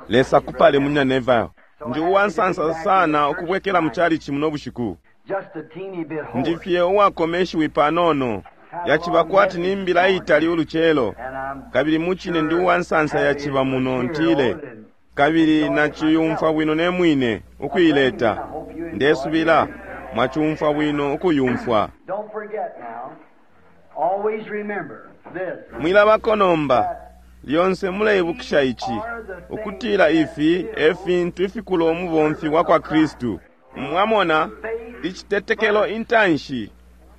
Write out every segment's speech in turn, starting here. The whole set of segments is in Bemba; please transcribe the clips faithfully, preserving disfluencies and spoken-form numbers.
Lesa kupale munyina Neville. Ndi uwansansa sana ukubwekela mu chalichi muno bushiku. Just a teeny bit hoarse. Ndi fye uwakomeshiwi panono. Yaciba kwati ni mbila itali uluchelo. And I'm Kabili muchine ndi uwansansa yaciba muno ntile. Kabili nachiyumfwa bwino ne mwine ukuileta. Ndesubila mwachumfwa bwino ukuyumfwa. Don't forget now. Always remember this. Mwilabako nomba. Lyonse muleibukisha ichi, ukutila ifi e fintu ifikula umubomfi wa kwa Kristu. Mwamona, icitetekelo intanshi,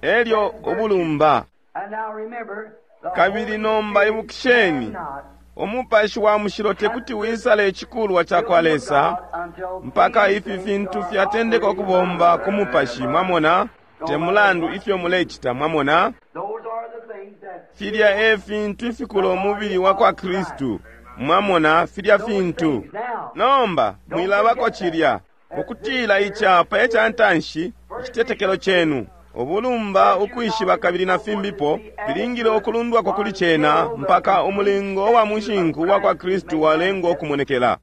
elyo ubulumba. And now remember, the Kabili Holy nomba Spirit ibukisheni, cannot umupashi wa mushilo tekuti wisale icikulwa ca kwa Lesa mpaka ifi fintu fyatendeka ukubomba ku mupashi. Mwamona, te mulandu ifyo mulecita. Mwamona, Those are the things that filya e fintu ifikula umubili wa kwa Kristu. Mwamona, filya fintu. Nomba mwilabako cilya, ukutila icapa eca ntanshi icitetekelo cenu, ubulumba, ukwishiba kabili na fimbipo filingile ukulundwako kuli cena mpaka umulingo wa mushinku wa kwa Kristu walengwa ukumonekela.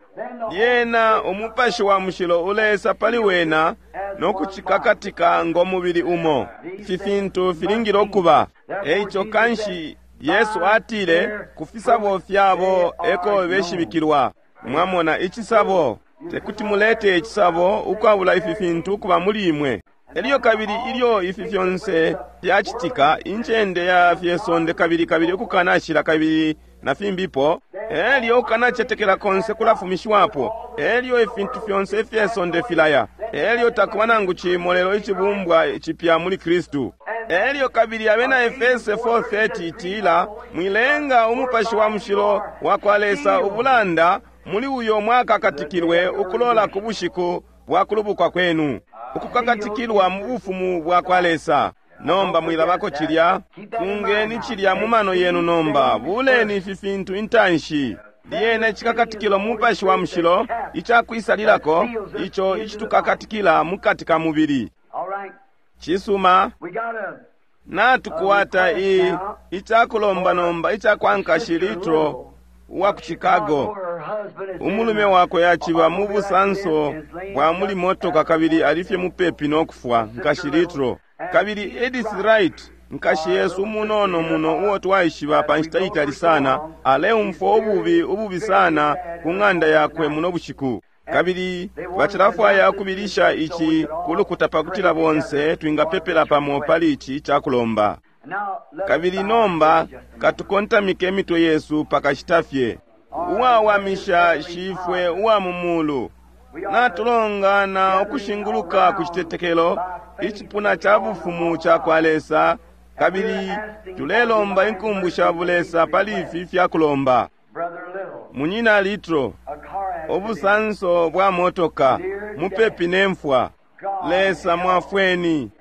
Lyena umupashi wa mushilo ulesa pali wena no kucikakatika ngo mubili umo. Ifi fintu filingile ukuba. Eico kanshi Yesu atile ku fisabo fyabo eko beshibikilwa. Mwamona icisabo, tekuti mulete icisabo ukwabula ifi fintu ukuba muli imwe. Elyo kabili ilyo ifi fyonse fyacitika, incende ya fyesonde kabili kabili ukukanashila kabili na fimbipo, elyo ukanacetekela konse kulafumishiwapo, elyo ifintu fyonse ifyesonde filaya, elyo takuba nangu cimo lelo icibumbwa cipya muli Kristu. Elyo kabili abena Efese four thirty itila, mwilenga umupashi wa mushilo wa kwa Lesa ubulanda muli uyo mwakakatikilwe ukulola ku bushiku bwa kulubukwa kwenu, ukukakatikilwa mu bufumu bwa kwa Lesa. Nomba mwilabako cilya, fungeni cilya mu mano yenu nomba, buleni ifi fintu intanshi. Lyena icikakatikilo mu mupashi wa mushilo icakwisalilako, ico icitukakatikila mukati ka mubili. All right. Cisuma, We got a natukwata i icakulomba nomba icakwa nkashi Litro uwa ku Chicago. Her husband is Umulume wakwe yaciba mu busanso bwa muli motoka kabili alifye mupepi no kufwa, nkashi Litro. Kabili Edith Wright, nkashi yesu umunono muno uo twaishiba pa nshita itali sana, aleumfwa ububi ububi sana ku ng'anda yakwe muno bushiku. Kabili bacilafwaya ukubilisha ici kulukuta pakutila bonse twingapepela pamo pali ici cakulomba. Now, let us Kabili bow nomba just a moment. katukontamike imitwe yesu pakashita fye. Uwawamisha shifwe uwa mu mulu, natulongana ukushinguluka ku citetekelo icipuna ca bufumu ca kwa Lesa, kabili tulelomba inkumbu sha bulesa pali ifi fyakulomba. Brother Little, Munyina Litro, a car accident. ubusanso bwa motoka mupepi ne mfwa. Lesa mwafweni.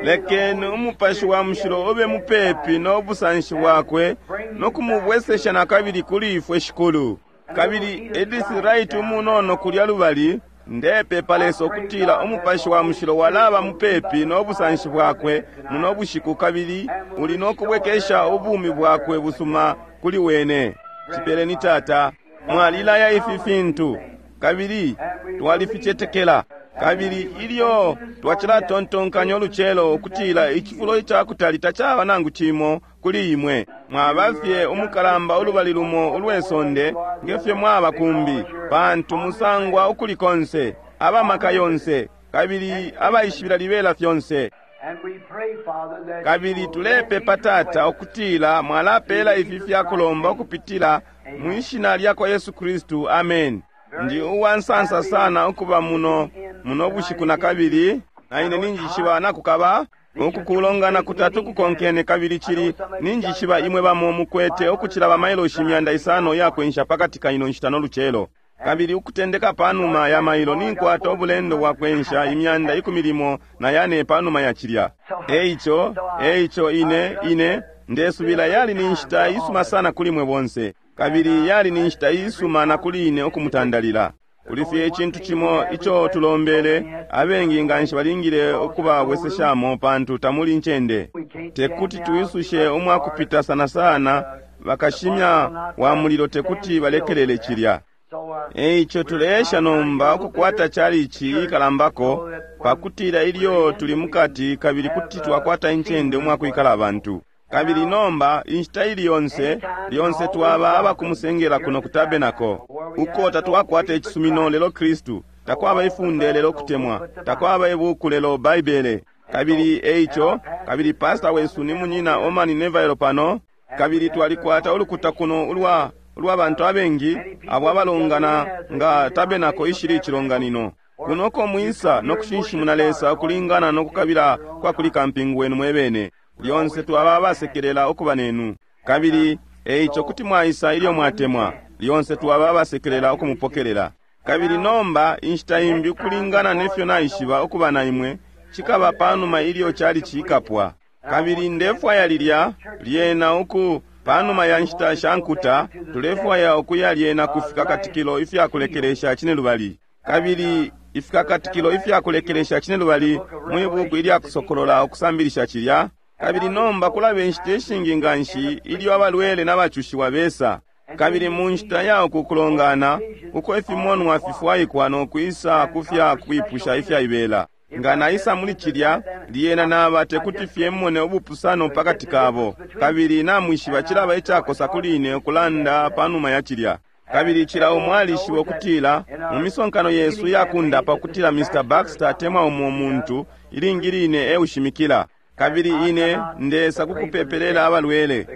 Lekeni umupashi wa mushilo ube mupepi no busanshi bwakwe no kumubwesesha na kabili kuli ifwe Shikulu. Kabili Edith Wright umunono kulya lubali, ndepepa Lesa ukutila umupashi wa mushilo walaba mupepi no busanshi bwakwe muno bushiku kabili uli no kubwekesha ubumi bwakwe busuma kuli wene. Cipeleni Tata, mwalilaya ifi fintu kabili twalificetekela. Kabili ilyo twacilatontonkanya ulucelo ukutila icifulo icakutali tacaba nangu cimo kuli imwe, mwaba fye umukalamba ulubali lumo ulwe sonde ngefyo mwaba kumbi, pantu musangwa ukuli konse, abamaka yonse kabili abaishibila libela fyonse. And we pray, Father, that Kabili you will tulepepa grant Tata these ukutila mwalapela ifi fyakulomba ukupitila mwishina lya kwa Yesu Kristu, amen. Ndi uwansansa sana ukuba muno muno bushiku na kabili, na ine ninjishiba nakukaba uku kulongana kutatu kukonkene kabili cili ninjishiba imwe bamo mukwete ukucila bamailoshi imyanda isano yakwensha pakati ka ino nshita no lucelo. Kabili ukutendeka panuma ya mailo ninkwata ubulendo bwa kwensha imyanda ikumi limo na yane panuma ya cilya. Eico, eico ine, ine, ndesubila yali ni nshita isuma sana kuli mwe bonse. Kabili yali ni nshita isuma na kuli ine ukumutandalila. Kuli fye icintu cimo ico tulombele, abengi nganshi balingile ukubabweseshamo pantu tamuli ncende. Tekuti tuisushe umwakupita sana sana, bakashimya wa mulilo tekuti balekelele cilya. So, uh, Eico tuleesha nomba ukukwata chalichi ikalambako pakutila ilyo tuli mukati kabili kuti twakwata incende umwakwikala abantu. Kabili nomba inshita ili yonse lyonse twaba abakumusengela kuno ku tabernacle, uko tatwakwata icisumino lelo Kristu, takwaba ifunde lelo kutemwa, takwaba ibuku lelo Baibele. Kabili eico, kabili pastor wesu ni munyina Omani Neville pano, kabili twalikwata ulukuta kuno ulwa ulwa bantu abengi abo abalongana nga tabernacle ishili icilonganino. Kunoko mwisa nokushinshimuna Lesa ukulingana nokukabila kwa kuli kampingu wenu mwebene. Lyonse twaba abasekelela ukuba nenu. Kabili eico kuti mwaisa ilyo mwatemwa, lyonse twaba abasekelela ukumupokelela. Kabili nomba inshita imbi ukulingana nefyo naishiba ukuba na imwe, cikaba panuma ilyo chali cikapwa. Kabili ndefwaya lilya lyena uku panuma ya nshita sha nkuta, tulefwaya ukuya lyena ku fikakatikilo ifyakulekelesha cinelubali. Kabili ifikakatikilo ifyakulekelesha cinelubali mwi buku ilya kusokolola ukusambilisha cilya. Kabili nomba kulaba inshita ishingi nganshi ilyo abalwele n'abacushiwa besa. Kabili mu nshita ya uku kulongana, uko ifimonwa fifwaikwa nokwisa ku fya kwipusha ifyaibela. Nga naisa muli cilya, lyena naba tekuti fye mmone ubupusano pakati kabo. Kabili namwishiba cilaba icakosa kuli ine ukulanda panuma ya cilya. Kabili cila umo alishiba ukutila mu misonkano yesu yakundapa ukutila Mister Baxter atemwa umo muntu ilingi line eushimikila. Kabili ine ndesa kukupepelela abalwele,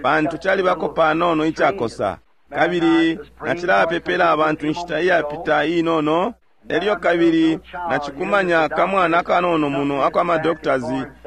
pantu calibako panono icakosa. Kabili nacilapepela abantu inshita iyapita inono. Elyo kabili nacikumanya kamwana kanono muno akwa madoctors,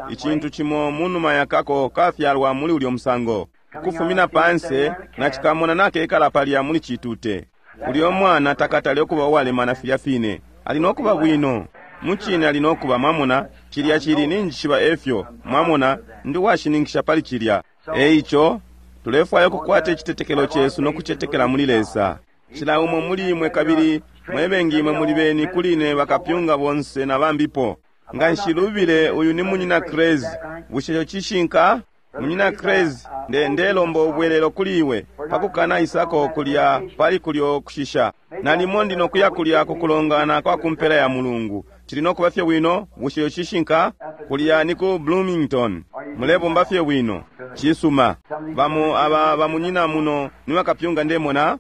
icintu cimo munuma yakako kafyalwa muli ulyo musango. Kufumina panse nacikamona nakekala palya muli citute. Ulyo mwana takatale okuba uwalemana filya fine, ali nokuba bwino. Mucine ali nokuba, mwamona, cilya cili ninjishiba efyo, mwamona, ndi washininkisha pali cilya. Eico tulefwaya ukukwata icitetekelo cesu nokucetekela muli Lesa. Cila umo muli imwe kabili mwebengi imwe muli beni kuli ine bakapyunga bonse na bambipo. Nga nshilubile uyu ni munyina Crazy. Bushe ico cishinka? Munyina Crazy, nde ndelomba ubwelelo kuli iwe pakukana isako kulya pali kulyo kushisha. Nalimo ndi nokuya kulya kukulongana kwa kumpela ya mulungu. Cili nokuba fye bwino, bushe ico cishinka? Kulya ni ku Bloomington. Mulebomba fye bwino. Cisuma. Bamo aba bamunyina muno ni bakapyunga ndemona.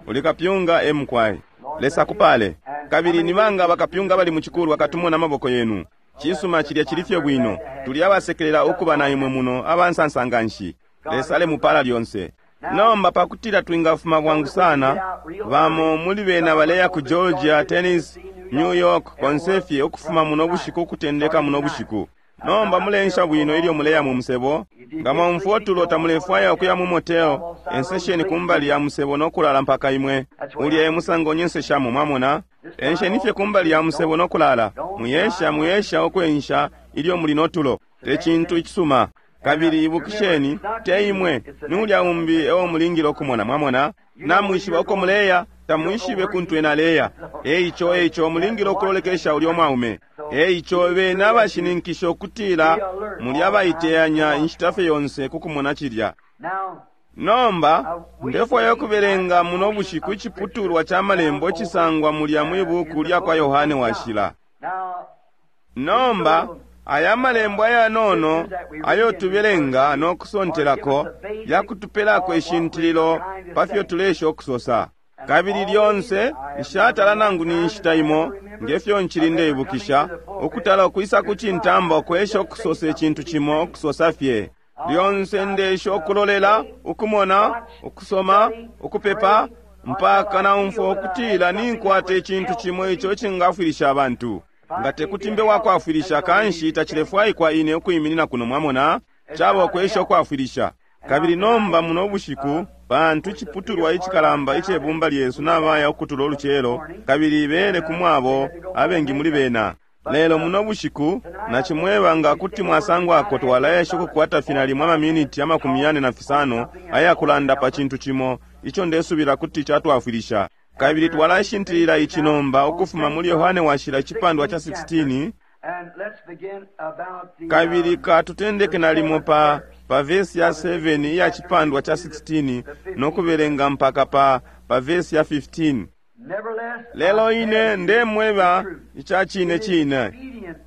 Uli kapyunga emkwai. Lesa kupale. Kabili ni banga bakapyunga bali mu chikulwa katumona maboko yenu. Cisuma cilya cili fye bwino. Tuli abasekelela ukuba na imwe muno abansansa nganshi. Lesa ale mupala lyonse. Nomba pakutila twingafuma bwangu sana, bamo muli bena baleya ku Georgia, Tennessee, New York, konsefye ukufuma muno bushiku ukutendeka muno bushiku. Nomba mulensha bwino ilyo muleya mu musebo. Nga mwamfwa otulo tamulefwaya ukuya mu motel, ensesheni kumbali ya musebo nokulala mpaka imwe. Ulya e musango nyenseshamo, mwamona. Ensheni fye kumbali ya musebo nokulala. Muyesha, muyesha okwensha ilyo muli notulo. Te cintu icisuma. Kabili ibukisheni, te imwe, ni ulya umbi ewo mulingile okumona, mwamona. Namwishiba uko muleya, tamwishibe kuntu ena aleya. Eico, eico mulingile okulolekesha ulya mwaume. Eico bena abashininkisha ukutila muli abaiteyanya inshita fye yonse kukumona cilya. Nomba ndefwaya ukubelenga muno bushiku iciputulwa ca malembo icisangwa mulya mwi buku lya kwa Yohane Washila. Nomba aya malembo ayanono ayo tubelenga nokusontelako yakutupelako ishintililo pafyo tulesha okusosa. Kabili lyonse nshatala nangu ni nshita imo ngefyo nchili ndeibukisha ukutala okwisa ku cintamba okwesha okusosa icintu cimo okusosa fye. Lyonse ndesha okulolela, ukumona, ukusoma, ukupepa mpaka naumfwa okutila ninkwata icintu cimo ico icingafwilisha abantu. Nga tekuti mbe wakwafwilisha kanshi tacilefwaikwa ine ukwiminina kuno, mwamona, caba okwesha okwafwilisha. Kabili nomba muno bushiku pantu iciputulwa icikalamba icebumba lyesu nabaya ukutula olucelo, kabili bele kumwabo abengi muli bena. Lelo muno bushiku nacimweba nga kuti mwasangwako twalayesha ukukwata finali mwa maminiti amakumi yane na fisano ayakulanda pa cintu cimo ico ndesubila kuti catwafwilisha. Kabili twalashintilila ici nomba ukufuma muli Yohane Washila icipandwa ca sixteen. Kabili katutendeke nalimo pa, pa vesi ya seven iya cipandwa ca sixteen nokubelenga mpaka pa, pa vesi ya fifteen. Lelo ine ndemweba ica cine cine,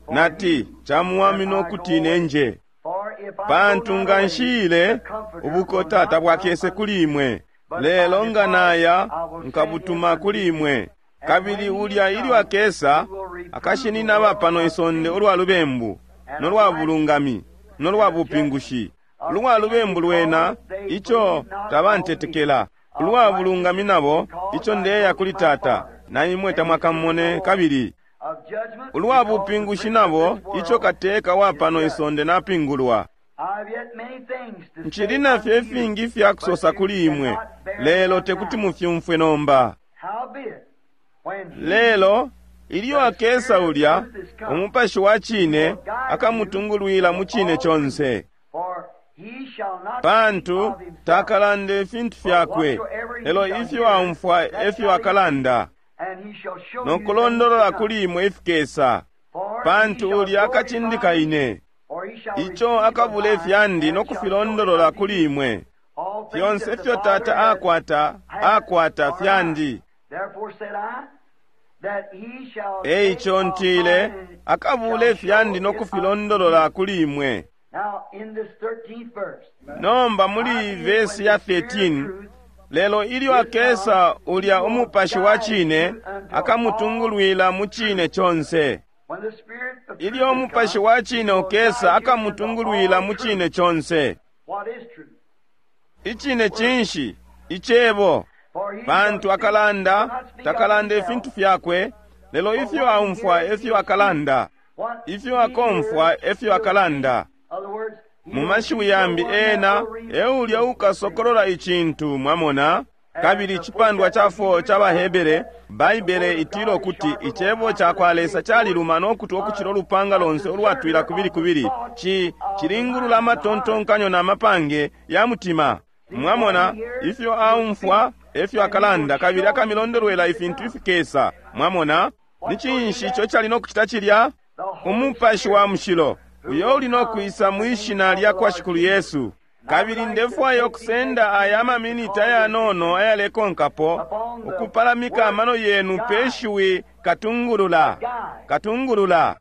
nati camuwamina ukuti ine nje. Pantu nga nshiile, ubukota tabwakese kuli imwe, lelo nga naya nkabutuma kuli imwe. Kabili ulya ilyo akesa, akashinina aba pano isonde ulwa lubembu, no lwa bulungami, no lwa bupingushi. Ulwa lubembu lwena, ico tabantetekela. Ulwa bulungami nabo, ico ndeya kuli Tata, na imwe tamwakamone kabili. Ulwa bupingushi nabo, ico kateka wa pano isonde napingulwa. Nchili nafyo ifingi ifya kusosa kuli imwe, lelo tekuti mufyumfwe nomba. Lelo ilyo akesa ulya, umupashi wa cine akamutungulwila mu cine conse. Pantu takalanda ifintu fyakwe, lelo ifyo aumfwa efyo akalanda, no kulondolola kuli imwe ifikesa. Pantu ulya akacindika ine, ico akabula ifyandi no kufilondolola kuli imwe. Fyonse ifyo Tata akwata, akwata fyandi. Eico ntile, akabula ifyandi no kufilondolola kuli imwe. Nomba muli vesi ya thirteen, lelo ilyo akesa ulya umupashi wa cine, akamutungulwila mu cine conse. Ilyo umupashi wa cine ukesa, akamutungulwila mu cine conse. Icine cinshi? Icebo. Pantu akalanda, takalanda ifintu fyakwe, lelo ifyo aumfwa efyo akalanda, ifyo akomfwa efyo akalanda. Mu mashiwi yambi ena eulya ukasokolola icintu, mwamona. Kabili icipandwa ca four ca baHebere, Baibele itila ukuti icebo ca kwa Lesa caliluma no kutwa ukucila ulupanga lonse ulwatwila kubili kubili, ci cilingulula amatontonkanyo na mapange ya mutima. Mwamona, ifyo aumfwa efyo akalanda, kabili akamilondolwela ifintu ifikesa. Mwamona, ni cinshi ico cali no kucita cilya? Umupashi wa mushilo uyo uli no kwisa mwishina lya kwa Shikulu Yesu. Kabili ndefwaya ukusenda aya maminiti ayanono ayalekonkapo ukupalamika amano yenu pe shiwi katungulula, katungulula.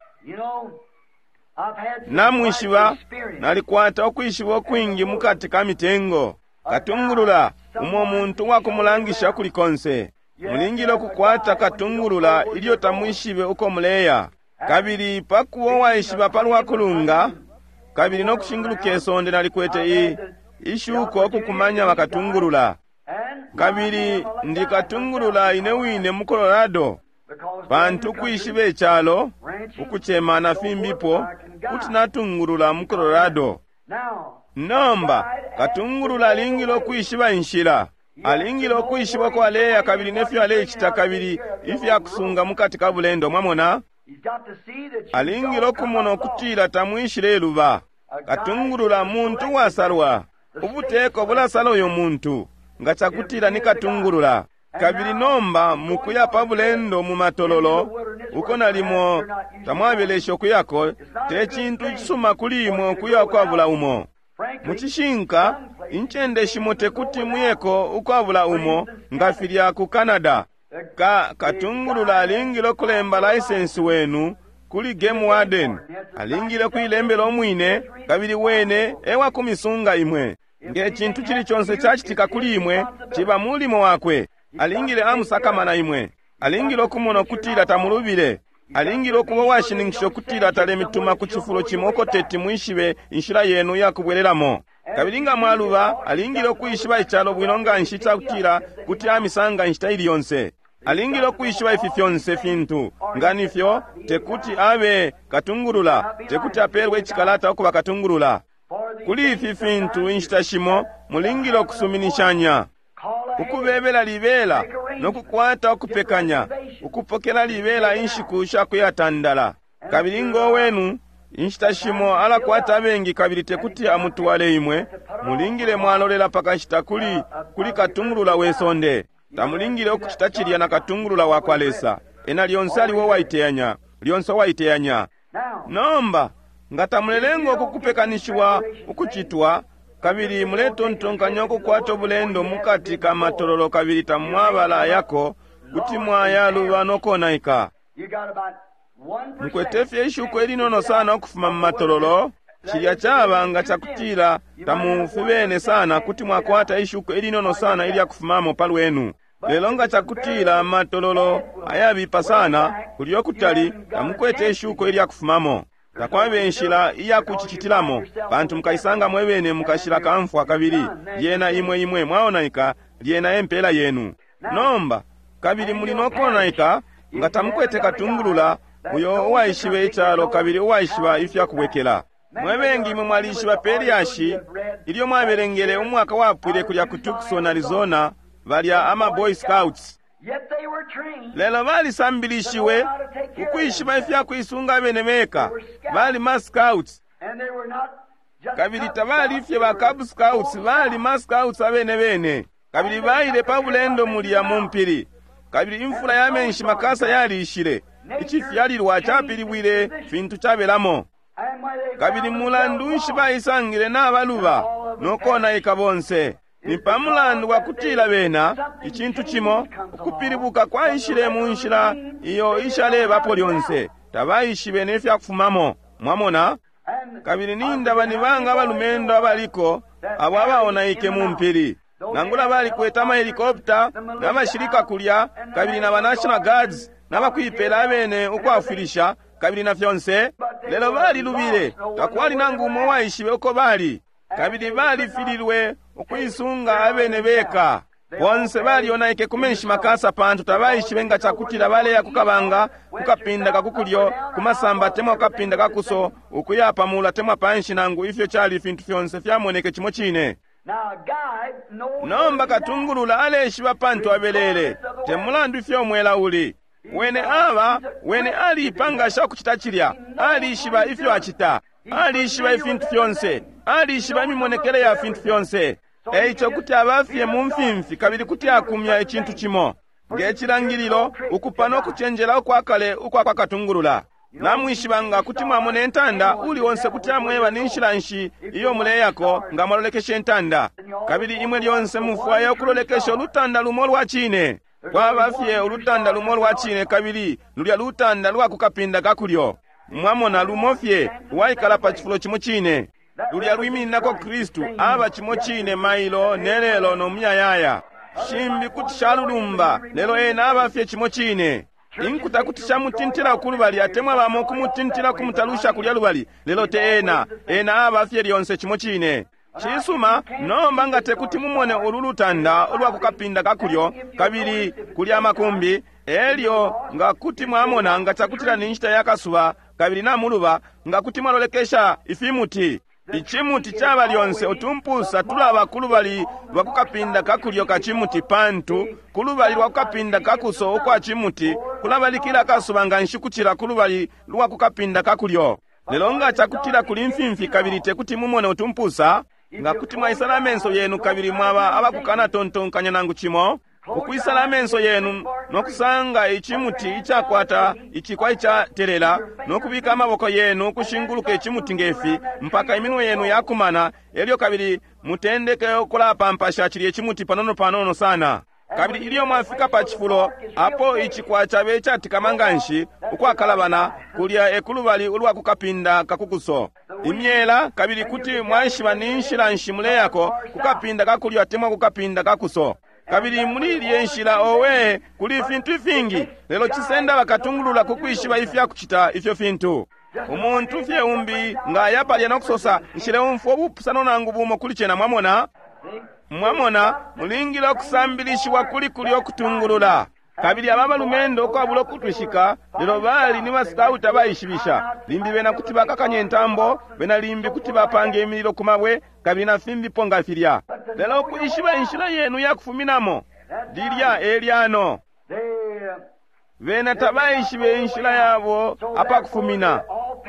Namwishiba, nalikwata ukwishiba ukwingi mukati ka mitengo. Katungulula, umo muntu wakumulangisha kuli konse. Mulingile ukukwata katungulula ilyo tamwishibe uko muleya. Kabili pakuba waishiba palwa kulunga, kabili no kushinguluka isonde nalikwete i ishuko okukumanya bakatungulula. Kabili ndikatungulula ine wine mu Colorado, pantu ukwishiba icalo, ukucema na fimbipo, kuti natungulula mu Colorado. Nomba katungulula alingile ukwishiba inshila, alingile ukwishiba uko aleya kabili nefyo alecita kabili ifyakusunga mukati ka bulendo, mwamona. Alingile okumona ukutila tamwishile iluba. Katungulula muntu wasalwa. Ubuteko bulasala uyo muntu nga cakutila ni katungulula. Kabili nomba mukuya pa bulendo mu matololo uko nalimo tamwabelesha ukuyako, te cintu cisuma kuli imwe ukuya ukwabula umo. Mu cishinka, incende shimo tekuti muyeko ukwabula umo nga filya ku Canada. Ka katungulula alingile okulemba license wenu kuli game warden. Alingile kuilembela omwine, kabili wene ewa kumisunga imwe. Nge cintu cili conse cacitika kuli imwe, ciba mulimo wakwe. Alingile amusakamana imwe. Alingile okumona okutila tamulubile. Alingile okuba washininkisha okutila talemituma ku cifulo cimo uko teti mwishibe inshila yenu yakubwelelamo. Kabili nga mwaluba, alingile okwishiba icalo bwino nga nshi cakutila kuti amisanga inshita ili yonse. Alingile okwishiba ifi fyonse fintu. Nga nifyo, tekuti abe katungulula, tekuti apeelwe icikalata ukuba katungulula. Kuli ifi fintu inshita shimo mulingile okusuminishanya, ukubebela libela no kukwata ukupekanya, ukupokela libela inshiku sha kuyatandala. Kabili ngo wenu inshita shimo alakwata abengi kabili tekuti amutwale imwe, mulingile mwalolela pakashita kuli, kuli katungulula we sonde. Tamulingile okucita cilya na katungulula wa kwa Lesa. Ena lyonse aliwo waiteyanya, lyonse waiteyanya. Nomba nga tamulelenga ukukupekanishiwa ukucitwa, kabili muletontonkanya ukukwata ubulendo mukati ka matololo kabili tamwabala ayako, Kuti mwayaluba no konaika. You got about one Mukwete fye ishuko ilinono sana ukufuma mu matololo. Cilya caba nga cakutila tamufubene sana, kuti mwakwata ishuko ilinono sana ilya kufumamo palwenu. Lelo nga cakutila matololo ayabipa sana, kulyo kutali tamukwete ishuko ilya kufumamo. Takwaba inshila iya kucicitilamo, pantu mukaisanga mwebene mukashila kamfwa kabili lyena imwe imwe mwaonaika, lyena empela yenu. Nomba kabili muli nokonaika nga tamukwete katungulula uyo uwaishibe icalo kabili uwaishiba ifya kubwekela. Mwe bengi imwe mwalishiba pe lyashi ilyo mwabelengele umwaka wapwile kulya ku Tucson, Arizona, balya ama Boy Scouts. Yet they were trained. Lelo balisambilishiwe ukwishiba ifya kuisunga abene beka. Bali ma Scouts And they were not just kabili Cub tabali Scouts, fye ba they were Cub Scouts, bali ma Scouts abene bene. Kabili baile pa bulendo mulya mu mpili, kabili imfula ya menshi makasa yalishile. Icifyalilwa capilibwile fintu cabelamo. And when they Kabili found mulandu themselves nshi baisangile nabaluba nokonaika bonse? Ni pa mulandu wa kutila bena icintu cimo ukupilibuka kwaishile mu nshila iyo ishalebapo lyonse, tabaishibe ne fya kufumamo. Mwamona? And Kabili nindaba ni banga abalumendo abaliko abo abaonaike mu mpili, nangula balikwete amahelikopta n'abashilika kulya, kabili na ba National Guards n'abakwipela abene ukwafwilisha kabili na fyonse, lelo balilubile. Takwali nangu umo waishibe uko bali, kabili balifililwe ukuisunga abene beka. Bonse balionaike ku menshi makasa, pantu tabaishibe nga cakutila baleya kukabanga, kukapinda kakukulyo, kumasamba temwa kukapinda kakuso, ukuya pamula temwa panshi, nangu ifyo cali ifintu fyonse fyamoneke cimo cine. Now a guide knows Nomba katungulula aleshiba pantu abelele, te mulandu ifyo umwela uli. Wene aba, wene aliipangasha ukucita cilya, alishiba ifyo acita, alishiba ifintu fyonse, alishiba imimonekele ya fintu fyonse. Eico kuti abafye mu mfimfi kabili kuti akumya icintu cimo nge cilangililo, ukupa no kucenjela ukwakale ukwa kwa katungulula. Namwishiba nga kuti mwamona intanda, uli onse kuti amweba ni nshila nshi iyo muleyako nga mwalolekesha intanda. Kabili imwe lyonse mufwaya ukulolekesha ulutanda lumo lwa cine. Kwaba fye ulutanda lumo lwa cine, kabili lulya lutanda lwa kukapinda kakulyo. Mwamona, lumo fye lwaikala pa cifulo cimo cine. Lulya lwimininako Kristu, aba cimo cine mailo ne lelo no muyayaya. Shimbi kuti shalulumba, lelo ena aba fye cimo cine. Inkuta kuti shamutintila kulubali, atemwa bamo kumutintila kumutalusha kulya lubali, lelo te ena. Ena aba fye lyonse cimo cine. Cisuma, nomba nga tekuti mumone ulu lutanda ulwa kukapinda kakulyo, kabili kulya amakumbi, elyo nga kuti mwamona nga cakutila ni nshita ya kasuba kabili namuluba, nga kuti mwalolekesha ifimuti. Icimuti caba lyonse utumpusa tulaba kulubali lwa kukapinda kakulyo ka cimuti, pantu kulubali lwa kukapinda kakuso ukwa cimuti kulabalikila akasuba nga nshi kucila kulubali lwa kukapinda kakulyo. Lelo nga cakutila kuli mfimfi kabili tekuti mumone utumpusa, nga kuti mwaisala amenso yenu kabili mwaba abakukana tontonkanya nangu cimo, ukwisala amenso yenu nokusanga icimuti icakwata icikwa icatelela, nokubika amaboko yenu ukushinguluka icimuti ngefi mpaka iminwe yenu yakumana, elyo kabili mutendeke ukulapampasha cilya icimuti panono panono sana. Kabili ilyo mwafika pa cifulo apo icikwa cabe icatikama nganshi ukwakalabana, kulya ekulubali ulwa kukapinda kakukuso imyela, kabili kuti mwaishiba ni nshila nshi muleyako kukapinda kakulyo atemwa kukapinda kakuso. Kabili muli ilye nshila, owe, kuli ifintu ifingi, lelo cisenda bakatungulula ku kwishiba ifya kucita ifyo fintu. Umuntu fye umbi nga aya palya no kusosa, nshileumfwa ubupusano nangu bumo kuli cena. Mwamona? Mwamona, mulingile ukusambilishiwa kuli kulyo kutungulula. Kabili aba balumendo ukwabula ukutwishika, lelo bali ni basikauti abaishibisha. Limbi bena kuti bakakanya intambo, bena limbi kuti bapanga imililo ku mabwe, kabili na fimbipo nga filya. Lelo ukwishiba inshila yenu ya kufuminamo, lilya e lyano. They, uh, Bena tabaishibe inshila yabo apakufumina.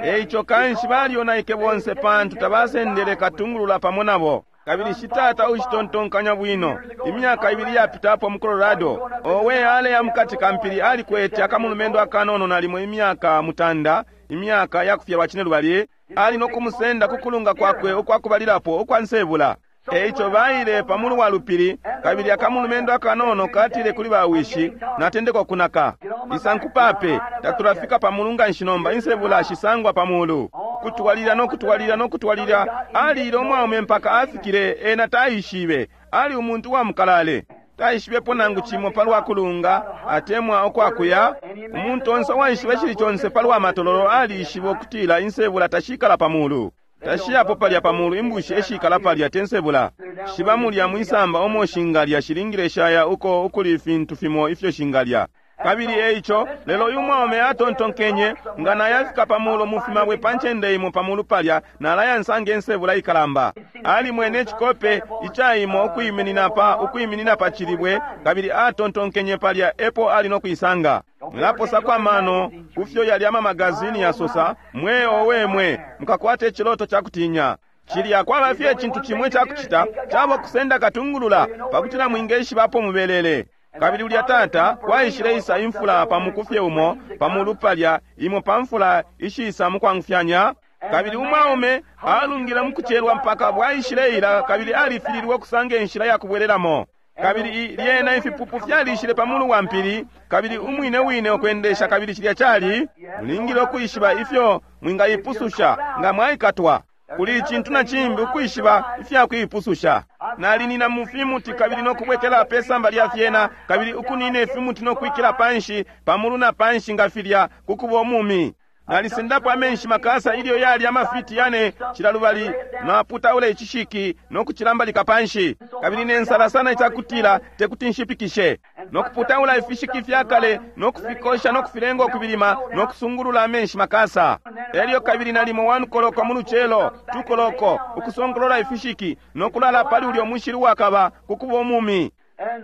Eico kanshi balyonaike bonse, pantu tabasendele katungulula pamo nabo. Kabili shitata ushitontonkanya bwino, imyaka ibili yapitapo mu Colorado, owe aleya mukati ka mpili, alikwete akamulumendo akanono nalimo imyaka mutanda, imyaka yakufyalwa cine lubali, ali no kumusenda ku kulunga kwakwe ukwakubalilapo ukwa nsebula. Eico baile pamulu wa lupili, kabili akamulumendo akanono katile kuli bawishi, natendeka ukunaka. Isankupape, tatulafika pamulu nganshi nomba, insebula shisangwa pamulu. Kutwalila no kutwalila no kutwalila, alile umwaume mpaka afikile, ena taishibe, ali umuntu wa mukalale. Taishibepo nangu cimo palwa kulunga atemwa ukwakuya. Umuntu onse uwaishiba icili conse palwa matololo alishiba ukutila insebula tashikala pamulu. Tashiyapo palya pamulu, imbushi eshikala palya te nsebula. Shiba mulya mwisamba omo shingalya, shilingile shaya uko ukuli ifintu fimo ifyo shingalya. Kabili eico, lelo uyu mwaume atontonkenye, nga nayafika pamulu mufimabwe pa ncende imo pamulu palya, nalaya nsange nsebula ikalamba. Alimwene icikope icaimo ukwiminina pa, ukwiminina pa cilibwe, kabili atontonkenye palya epo ali no kuisanga. Mwilaposako amano kufyo yali ama magazini yasosa, mweo wemwe, mukakwate iciloto ca kutinya. Cilya kwaba fye icintu cimwe cakucita, caba kusenda katungulula, pakutila mwingeshibapo mubelele. Kabili ulya tata kwaishile isa imfula pa mukufye umo pamulu palya, imo pa mfula ishisa mukwangufyanya. Kabili umwaume alungile mukucelwa mpaka bwaishile ila, kabili alifililwe ukusanga inshila ya kubwelelamo. Kabili lyena ifipupu fyalishile pamulu wa mpili, kabili umwine wine ukwendesha, kabili cilya cali mulingile ukwishiba ifyo mwingaipususha nga mwaikatwa. Kuli icintu na cimbi ukwishiba ifya kuipususha. Nalinina mu fimuti kabili no kubwekela pe samba lya fyena, kabili ukunina ifimuti no kwikila panshi pamulu na panshi nga filya kukuba umumi. Nalisendapo amenshi makasa ilyo yali amafiti yane cila lubali, naputaula icishiki no kucilambalika panshi, kabili nensala sana icakutila tekuti nshipikishe, no kuputaula ifishiki fya kale no kufikosha no kufilenga ukubilima no kusungulula amenshi makasa. Elyo kabili nalimo one koloko mu lucelo, two koloko, ukusongolola ifishiki no kulala pali ulyo mushili wakaba kukuba umumi.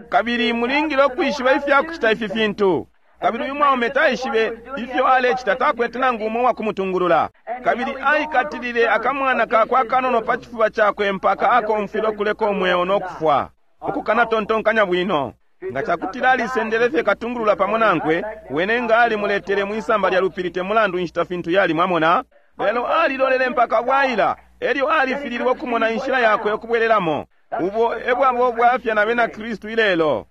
Kabili mulingile ukwishiba ifya kucita ifi fintu. Kabili uyu mwaume taishibe ifyo alecita, takwete nangu umo wakumutungulula. Kabili aikatilile akamwana kakwe akanono pa cifuba cakwe mpaka akomfwile ukuleka umweo no kufwa, ukukanatontonkanya bwino. Nga cakutila alisendele fye katungulula pamo nankwe, wene nga alimuletele mwisamba lya lupili te mulandu inshita fintu yali, mwamona. Lelo alilolele mpaka bwaila, elyo alifililwe ukumona inshila yakwe ukubwelelamo. Ubo ebwabo ubwafya na bena Kristu ilelo.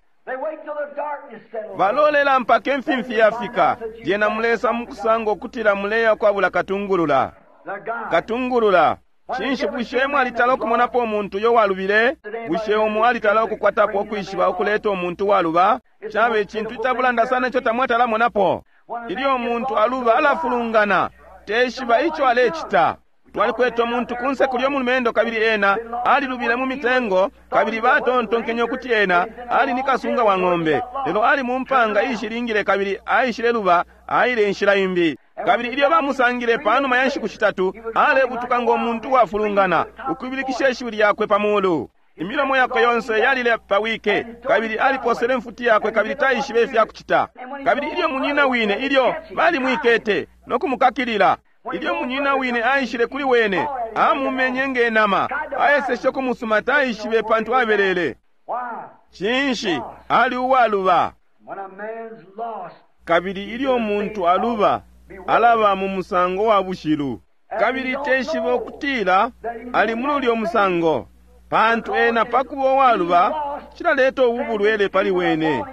Balolela mpaka imfimfi yafika, lyena mulesa mukusanga ukutila muleya kwabula katungulula. Katungulula. Cinshi, bushe mwalitala ukumonapo umuntu uyo walubile? Bushe umo alitala ukukwatapo ukwishiba ukuleta umuntu waluba? Cabe icintu icabulanda sana ico tamwatalamonapo. Ilyo umuntu aluba alafulungana, teshiba ico alecita. Twalikwete umuntu kunse kulyo mulumendo, kabili ena alilubile mu mitengo, kabili batontonkenye ukuti ena ali ni kasunga wa ng'ombe, lelo ali mu mpanga ishilingile, kabili aishile luba, aile inshila imbi. Kabili ilyo bamusangile panuma ya nshiku shitatu, alebutuka ngo muntu wafulungana, ukubilikisha ishiwi lyakwe pa mulu. Imilomo yakwe yonse yalile pawike, kabili aliposele mfuti yakwe, kabili taishibe ifya kucita. Kabili ilyo munyina wine, ilyo balimwikete no kumukakilila, ilyo munyina wine aishile kuli wene, amumenye ngenama, aeseshe kumusuma, taishibe pantu abelele. Cinshi, ali uwaluba. Kabili ilyo umuntu aluba, alaba mu musango wa bushilu, kabili teshiba ukutila ali muli ulyo musango, pantu ena pakuba uwaluba cilaleta ubu bulwele pali wene,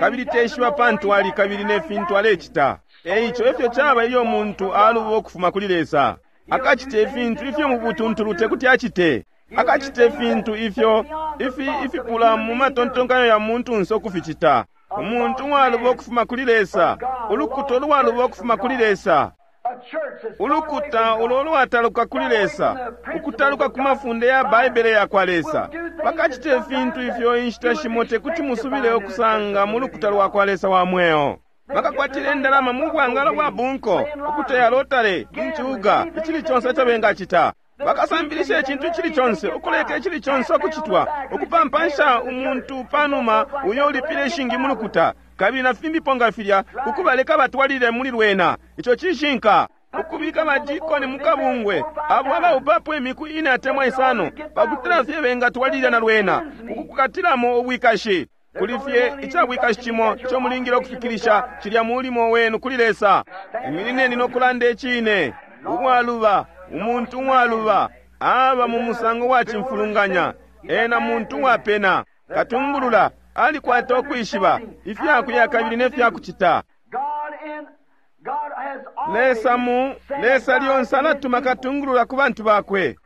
kabili teshiba pantu ali kabili ne fintu alecita. Eico efyo caba ilyo umuntu aluba ukufuma kuli Lesa. Akacita ifintu ifyo mu butuntulu tekuti acite. Akacita ifintu ifyo ifi ifipula mu matontonkanyo ya muntunse ukuficita. Umuntu uwaluba ukufuma kuli Lesa, ulukuta ulwaluba ukufuma kuli Lesa, ulukuta ulo lwataluka kuli Lesa, ukutaluka ku mafunde ya Baibele ya kwa Lesa, bakacita ifintu ifyo inshita shimo tekuti musubile ukusanga mu lukuta lwa kwa Lesa wa mweo. Bakakwatile indalama mu bwangalo bwa bunko, ukuteya lotale, incuga, icili conse ico bengacita. Bakasambilisha icintu icili conse, ukuleka icili conse ukucitwa, ukupampansha umuntu panuma uyo ulipile ishingi mu lukuta, kabili na fimbipo nga filya, ukubaleka batwalile muli lwena. Ico cishinka. Ukubika badikoni mu kabungwe, abo abaupapo imiku ine atemwa isano, pakutila fye bengatwalilila na lwena, ukukukatilamo ubwikashi. Kuli fye icabwikashi cimo ico mulingile ukufikilisha, cilya mulimo wenu kuli Lesa. Iminineni no kulanda icine. Uwaluba, umuntu uwaluba, aba mu musango wa cimfulunganya, Ena muntu uwapena. Katungulula alikwata ukwishiba ifyakuya kabili nefyakucita. Lesa mu Lesa lyonse alatuma katungulula ku bantu bakwe.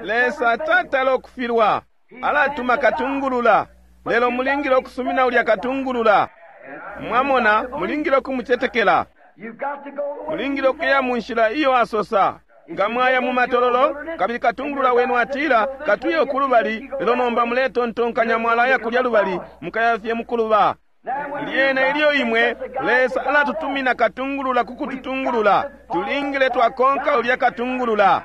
Lesa tatala ukufilwa, alatuma katungulula. Lelo mulingile ukusumina ulya katungulula. Mwamona, mulingile ukumucetekela. Mulingile ukuya mu nshila iyo asosa. Nga mwaya mu matololo, kabili katungulula wenu atila, katuye ukulubali, lelo nomba muletontonkanya mwalaya kulya lubali, mukaya fye mukuluba. Lyena ilyo imwe, Lesa alatutumina katungulula ku kututungulula. Tulingile twakonka ulya katungulula.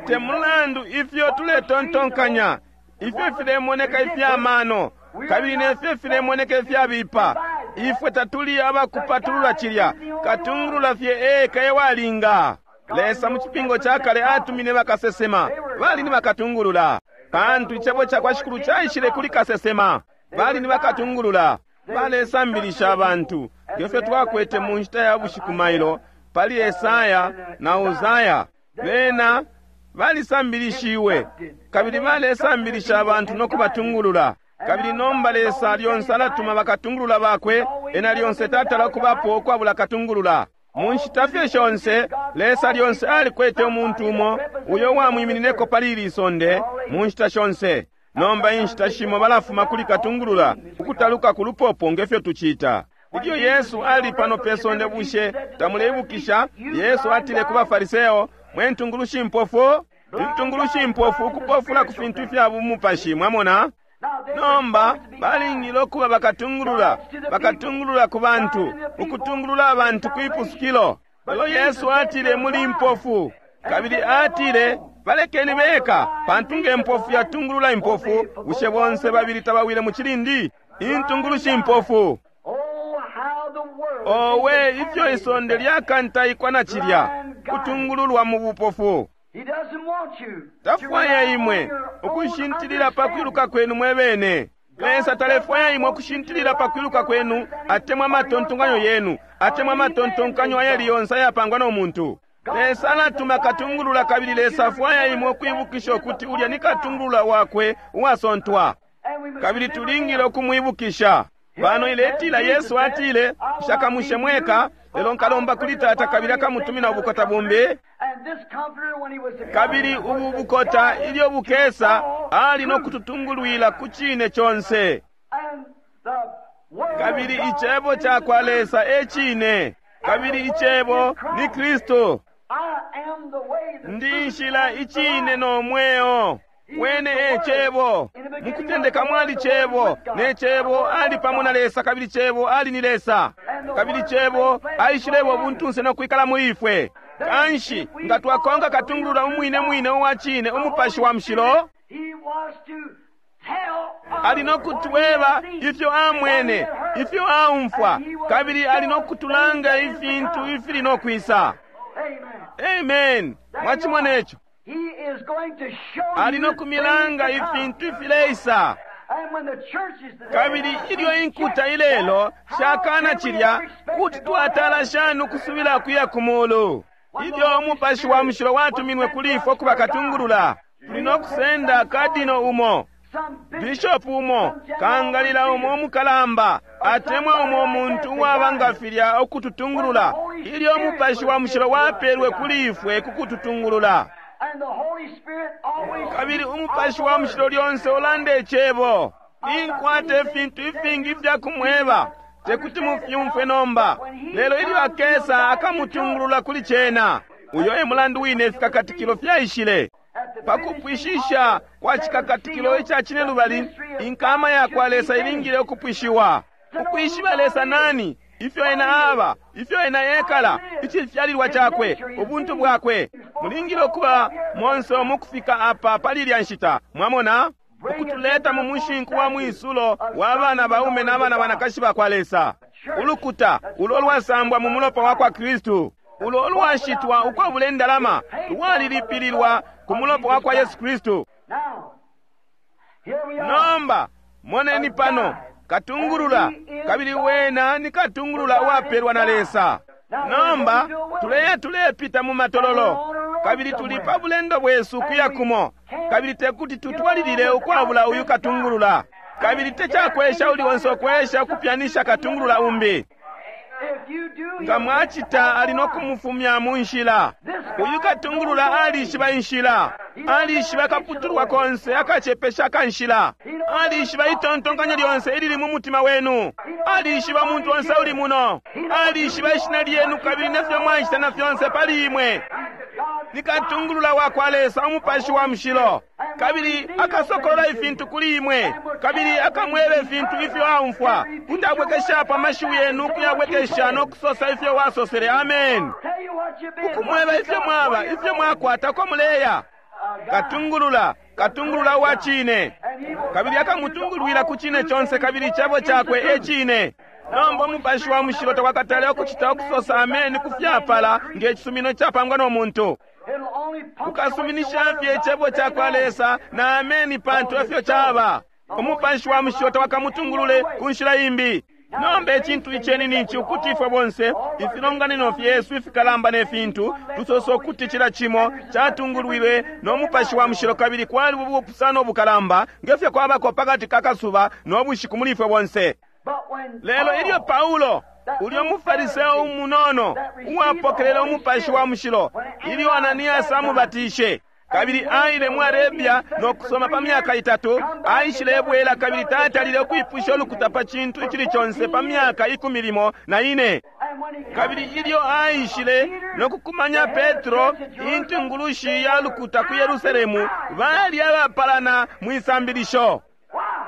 Te mulandu ifyo tuletontonkanya, ifyo filemoneka ifya mano, kabili nefyo filemoneka ifyabipa, ifwe tatuli abakupatulula cilya. Katungulula fye eka ewalinga. Lesa mu cipingo ca kale atumine bakasesema, bali ni bakatungulula, pantu icebo ca kwa Shikulu caishile kuli kasesema. Bali ni bakatungulula, balesambilisha abantu ngefyo twakwete mu nshita ya bushiku mailo pali Esaya na Uzaya. Bena balisambilishiwe kabili balesambilisha abantu no kubatungulula. Kabili nomba Lesa lyonse alatuma bakatungulula bakwe, ena lyonse tatala kubapo ukwabula katungulula. Mu nshita fye shonse Lesa lyonse alikwete umuntu umo uyo wamwiminineko pali ili sonde mu nshita shonse. Nomba inshita shimo balafuma kuli katungulula ukutaluka ku lupopo ngefyo tucita. Ilyo Yesu ali pano pe sonde, bushe tamuleibukisha? Yesu atile ku baFariseo, mwe ntungulushi mpofu, intungulushi mpofu ukupofula ku fintu ifya bumupashi. Mwamona? Nomba balingile ukuba bakatungulula, bakatungulula ku bantu, ukutungulula abantu kwipusukilo. Lelo Yesu atile muli mpofu, kabili atile balekeni beka, pantu nge mpofu yatungulula impofu, bushe bonse babili tabawile mu cilindi? Intungulushi mpofu. Owe, ifyo isonde lyakantaikwa na cilya kutungululwa mu bupofu. Tafwaya imwe ukushintilila pa kwiluka kwenu mwe bene. Lesa talefwaya imwe ukushintilila pa kwiluka kwenu, atemwa amatontonkanyo yenu, atemwa amatontonkanyo ayali yonse ayapangwa no muntu. Lesa alatuma katungulula, kabili Lesa afwaya imwe ukwibukisha ukuti ulya ni katungulula wakwe uwasontwa, kabili tulingile ukumwibukisha. Pano iletila Yesu atile, nshakamushe mweka, lelo nkalomba kuli Tata kabili akamutumina ubukota bumbi. Kabili ubu bukota ilyo bukesa, ali no kututungulwila ku cine conse. Kabili icebo ca kwa Lesa e cine, kabili icebo ni Kristu. Ndi nshila, icine no mweo. Wene e cebo. Mukutendeka mwali cebo, ne cebo ali pamo na Lesa, kabili cebo ali ni Lesa, kabili cebo aishilebo ubuntunse no kwikala muli ifwe. Kanshi nga twakonka katungulula umwine mwine uwa cine, umupashi wa mushilo, ali no kutweba ifyo amwene, ifyo aumfwa, kabili ali no kutulanga ifintu ifili no kwisa. Amen. Mwachimona ico? Ali no kumilanga ifintu ifileisa. Kabili ilyo inkuta ilelo shakana cilya, kuti twatala shani ukusubila kuya ku mulu? Ilyo umupashi wa mushilo watuminwe kuli ifwe kuba katungulula, tuli no kusenda kadino umo, bishopu umo, kangalila umo umukalamba, atemwa umo umuntu uwaba nga filya ukututungulula, ilyo umupashi wa mushilo wapelwe kuli ifwe kukututungulula. Kabili umupashi wa mushilo lyonse ulanda icebo. Ninkwata ifintu ifingi ifya kumweba, tekuti mufyumfwe nomba, lelo ilyo akesa akamutungulula kuli cena. Uyo e mulandu wine ifikakatikilo fyaishile. Pakupwishisha kwa cikakatikilo ica cine lubali, inkama ya kwa Lesa ilingile ukupwishiwa. Ukwishiba Lesa nani, ifyo ena aba, ifyo ena ekala, icifyalilwa cakwe, ubuntu bwakwe. Mulingile ukuba monse mukufika apa pali ilya nshita. Mwamona? Ukutuleta mu mushinku wa mwisulo wa bana baume na bana banakashi ba kwa Lesa. Ulukuta ulo lwasambwa mu mulopa wa kwa Kristu, ulo lwashitwa ukwabula indalama, lwalilipililwa ku mulopa wa kwa Yesu Kristu. Nomba moneni pano katungulula, kabili wena ni katungulula uwapelwa na Lesa. Nomba tuleya tulepita mu matololo, kabili tuli pa bulendo bwesu kuya kumo, Kabili tekuti tutwalilile ukwabula uyu katungulula. Kabili tecakwesha uli onse ukwesha ukupyanisha katungulula umbi. Nga mwacita ali no kumufumya mu nshila. Uyu katungulula alishiba inshila, alishiba akaputulwa konse akacepesha akanshila, alishiba itontonkanyo lyonse ilili mu mutima wenu, alishiba umuntu onse uli muno, alishiba ishina lyenu kabili nefyo mwacita na fyonse pali imwe. Ni katungulula wa kwa Lesa, umupashi wa mushilo, kabili akasokolola ifintu kuli imwe, kabili akamweba ifintu ifyo aumfwa. Kuti abwekeshapo amashiwi yenu ukuyabwekesha no kusosa ifyo wasosele. Amen. Ukumweba ifyo mwaba, ifyo mwakwata, uko muleya. Katungulula, katungulula wa cine, kabili akamutungulwila ku cine conse, kabili icebo cakwe e cine. Nomba umupashi wa mushilo takwakatale ukucita ukusosa ameni kufyapala nge cisumino capangwa no muntu. Ukasuminisha fye icebo cakwa Lesa na ameni, pantu efyo caba. Umupashi wa mushilo tawakamutungulule ku nshila imbi. Nomba icintu iceni nici ukuti ifwe bonse ifilonganino fyesu ifikalamba ne fintu tusosa ukuti cila cimo catungulwilwe no mupashi wa mushilo, kabili kwali ubupusano bukalamba ngefyo kwabako pakati ka kasuba no bushiku muli ifwe bonse. Lelo ilyo Paulo, ulyo mufariseo umunono uwapokelele umupashi wa mushilo, ilyo Ananias amubatishe kabili aile mu Arabia no kusoma pa myaka itatu, aishilebwela kabili tatalile ukwipusha ulukuta pa cintu icili conse pa myaka ikumi limo na ine. Kabili ilyo aishile no kukumanya Petro, intungulushi ya lukuta ku Yerusalemu, bali abapalana mwisambilisho.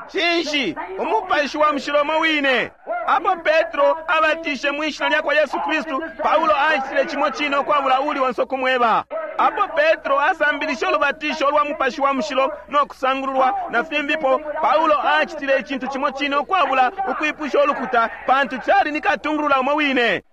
Cinshi? Umupashi wa mushilo umo wine. Apo Petro abatishe mwishina lya kwa Yesu Kristu, Paulo acitile cimo cine ukwabula uli onse ukumweba. Apo Petro asambilishe ulubatisho lwa mupashi wa mushilo no kusangululwa na fimbipo, Paulo acitile icintu cimo cine ukwabula ukwipusha ulukuta, pantu cali ni katungulula umo wine.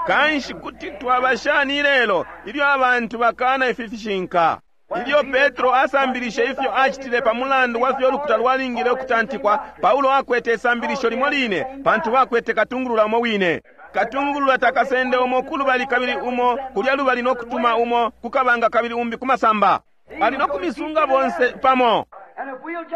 Kanshi kuti twaba shani ilelo ilyo abantu bakana ifi fishinka? Ilyo Petro asambilishe ifyo acitile pa mulandu wa fyo ulukuta lwalingile ukutantikwa, Paulo akwete isambilisho limo line, pantu bakwete katungulula umo wine. Katungulula takasende umo kulubali kabili umo kulya lubali no kutuma umo kukabanga kabili umbi kumasamba. Ali no kumisunga bonse pamo.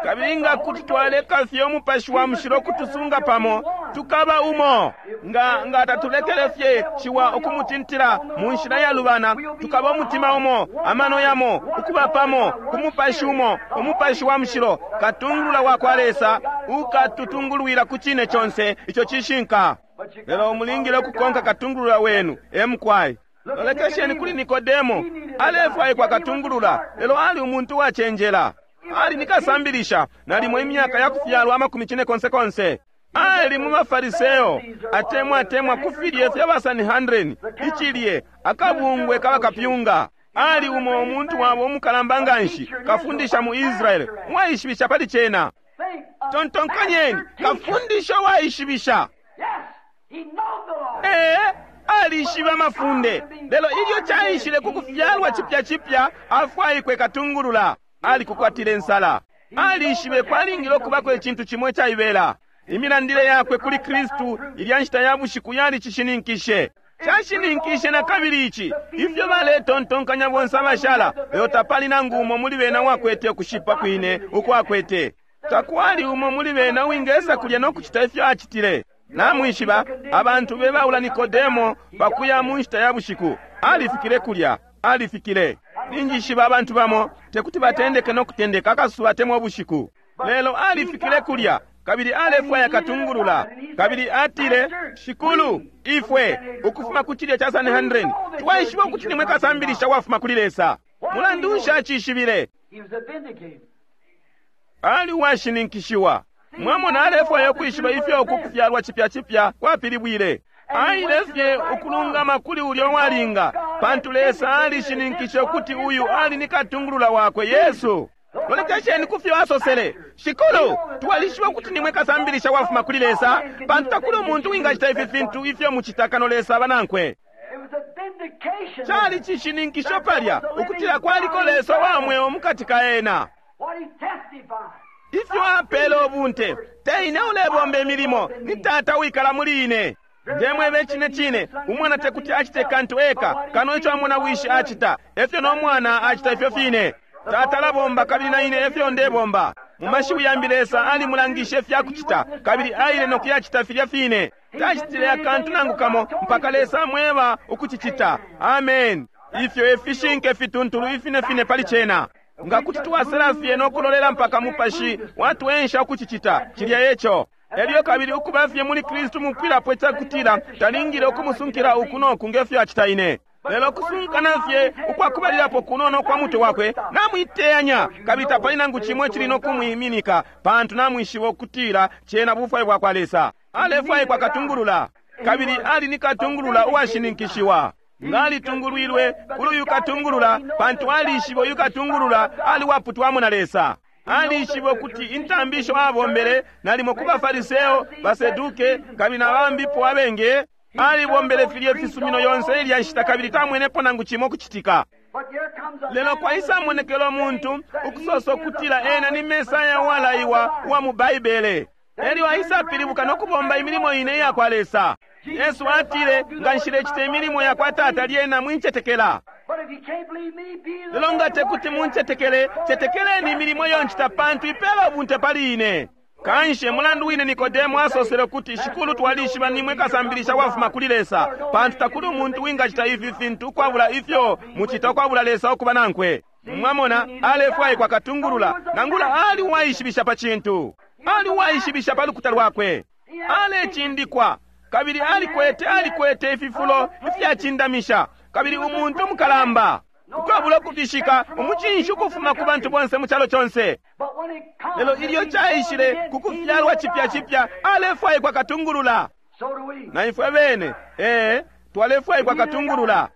Kabili nga kuti twaleka fye umupashi wa mushilo kutusunga pamo, tukaba umo. Nga nga tatulekele fye ciwa ukumutintila mu nshila ya lubana, tukaba umutima umo, amano yamo, ukuba pamo ku mupashi umo, umupashi wa mushilo, katungulula wa kwa Lesa, ukatutungulwila ku cine conse ico cishinka. Lelo mulingile ukukonka katungulula wenu, emukwai. Lolekesheni kuli Nikodemo, alefwaikwa katungulula, lelo ali umuntu wacenjela. Ali nikasambilisha nalimo imyaka ya kufyalwa amakumi cine konse konse. Ali mu mafariseo, atemwa atemwa kufilye fya ba Sanhedrin, ichilye akabungwe kabakapyunga. Ali umo umuntu wabo umukalamba nganshi, kafundisha mu Israeli, waishibisha pali cena. Tontonkanyeni, kafundisha waishibisha. Eh, alishiba mafunde. Lelo ilyo chaishile kukufyalwa chipya chipya, afwaikwe katungulula. Alikukwatile nsala. Alishibe kwalingile okubako icintu cimo icaibela. Imilandile yakwe kuli Kristu ilya nshita ya bushiku yali cishininkishe. Cashininkishe na kabili ici ifyo baletontonkanya bonse abashala, lelo tapali nangu umo muli bena wakwete ukushipa kwine ukwakwete. Takwali umo muli bena wingesa kulya no kucita ifyo acitile. Namwishiba abantu bebaula Nikodemo pakuya mu nshita ya bushiku. Alifikile kulya, alifikile. Ninjishiba abantu bamo tekuti batendeke no kutendeka akasuba atemwa ubushiku. Lelo alifikile kulya kabili alefwaya katungulula, kabili atile, Shikulu, ifwe ukufuma ku cilye cha Sanhedrin twaishiba ukuti nimwe kasambilisha wafuma kuli Lesa. Mulandu nshi acishibile? Ali uwashininkishiwa. Mwamona, alefwaya ukwishiba ifyo uku kufyalwa chipya chipya kwapilibwile. Aile fye ukulungama kuli ulyo walinga, pantu Lesa alishininkishe ukuti uyu ali ni katungulula wakwe Yesu. Lolekesheni kufyo asosele, Shikulu, twalishiba ukuti nimwe kasambilisha wafuma kuli Lesa, pantu takuli umuntu wingacita ifi fintu ifyo mucita kano Lesa abanankwe. Cali cishininkisho palya ukutila kwaliko Lesa wa mweo mukati ka ena. Ifyo apele ubunte, teine ulebomba imilimo, ni Tata wikala muli ine. Ndemwebe cine cine, umwana tekuti acite kantu eka kano ico amona wishi acita, efyo no mwana acita ifyo fine. Tata alabomba kabili na ine efyo ndebomba. Mu mashiwi yambi Lesa alimulangishe ifyakucita, kabili aile no kuyacita filya fine. Tacitile akantu nangu kamo mpaka Lesa amweba ukucicita. Amen. Ifyo efishinke fituntulu ifine fine pali cena. Nga kuti twasela fye no kulolela mpaka Mupashi watwensha ukucicita, cilya eco. Elyo kabili ukuba fye muli Kristu mupwilapo icakutila talingile ukumusunkila uku noku ngefyo acita ine. Lelo kusunkana fye ukwakubalilapo kunono kwa mutwe wakwe namwiteyanya, kabili tapali nangu cimwe cili no kumwiminika, pantu namwishiba ukutila cena bufwayo bwakwa Lesa. Alefwaikwa katungulula, kabili ali ni katungulula uwashininkishiwa. Nga alitungulwilwe kuli uyu katungulula, pantu alishiba uyu katungulula ali waputwamo na Lesa. Alishiba ukuti intambisho abombele nalimo ku Bafariseo, Baseduke, kabili na bambipo abenge. Alibombele filye fisumino yonse ilya nshita kabili tamwenepo nangu cimo kucitika. Lelo kwaisa monekelo muntu ukusosa ukutila ena ni Mesaya uwalaiwa uwa mu Baibele. Elyo aisapilibuka no kubomba imilimo ine iya kwa Lesa. Yesu atile, nga nshilecita imilimo ya kwa Tata lyena mwincetekela. Lelo nga tekuti muncetekele, cetekeleni imilimo iyo ncita, pantu ipela ubunte pali ine. Kanshi mulandu wine Nikodemo asosele kuti, Shikulu, twalishiba nimwe kasambilisha wafuma kuli Lesa, pantu takuli umuntu wingacita ifi fintu ukwabula ifyo mucita ukwabula Lesa ukuba nankwe. Mwamona, alefwaikwa katungulula, nangula ali uwaishibisha pa cintu. Ali uwaishibisha pa lukuta lwakwe. Alecindikwa, kabili alikwete alikwete ififulo ifyacindamisha, kabili umuntu mukalamba. Ukwabula ukutishika umucinshi ukufuma ku bantu bonse mu calo conse. Lelo ilyo caishile ku kufyalwa cipya cipya, alefwaikwa katungulula. Na ifwe bene, ee, twalefwaikwa katungulula.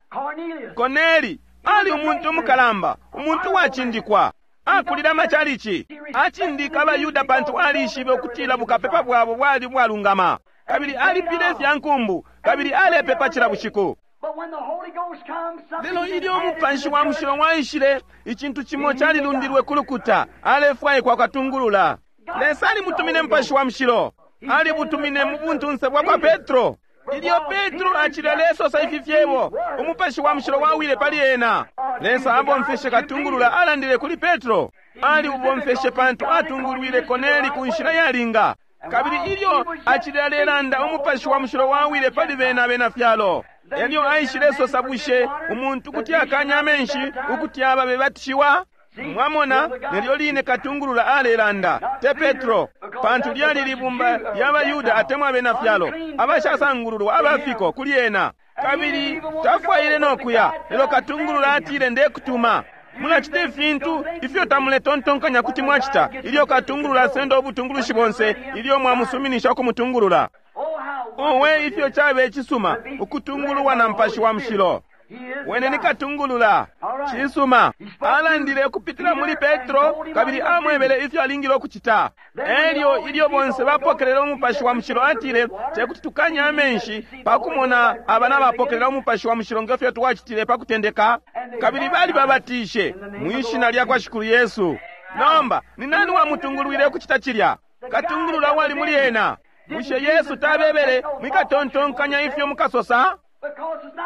Koneli ali umuntu mukalamba, umuntu wacindikwa. Akulila amachalichi, acindika abayuda pantu alishibe ukutila bukapepa bwabo bwali bwalungama. Kabili alipile ifya nkumbu, kabili alepepa cila bushiku. Lelo ilyo Umupashi wa Mushilo waishile, icintu cimo calilundilwe ku lukuta. Alefwaikwa katungulula. Lesa alimutumine Mupashi wa Mushilo, alibutumine mu buntunse bwa kwa Petro. Ilyo Petro acile alesosa ifi fyebo, Umupashi wa Mushilo wawile pali ena. Lesa abomfeshe katungulula alandile kuli Petro. Aliubomfeshe pantu atungulwile Koneli ku nshila yalinga. Kabili ilyo acile alelanda, Umupashi wa Mushilo wawile pali bena abena fyalo. Elyo aishile sosa, bushe umuntu kuti akanya amenshi ukuti aba bebatishiwa? Mwamona, nelyo line katungulula alelanda, te Petro, pantu lyali libumba lya Bayuda atemwa abena fyalo abashasangululwa abafiko kuli ena. Kabili tafwaile no kuya, lelo katungulula atile, ndekutuma. Mulacita ifintu ifyo tamuletontonkanya kuti mwacita ilyo katungulula asenda ubutungulushi bonse, ilyo mwamusuminisha ukumutungulula. Owe, ifyo cabe cisuma ukutungululwa na Mupashi wa Mushilo. Wene ni katungulula. Cisuma. Alandile ukupitila muli Petro, kabili amwebele ifyo alingile ukucita. Elyo ilyo bonse bapokelela Umupashi wa Mushilo, atile, tekuti tukanye amenshi pakumona abana bapokelela Umupashi wa Mushilo ngefyo twacitile pakutendeka. Kabili bali babatishe mwishina lya kwa Shikulu Yesu. Nomba ni nani wamutungulwile ukucita cilya? Katungulula wali muli ena. Bushe Yesu tabebele mwikatontonkanya ifyo mukasosa?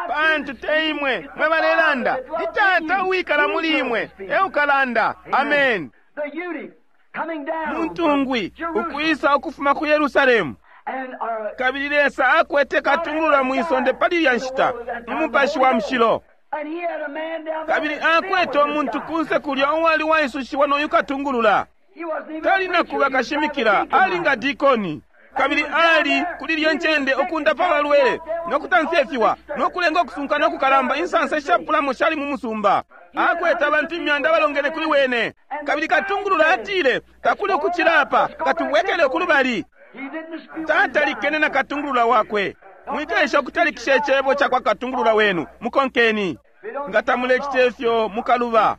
Pantu te imwe mwe balelanda, ni Tata uwikala muli imwe eukalanda. Amen. Muntungwi ukwisa ukufuma ku Yerusalemu. Kabili Lesa akwete katungulula mwisonde pali ilya nshita, Umupashi wa Mushilo. Kabili akwete umuntu kunse kulya uwali waisushiwa noyu katungulula. Tali nakuba kashimikila, ali nga dikoni. Kabili ali kuli lyo ncende ukundapa abalwele nokutamfya ifiwa nokulenga okusunka nokukalamba. Insansa ishapulamo shali mu musumba. Akwete abantu imyanda abalongene kuli wene. Kabili katungulula atile, takuli ukucila apa, katubwekele kulubali. Tatalikene na katungulula wakwe. Mwikesha ukutalikisha icebo ca kwa katungulula wenu, mukonkeni. Nga tamulecita ifyo mukaluba.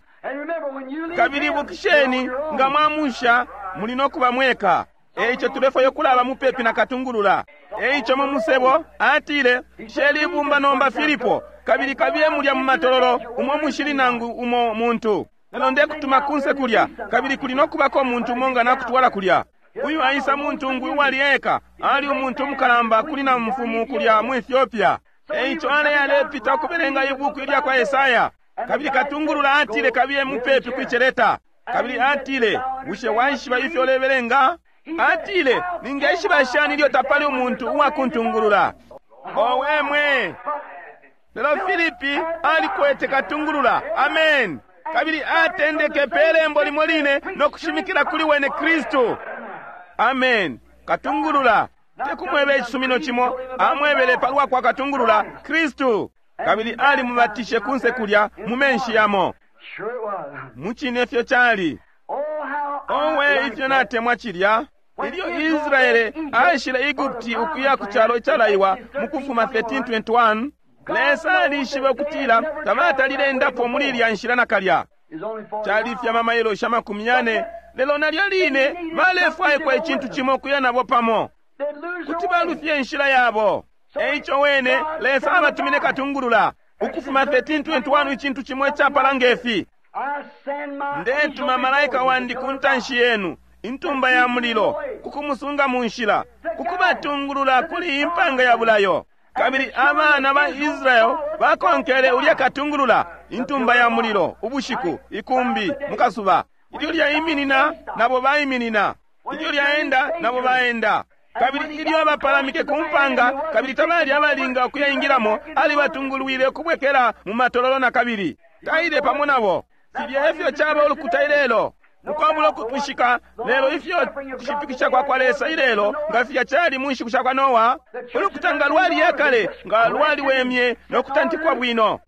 Kabili ibukisheni, nga mwamusha muli nokuba mweka. Eico tulefwayo kulaba mupepi na katungulula. Eico mu musebo atile, sheli ibumba nomba Filipo, kabili kabiye mulya mu matololo umo mushili nangu umo muntu. Lelo ndekutuma kunse kulya, kabili kuli nokubako umuntu umo nga nakutwala kulya. Uyu aisa muntungwi uwali eka, ali umuntu umukalamba kuli na mfumu kulya mu Ethiopia. Eico ale alepita ukubelenga ibuku ilya kwa Esaya. Kabili katungulula atile kabiye mupepi kwiceleta. Kabili atile, bushe waishiba ifyo ulebelenga? Atile, ningeshiba shani ilyo tapali umuntu uwakuntungulula? Owe mwe! Lelo Filipi alikwete katungulula. Amen. Kabili atendeke pelembo limo line no kushimikila kuli wene Kristu. Amen. Katungulula. Tekumwebe icisumino cimo, amwebele palwa kwa katungulula Kristu. Kabili ali mubatishe kunse kulya mu menshi yamo. Sure it was. Mucine fyo cali. Oh, how I Owe like ifyo that. natemwa cilya. Ilyo Israele aishile Egupti ukuya ku calo icalaiwa mu Kufuma thirteen twenty-one, Lesa alishibe ukutila tabatalile endapo muli ilya nshila nakalya. It's only forty Cali fye amamayilo sha makumi yane, lelo nalyo line balefwaikwa icintu cimo ukuya nabo pamo, They'd lose kuti their way. balufye inshila yabo. Eico wene Lesa abatumine katungulula. Ukufuma thirteen twenty-one icintu cimo icapala ngefi. I send my Ndetuma angel malaika before you wandi to ku ntanshi yenu, intumba ya mulilo, kukumusunga mu nshila, kukubatungulula kuli impanga ya bulayo. Kabili abana ba Israel bakonkele ulya katungulula, intumba ya mulilo, ubushiku, ikumbi, mukasuba. Ilyo lyaiminina, nabo baiminina. Ilyo lyaenda, nabo baenda. Kabili ilyo abapalamike ku mpanga, kabili tabali abalinga ukuyaingilamo, alibatungulwile ukubwekela mu matololo na kabili. Taile pamo nabo. Filya efyo caba ulukuta ilelo. Ukwabula ukutwishika, lelo ifyo kushipikisha kwa kwa Lesa ilelo, nga filya cali mu nshiku sha kwa Noa, ulukuta nga lwali yakale, nga lwaliwemye no kutantikwa bwino.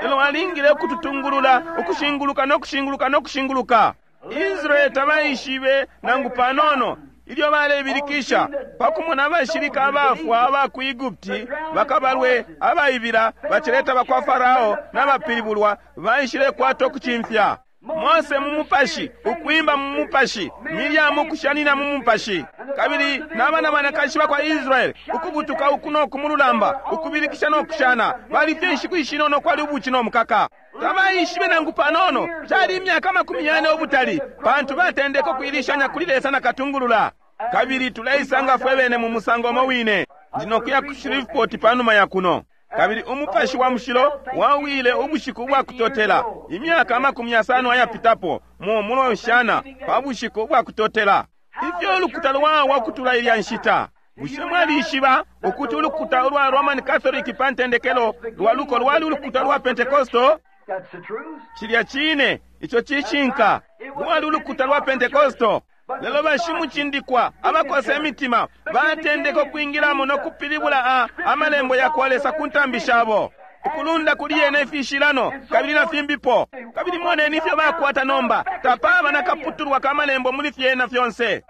Lelo alingile ukututungulula, ukushinguluka no kushinguluka no kushinguluka. Israeli tabaishibe nangu panono ilyo balebilikisha pakumona abashilika abafwa aba ku Egupti, bakabalwe abaibila bacileta bakwa Farao n'abapilibulwa baishile kwata ukucimfya. Mose mu mupashi, ukwimba mu mupashi, Miriamu kushanina mu mupashi, kabili n'abana banakashi bakwa Israeli ukubutuka uku no kumululamba, ukubilikisha no kushana, balifye inshiku ishinono kwali ubuci no mukaka. Tabaishibe nangu panono, cali imyaka makumi yane ubutali, pantu batendeka ukuilishanya kuli Lesa na katungulula. Kabili tuleisanga fwe bene mu musango umo wine. Ndinokuya ku Shreveport panuma ya kuno. Kabili umupashi wa mushilo wawile ubushiku ubwa kutotela, imyaka amakumi yasano ayapitapo, mu mulonshana pa bushiku ubwa kutotela. Ifyo ulukuta lwawa ukutula ilya nshita. Bushe mwalishiba ukuti ulukuta ulwa Roman Catholic pa ntendekelo lwa luko lwali ulukuta lwa Pentecostal? That's the truth. Cilya cine, ico cishinka. Lwali ulukuta lwa Pentecostal. Lelo bashimucindikwa abakosa imitima batendeka ukwingilamo no kupilibula a amalembo ya kwa Lesa ku ntambi shabo, ukulunda kuli yene ifishilano kabili na fimbipo. Kabili moneni ifyo bakwata nomba, tapaba na kaputulwa ka malembo muli fyena fyonse.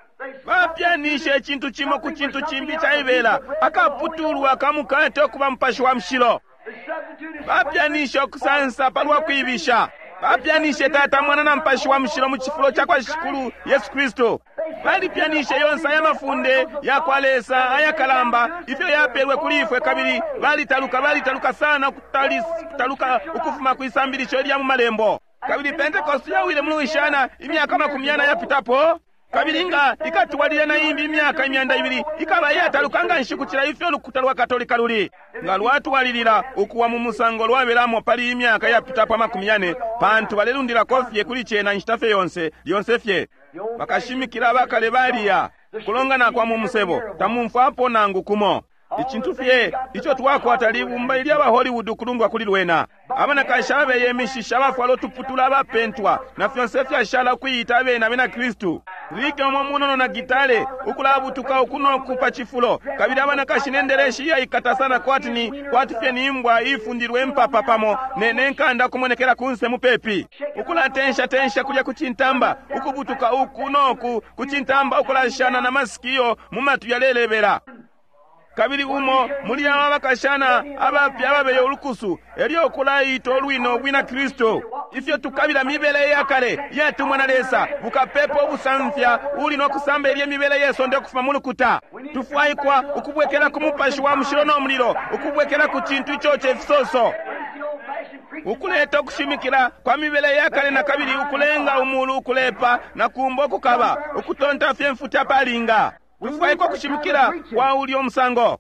Bapyanishe icintu cimo ku cintu cimbi caibela, akaputulwa ka mukate okuba mupashi wa mushilo. They substituted Bapyanishe ukusansa palwa kwibisha. Bapyanishe Tata, Mwana na Mupashi wa Mushilo mu cifulo ca kwa Shikulu Yesu Kristu. Balipyanishe yonse aya mafunde ya kwa Lesa ayakalamba ifyo yapelwe kuli ifwe, kabili balitaluka, balitaluka sana ukutaluka ukufuma ku isambilisho ilya mu malembo. Kabili Pentecost yawile mu Louisiana imyaka makumi yana yapitapo, kabili nga ikatwalile na imbi imyaka imyanda ibili ikaba iyataluka nga nshi kucila ifyo ulukuta lwa Katolika luli. Nga lwatwalilila ukuwa mu musango lwabelamo pali imyaka yapitapo amakumi yane, pantu balelundilako fye kuli cena inshita fye yonse, lyonse fye. Bakashimikila abakale baliya kulongana kwa mu musebo, tamumfwapo nangu kumo. Icintu fye ico twakwata libumba ilya ba Hollywood ukulundwa kuli lwena. Abanakashi abeye imishishi, abafwala utuputula, abapentwa na fyonse fyashala ukuyita abene abena Kristu. Rike umo munono na gitale ukulabutuka uku no ku pa cifulo, kabili abanakashi nendeleshi iyaikata sana kwati ni kwati fye ni imbwa ifundilwe mpapa pamo ne nenkanda kumonekela kunse mupepi, ukulatensha tensha kulya ku cintamba, ukubutuka uku no ku ku cintamba, ukulashana na masikiyo mu matu yalelebela. Kabili umo muli aba bakashana abapya ababeye ulukusu elyo ukulaita olwino ubwina Kristu. Ifyo tukabila mibele iyakale iyatumwa na Lesa, bukapepa ubusamfya uli no kusamba ilye mibele yesonde ukufuma mu lukuta. Tufwaikwa ukubwekela ku mupashi wa mushilo no mulilo, ukubwekela ku cintu icoca ifisoso, Ukuleta ukushimikila kwa mibele yakale na kabili ukulenga umulu ukulepa na kumbo ukukaba, ukutonta fye mfuti apalinga. Tufwaikwa kushimikila kwa ulyo musango.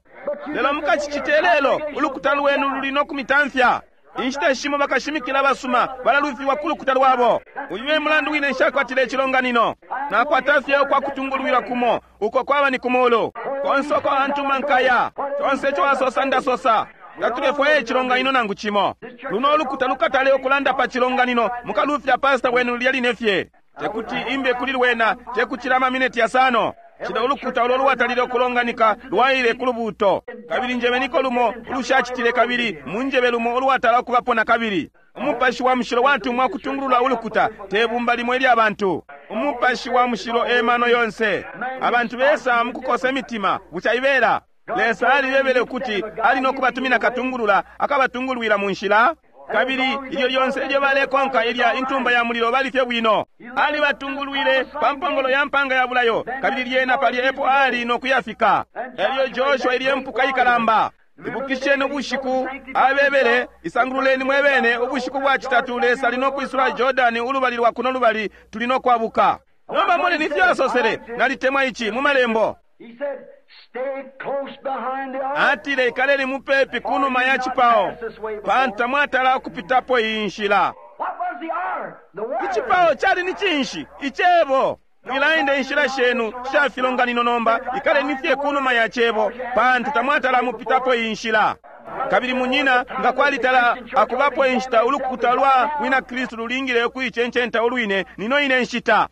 Lelo mukacicite lelo, ulukuta lwenu luli no kumitamfya. Inshita shimo bakashimikila basuma balalufiwa ku lukuta lwabo. Uyu e mulandu wine nshakwatile icilonganino. Nakwata fye ukwa kutungulwila kumo, uko kwaba ni kumulu. Konse uko antuma nkaya, conse ico asosa ndasosa. Tatulefwaya icilonganino nangu cimo. Luno ulukuta lukatale ukulanda pa cilonganino, mukalufya pastor wenu lulya line fye. Tekuti imbe kuli lwena, tekucila amamineti yasano. Cila ulukuta ulo lwatalile ukulonganika lwaile ku lubuuto. Kabili njebeniko lumo ulushacitile kabili munjebe lumo ulwatala ukubapo na kabili. Umupashi wa mushilo watumwa kutungulula ulukuta, te bumba limo ilya bantu. Umupashi wa mushilo e mano yonse. Abantu besa mukukosa imitima, bucaibela. Lesa alibebele ukuti ali no kubatumina katungulula, akabatungulwila mu nshila. Kabili ilyo lyonse ilyo balekonka ilya intumba ya mulilo bali fye bwino. Alibatungulwile pa mpongolo ya mpanga ya bulayo, kabili lyena palya epo ali no kuyafika. Elyo Joshua ilye mpuka ikalamba. Ibukisheni ubushiku abebele, isangululeni mwebene, ubushiku bwa citatu Lesa ali no kwisula Jordani ulubali lwa kuno lubali tuli no kwabuka. Nomba moneni ifyo asosele, nalitemwa ici mu malembo. He said, stay close behind the ark. Atile ikaleni mupepi kunuma ya cipao, pantu tamwatala ukupitapo iyi nshila. What was the ark? The word. Icipao cali ni cinshi? Icebo. Mwilaenda inshila shenu sha filonganino nomba, ikaleni fye kunuma ya cebo, pantu tamwatala mupitapo iyi nshila. Kabili munyina, nga kwalitala akubapo inshita ulukuta lwa wina Kristu lulingile ukuicencenta ulwine, nino ine nshita.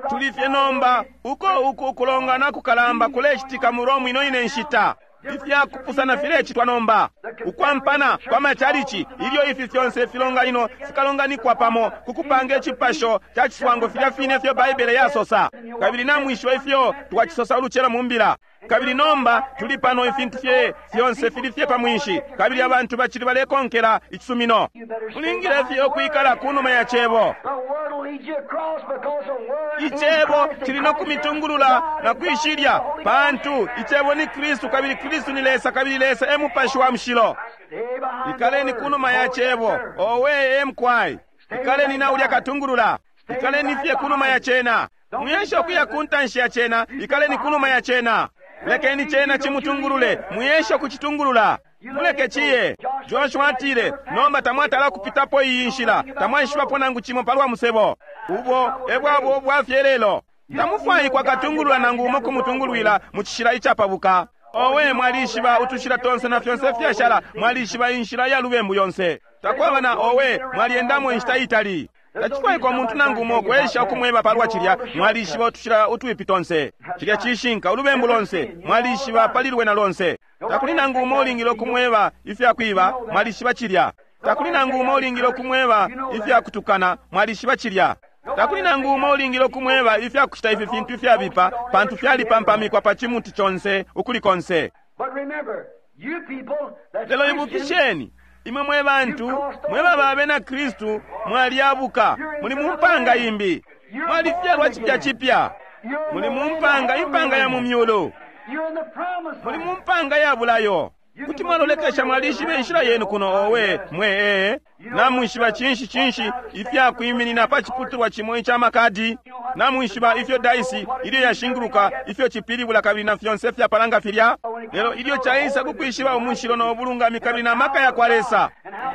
Tuli fye nomba uko uku ukulongana kukalamba kulecitika mu Rome ino ine nshita. Ifyakupusana filecitwa nomba. Ukwampana kwa machalichi, ilyo ifi fyonse filonganino fikalonganikwa pamo kukupanga icipasho ca ciswango filya fine ifyo Baibele yasosa. Kabili namwishiba ifyo twacisosa ulucelo mu mbila. Kabili nomba tuli pano ifintu fye fyonse fili fye pa mwinshi, kabili abantu bacili balekonkela icisumino. Mulingile fye ukwikala kunuma ya cebo. The word will lead you across because the word is Icebo Christ and kili no Christ is kumitungulula God na and God is kwishilya, the Holy pantu icebo ni Kristu, kabili Kristu ni Lesa, kabili Lesa e Mupashi wa Mushilo. Stay behind Ikaleni the word. kunuma ya cebo, Oh, yes, sir. owe emkwai. Ikaleni na ulya katungulula, ikaleni fye kunuma ya cena. Muyeshe ukuya ku ntanshi ya cena, ikaleni kunuma ya cena. Lekeni cena chimutungulule, muyeshe ukuchitungulula. Muleke chiye. Joshua atile, nomba tamwatala kupitapo iyi nshila, tamwaishibapo nangu chimo palwa musebo. Ubo ebwabo bwafye lelo. Tamufwaikwa katungulula nangu umo kumutungulwila mu cishila icapabuka. Owe mwalishiba utushila tonse na fyonse fyashala, mwalishiba inshila ya lubembu yonse. Takwaba na owe mwaliendamo inshita itali. Tacifwaikwa umuntu nangu umo kwesha ukumweba palwa cilya, mwalishiba utushila utwipi tonse. Cilya cishinka ulubembu lonse, mwalishiba pali lwena lonse. Takuli nangu umo ulingile ukumweba ifya kwiba, mwalishiba cilya. Takuli nangu umo ulingile ukumweba ifya kutukana, mwalishiba cilya. Takuli nangu umo ulingile ukumweba ifya kucita ifi fintu ifyabipa, pantu fyalipampamikwa pa chimuti chonse ukuli konse. But remember, you people that's Lelo Christians, ibukisheni, imwe mwe bantu, mwe baba abena Kristu, mwalyabuka, muli mu mpanga imbi, mwalifyalwa cipya cipya, you're muli in mu the mpanga impanga ya mu myulu, You're in the promised muli land. mu mpanga ya bulayo. Kuti mwalolekesha mwalishiba inshila yenu kuno owe mwe ee namwishiba cinshi cinshi ifyakwiminina pa ciputulwa cimo ica makadi, namwishiba ifyo daisi ilyo yashinguluka ifyo cipilibula kabili na fyonse fyapalanga filya. Lelo ilyo caisa kukwishiba umushilo no bulungami kabili na maka ya kwa Lesa,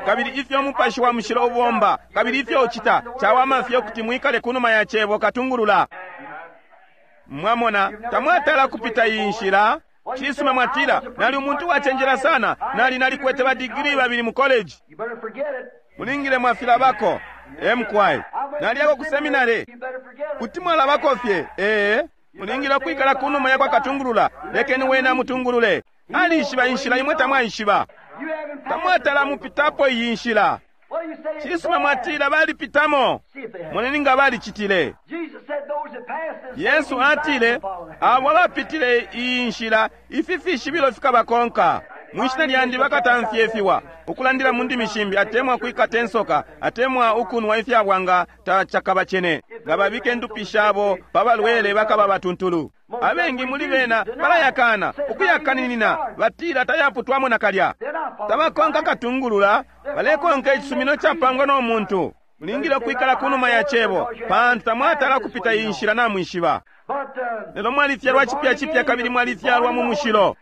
kabili ifyo umupashi wa mushilo ubomba kabili ifyo ucita, cawama fye ukuti mwikale kunuma ya cebo katungulula. Mwamona, tamwatala kupita iyi nshila. Cisuma mwatila, nali umuntu wacenjela sana, nali nalikwete ba digiri babili mu college. You better forget it. Mulingile mwafilabako. Emkwai. Naliyako ku seminary. You better forget it. Kuti mwalabako fye. Ee, mulingile kwikala kunuma yakwa katungulula. Lekeni wena amutungulule. Alishiba inshila imwe tamwaishiba. You haven't passed Tamwatala this way mupitapo iyi nshila. before. Well, you say it's Cisuma bad. mwatila balipitamo. See if they have. Moneni nga balicitile. Jesus said those that pass this Yesu way, atile, follow them. abo abapitile iyi nshila, ifi fishibilo fikabakonka. Mwishina lyandi bakatamfya ifiwa, ukulandila mu ndimi shimbi, atemwa kwikata insoka, atemwa ukunwa ifyabwanga tacakabacene. Nga babike ndupi shabo pa balwele bakaba batuntulu. Abengi muli bena balayakana, ukuyakaninina, batila tayaputwamo nakalya. Tabakonka katungulula, balekonka icisumino capangwa no muntu. Mulingile ukwikala kunuma ya Cebo, pantu tamwatala kupita iyi nshila namwishiba. Lelo mwalifyalwa cipya cipya kabili mwalifyalwa mu mushilo.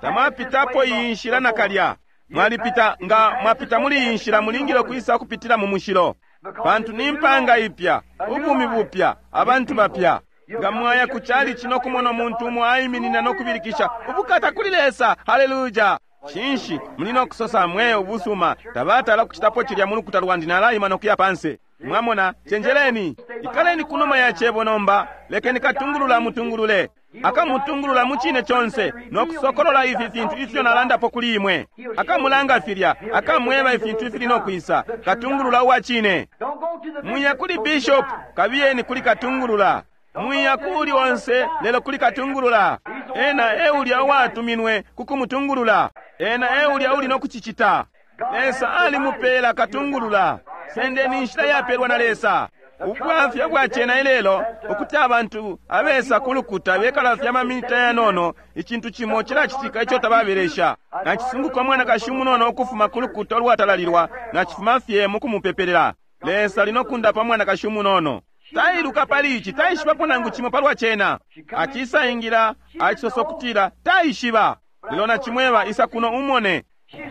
Tamwapitapo iyi nshila nakalya. Mwalipita, nga mwapita muli iyi nshila mulingile ukwisa kupitila mu mushilo, pantu ni mpanga ipya, ubumi bupya, abantu bapya. Nga mwaya ku chalichi no kumona umuntu umo aiminina no kubilikisha ubukata kuli Lesa, haleluya! Cinshi muli no kusosa mwe ubusuma, tabatala kuchitapo chilya mu lukuta lwandi, nalaima no kuya panse. Mwamona, chenjeleni, ikaleni kunuma ya Cebo nomba, lekeni katungulula mutungulule. Akamutungulula mu chine chonse no kusokolola ifi fintu ifyo nalandapo kuli imwe. Akamulanga filya, akamweba ifintu ifili no kwisa. Katungulula uwa chine. Mwiya kuli bishop, kabiyeni kuli katungulula. Mwiya kuli onse lelo kuli katungulula. Ena eulya uwatuminwe kukumutungulula. Ena eulya uli no kuchichita. Lesa alimupela katungulula. Sendeni inshila yapelwa na Lesa. Ubwafya bwa chena ilelo ukuti abantu abesa kulukuta bekala fya maminita yanono, icintu chimo chilachitika icho tababelesha. Nachisunguka mwanakashi umunono ukufuma kulukuta olwatalalilwa, nachifuma fye mukumupepelela. Lesa linokunda pa mwanakashi umunono. Tailuka pali ichi, taishibapo nangu chimo palwa chena. Achisaingira, achisosa kutila taishiba. Lelo nachimweba isa kuno umone.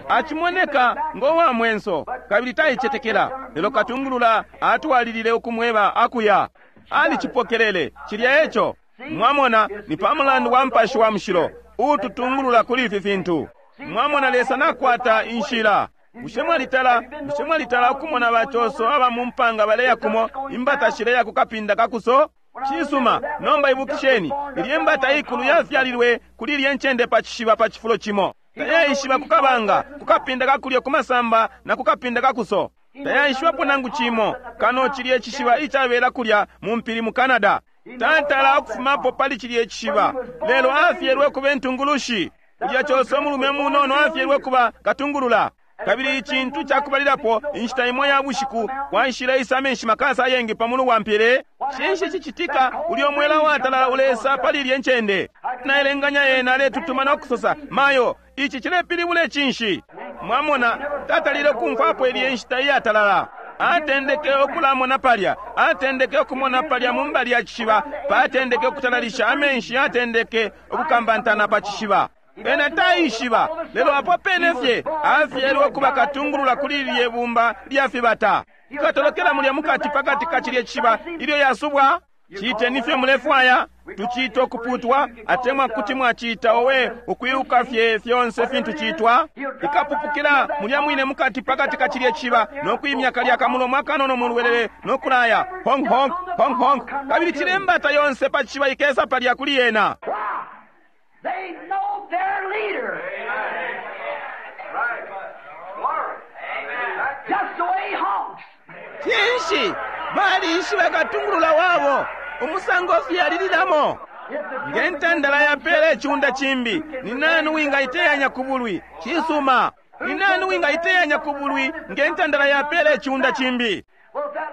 Achimoneka ngowa mwenso kabili taichetekela. Lelo katungulula atwalilile ukumweba akuya. Alichipokelele chilya echo. Mwamona ni pamulandu wa mpashi wa mushilo ututungulula kuli ifi fintu. Mwamona Lesa nakwata inshila. Bushe mwalitala, bushe mwalitala ukumona bachoso aba mumpanga baleya kumo imbata shileya kukapinda kakuso? Chisuma, nomba ibukisheni, ilye mbata ikulu yafyalilwe kuli ilye ncende pa chishiba pa chifulo chimo. Tayaishiba kukabanga, kukapinda kakulyo kumasamba na kukapinda kakuso. Tayaishibapo nangu chimo, kano chilye chishiba ichabela kulya mu mpili mu Canada. Tatala okufumapo pali chilye chishiba, lelo afyelwe kuba entungulushi. Kulya choso mulume munono afyelwe kuba katungulula. Kabili icintu chakubalilapo inshita imwe ya bushiku kwaishile isa amenshi makasa ayengi pamulu wa mpili. Cinshi cicitika ulyo mwela watalala ulesa pali ilye ncende? Naelenganya yena aletutuma no kusosa, mayo, ichi chilepilibula cinshi? Mwamona, tatalile kumfwapo ilye nshita iyatalala. Atendeke okulamona palya, atendeke okumona palya mu mbali ya chishiba, patendeke okutalalisha amenshi, atendeke okukambantana pa chishiba. Ena taishiba, lelo apo pene fye afyelwe kuba katungulula kuli ilye bumba lya fibata. Ikatolokela mulya mukati pakati ka chilye chishiba ilyo yasubwa. Chiiteni fye mulefwaya, tuchiita okuputwa, atemwa kuti mwachiita owe ukwiluka fye fyonse fintu chiitwa. Ikapupukila mulya mwine mukati pakati ka chilye chishiba nokuimya kalya kamulomo akanono mulwelele nokulaya honk honk honk honk, kabili chilembata yonse pa chishiba ikesa palya kuli yena. They know their leader. Amen. Right. Glory. Amen. Just the way he honks. Cinshi balishiba katungulula wabo umusango fyalililamo. Ngentandala yapele chunda chimbi, ni nani wingaiteyanya kubulwi? Chisuma. Ni nani wingaiteyanya kubulwi ngentandala yapele chunda chimbi?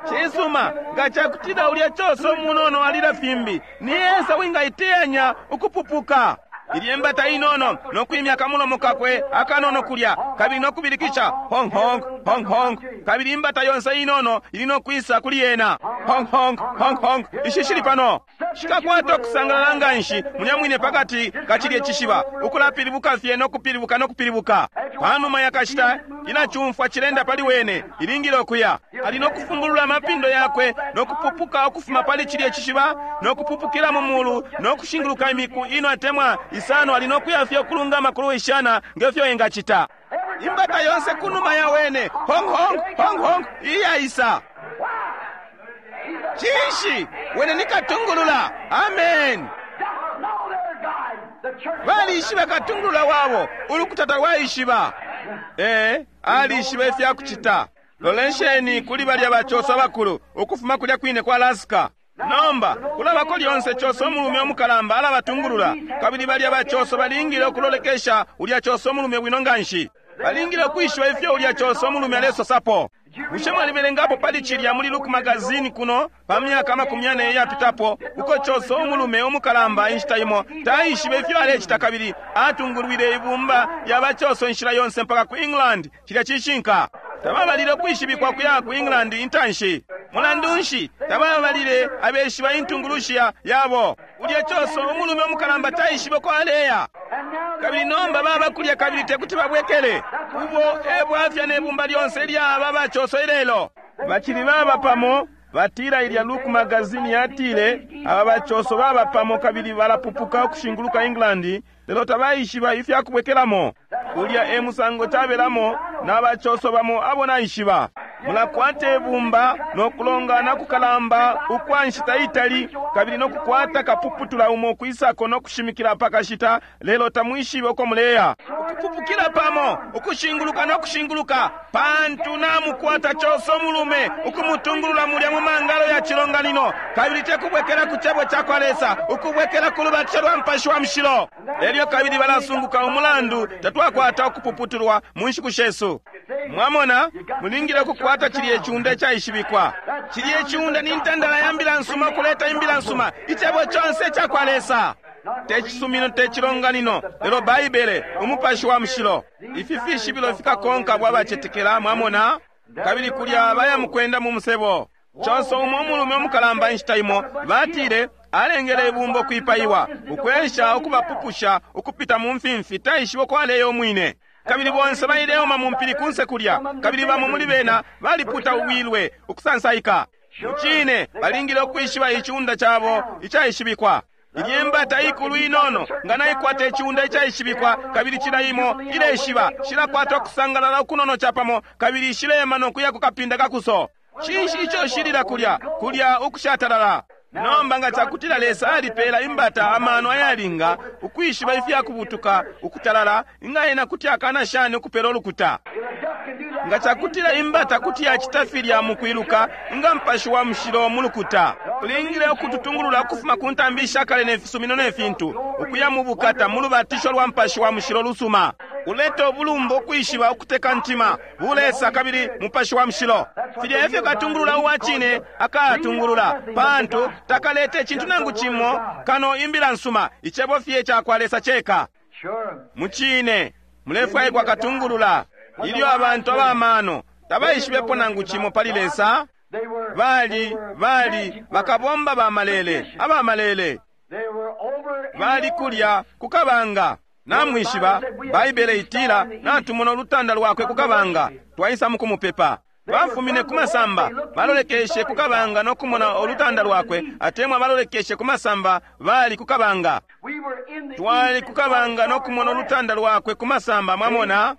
Chisuma, ngachakutila ulya choso munono alila fimbi, ni esa wingaiteyanya ukupupuka. Ilye mbata inono nokuimya kamulomo kakwe akanono kulya kabili nokubilikisha honk honk honk honk, kabili imbata yonse inono ili nokwisa kuli yena honk honk honk honk. Ishi shili pano shikakwata okusangalala nganshi mulya mwine pakati kachilye chishiba, ukulapilibuka fye nokupilibuka nokupilibuka. Panuma yakashita inachumfwa chilenda pali wene, ilingile okuya ali nokufumbulula amapindo yakwe nokupupuka okufuma pali chilye chishiba nokupupukila mu mulu nokushinguluka imiku ino atemwa isano, ali nokuya fye okulungama kuluwishana ngefyo engachita. Imbata yonse kunuma ya wene honk honk honk honk iyaisa. Cinshi wene nikatungulula. Amen. Balishiba katungulula wabo, ulukutata lwaishiba. Eh, alishiba ifyakuchita. Lolensheni kuli balya bachosa bakulu ukufuma kulya kwine kwa Alaska. Nomba kulabako lyonse choso omulume omukalamba alabatungulula, kabili balya bachoso balingile okulolekesha ulya choso omulume bwino nganshi. Balingile okwishiba ifyo ulya choso omulume alesosapo. Bushe mwalibelengapo pali cilya muli Look magazine kuno pa myaka amakumi yane iyapitapo, uko coso umulume umukalamba inshita imo taishibe ifyo alecita kabili atungulwile ibumba lya bacoso inshila yonse mpaka ku England? Cilya cishinka. Tababalile ukwishibikwa kuya ku England intanshi. Mulandu nshi tababalile abeshiba intungulushi yabo? Ulya coso umulume umukalamba taishibe uko aleya. Kabili nomba baba kulya kabili tekuti babwekele. Ubo e bwafya ne bumba lyonse lyaba bacoso ilelo. Bacili baba pamo. Batila ilya Look magazine yatile aba bacoso baba pamo kabili balapupuka ukushinguluka England, lelo tabaishiba ifya kubwekelamo. Ulya e musango cabelamo na bacoso bamo abo naishiba. Mulakwata ibumba no kulongana kukalamba ukwa nshita itali kabili no kukwata kapuputula umo kwisako no kushimikila pakashita, lelo tamwishibe uko muleya. Ukupupukila pamo, ukushinguluka no kushinguluka, pantu namukwata coso mulume ukumutungulula mulya mu mangalo ya cilonganino, kabili tekubwekela ku cebo ca kwa Lesa, ukubwekela ku lubatisho lwa Mupashi wa Mushilo. Elyo kabili balasunguka umulandu tatwakwata ukupuputulwa mu nshiku shesu. Mwamona, mulingile ukukwata cilya iciunda icaishibikwa. Cilya iciunda ni ntandala ya mbila nsuma, ukuleta imbila nsuma, icebo conse ica kwa Lesa. Te cisumino, te cilonganino, lelo Baibele, Umupashi wa Mushilo. Ifi fishibilo fikakonka bwa bacetekela, mwamona, kabili kulya baya mukwenda mu musebo. Conso umo umulume umukalamba inshita imo batile alengele ibumba ukwipaiwa, ukwesha ukubapupusha ukupita mu mfimfi, taishiba uko aleya umwine. Kabili bonse baileoma mu mpili kunse kulya, kabili bamo muli bena baliputa uwilwe ukusansaika. Mucine balingile ukwishiba iciunda cabo icaishibikwa. Ilye mbata ikulu inono nga naikwata iciunda icaishibikwa, kabili cila imo ileshiba, shilakwata ukusangalala ukunono capamo, kabili shilema no kuya ku kapinda kakuso. Cinshi ico shilila kulya kulya ukushatalala? Nomba nga cakutila Lesa alipela imbata amano ayalinga ukwishiba ifya kubutuka ukutalala, inga ena kuti akana shani ukupela ulukuta? Nga cakutila imbata kuti yacita filya mu kwiluka, inga Mupashi wa Mushilo mu lukuta ulingile ukututungulula ukufuma ku ntambi ishakale ne fisumino ne fintu, ukuya mu bukata mu lubatisho lwa Mupashi wa Mushilo lusuma, uleta ubulumba, ukwishiba, ukuteka ntima, bulesa kabili Mupashi wa Mushilo. Filya efyo katungulula uwa cine akatungulula, pantu takalete icintu nangu cimo kano imbila nsuma, icebo fye ca kwa Lesa ceka. Mucine mulefwaikwa katungulula. Ilyo abantu abamano tabaishibepo nangu cimo pali Lesa, bali bali bakabomba bamalele abamalele, bali kulya kukabanga. Namwishiba, Baibele itila natumona ulutanda lwakwe kukabanga, twaisa mukumupepa. Bafumine ku masamba, balolekeshe kukabanga no kumona ulutanda lwakwe, atemwa balolekeshe ku masamba, bali kukabanga. Twali kukabanga no kumona ulutanda lwakwe ku masamba, mwamona?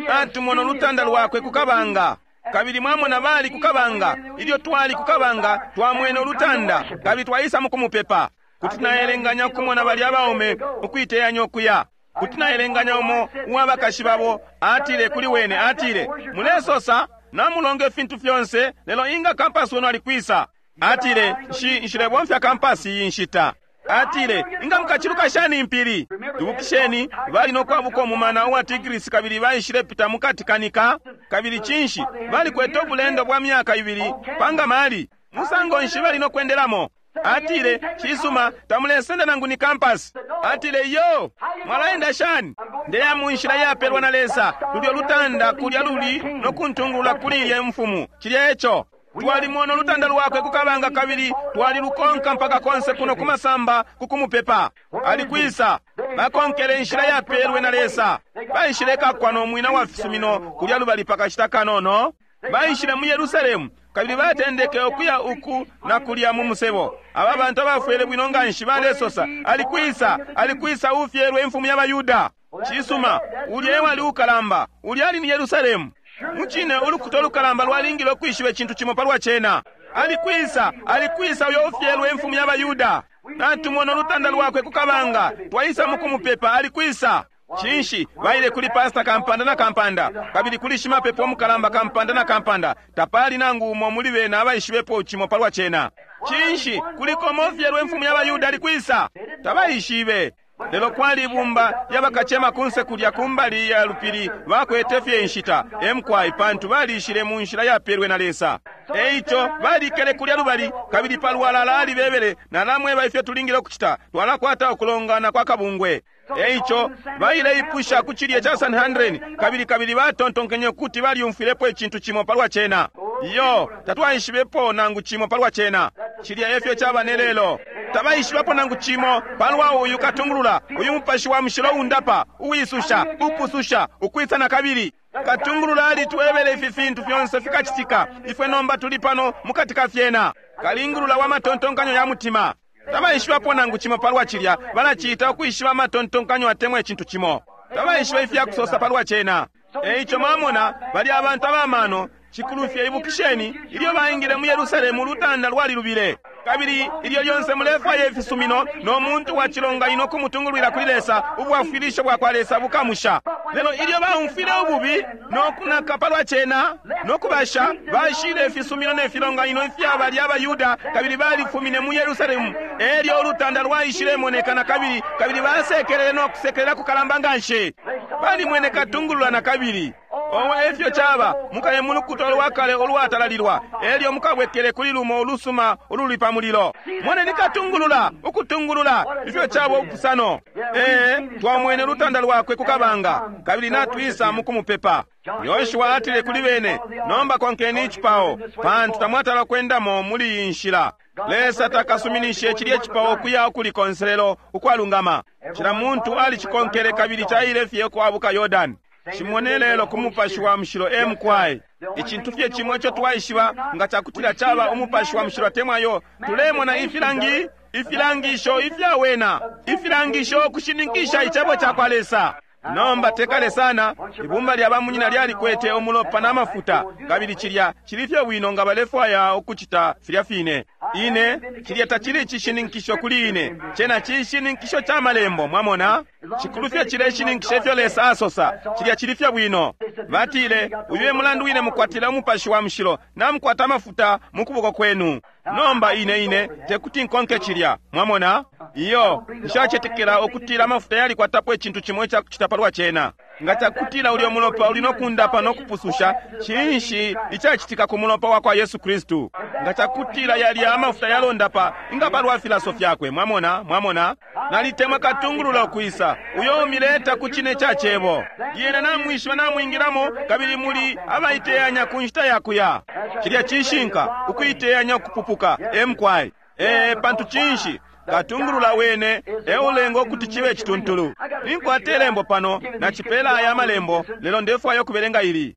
Natumona ulutanda lwakwe kukabanga. Kabili mwamona bali kukabanga. Ilyo twali kukabanga, twamwene ulutanda, kabili twaisa mukumupepa. Kuti naelenganya ukumona balya abaume ukuiteyanya ukuya. Kuti naelenganya umo uwa bakashi babo atile kuli wene, atile, mulesosa namulonga ifintu fyonse, lelo inga kampasi wenu alikwisa? Atile, nshi nshilebomfya kampasi iyi nshita. Atile, inga mukachiluka shani impili? Ibukisheni, bali no kwabuka umumana uwa Tigris kabili baishile pita mukati kanika. Kabili cinshi balikwete ubulendo bwa myaka ibili pangamali? Musango nshi bali no kwendelamo? Atile, cisuma, tamulesenda nangu ni kampasi. Atile, yo, mwalaenda shani? Ndeya mu nshila yapelwa na Lesa, lulyo lutanda kulya luli no kuntungulula kuli ilye mfumu. Cilya eco. Twalimona ulutanda lwakwe kukabanga kabili twalilukonka mpaka konse kuno kumasamba kukumupepa. Alikwisa bakonkele inshila yapelwe na Lesa. Baishile kakwa no mwina wa fisumino kulya lubali pakashita kanono. Baishile mu Yerusalemu kabili batendeke ukuya uku na kulya mu musebo. Aba bantu abafwele bwino nganshi balesosa, alikwisa, alikwisa ufyelwe imfumu y'Abayuda. Cisuma, ulya ewali ukalamba, ulya ali ni Yerusalemu. Mucine ulukuta ulukalamba lwalingile ukwishiba icintu cimo palwa cena. Alikwisa, alikwisa uyo ufyelwe imfumu y'Abayuda. Natumona ulutanda lwakwe kukabanga, twaisa mukumupepa, alikwisa. Cinshi baile kuli pasta kampanda na kampanda, kabili kuli shimapepo mukalamba kampanda na kampanda, tapali nangu umo muli bena abaishibepo cimo palwa cena. Cinshi kuliko mofyelwe imfumu y'Abayuda alikwisa? Tabaishibe. Lelo kwali ibumba lyabakacema kunse kulya kumbali ya lupili bakwete fye inshita, emkwai, pantu balishile mu nshila yapelwe na Lesa. Eico balikele kulya lubali, kabili palwalala alibebele, nalamweba ifyo tulingile ukucita, twalakwata ukulongana kwa kabungwe. Eico baileipusha ku cilye cha Sanhedrin, kabili kabili batontonkenye ukuti balyumfwilepo icintu cimo palwa cena. Iyo, tatwaishibepo nangu cimo palwa cena. Cilya efyo caba ne lelo. Tabaishibapo nangu cimo palwa uyu katungulula, uyu mupashi wa mushilo undapa, uwisusha, upususha, ukwisa na kabili. Katungulula alitwebele ifi fintu fyonse fikacitika. Ifwe nomba tuli pano mukati ka fyena. Kalingulula wa matontonkanyo ya mutima. Tabaishibapo nangu cimo palwa cilya, balaciita ukwishiba amatontonkanyo atemwa icintu cimo. Tabaishiba ifyakusosa palwa cena. Eico mwamona, bali abantu abamano, cikulufye ibukisheni, ilyo baingile mu Yerusalemu ulutanda lwalilubile. Kabili ilyo lyonse mulefwaya ifisumino no muntu wa cilonganino kumutungulwila kuli Lesa, ubwafwilisho bwa kwa Lesa bukamusha. Lelo ilyo baumfwile ububi no kunaka palwa cena no kubasha, bashile ifisumino ne filonganino ifya balya abaYuda, kabili balifumine mu Yerusalemu. Elyo ulutanda lwaishilemoneka na kabili, kabili basekelele no kusekelela kukalamba nganshi. Balimwene katungulula na kabili. Owe efyo caba, mukaye mu lukuta lwakale olwatalalilwa, elyo mukabwekele kuli lumo ulusuma ululi pa mulilo. Moneni katungulula, ukutungulula, ifyo caba ubupusano. Ee, twamwene ulutanda lwakwe ku kabanga, kabili natwisa mukumupepa. Yoshua atile kuli bene, nomba konkeni icipao, pantu tamwatala kwendamo muli iyi nshila. Lesa takasuminishe cilye cipao kuya ukuli konselelo ukwalungama. Cila muntu alicikonkele kabili caile fye kwabuka Yordani. Cimone lelo ku mupashi wa mushilo emkwai. Icintu fye cimo ico twaishiba nga cakutila caba umupashi wa mushilo atemwa yo, tulemona ifilangi, ifilangisho ifyawena, ifilangisho kushininkisha icebo ca kwa Lesa. Nomba tekale sana, ibumba lya bamunyina lyalikwete umulopa na mafuta, kabili cilya cili fye bwino nga balefwaya ukucita filya fine. Ine, cilya tacili icishininkisho kuli ine, cena cishininkisho ca malembo, mwamona? Cikulu fye cileshininkisha ifyo Lesa asosa, cilya cili fye bwino. Batile, uyu e mulandu wine mukwatila umupashi wa mushilo, namukwata amafuta mu kuboko kwenu. Nomba ine ine, tekuti nkonke cilya, mwamona? Iyo, nshacetekela ukutila amafuta yalikwatapo icintu cimo icakucita palwa cena. Nga cakutila ulyo mulopa uli nokundapa nokupususha, cinshi icacitika ku mulopa wa kwa Yesu Kristu? Nga cakutila yalya amafuta yalondapa, inga palwa filaso fyakwe, mwamona, mwamona? Nalitemwa katungulula ukwisa, uyo umileta ku cine ca cebo. Lyena namwishiba namwingilamo, kabili muli abaiteyanya ku nshita ya kuya. Cilya cishinka, ukuiteyanya ukupupuka, emkwai. Ee, pantu cinshi? Katungulula wene eulenga ukuti cibe cituntulu. Ninkwata ilembo pano, nacipela aya malembo, lelo ndefwaya ukubelenga ili.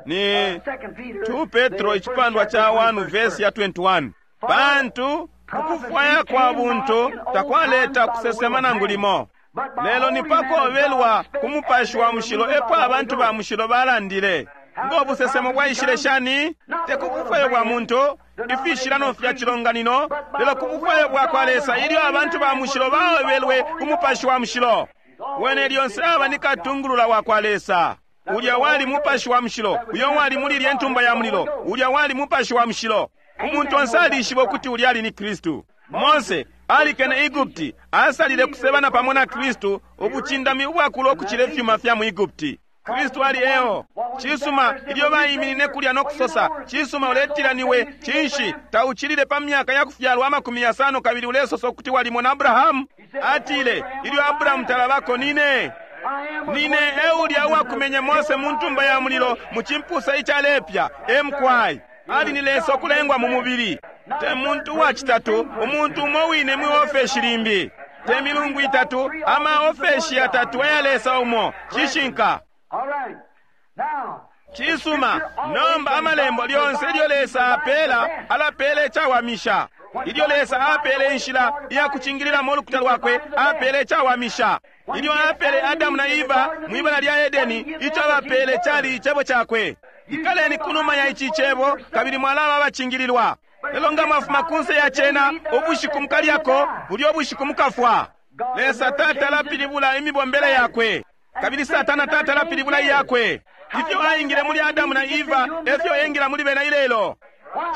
Ni two Petro icipandwa ca one verse ya twenty-one. Pantu ukufwaya kwa buntu takwaleta kusesema nangu limo. Lelo ni pakobelwa ku mupashi wa mushilo epo abantu ba mushilo balandile. Ngo busesemo bwaishile shani? Te ku bufwayo bwa muntu, ifishilano fya cilonganino, lelo ku bufwayo bwa kwa Lesa ilyo abantu ba mushilo baobelwe ku mupashi wa mushilo. Wene lyonse aba ni katungulula wa kwa Lesa. Ulya wali mupashi wa mushilo, uyo wali muli ilye ntumba ya mulilo, ulya wali mupashi wa mushilo. Umuntu onse alishiba ukuti ulya ali ni Kristu. Mose alikene Egupti, asalile kusebana pamo na Kristu ubucindami ubwakula ukucila ifyuma fya mu Egupti. Kristu ali eo. Cisuma ilyo baiminine kulya no kusosa, cisuma uletila niwe, cinshi tauchilile pa myaka ya kufyalwa amakumi yasano kabili ulesosa ukuti walimona Abrahamu? Atile, ilyo Abrahamu talabako nine. Nine eulya uwakumenye Mose mu ntumba ya mulilo mu cimpusa icalepya, emkwai. Ali ni Lesa okulengwa mu mubili. Te muntu uwa citatu, umuntu umo wine mwi ofeshi limbi. Te milungu itatu, ama ofeshi yatatu aya Lesa umo. Cishinka. Cisuma, nomba amalembo lyonse ilyo Lesa apela, alapela icawamisha. Ilyo Lesa apele inshila iya kucingililamo ulukuta lwakwe, apele icawamisha. Ilyo apele Adamu na Eva mwibala lya Edeni, ico abapele cali icebo cakwe. Ikaleni kunuma ya ici cebo, kabili mwalaba abacingililwa. Lelo nga mwafuma kunse ya cena, ubushiku mukalyako, bulyo bushiku mukafwa. Lesa tata alapilibula imibombele yakwe, kabili Satana tata alapilibula iyakwe. Ifyo aingile muli Adamu na Eva, efyo engila muli bena ilelo.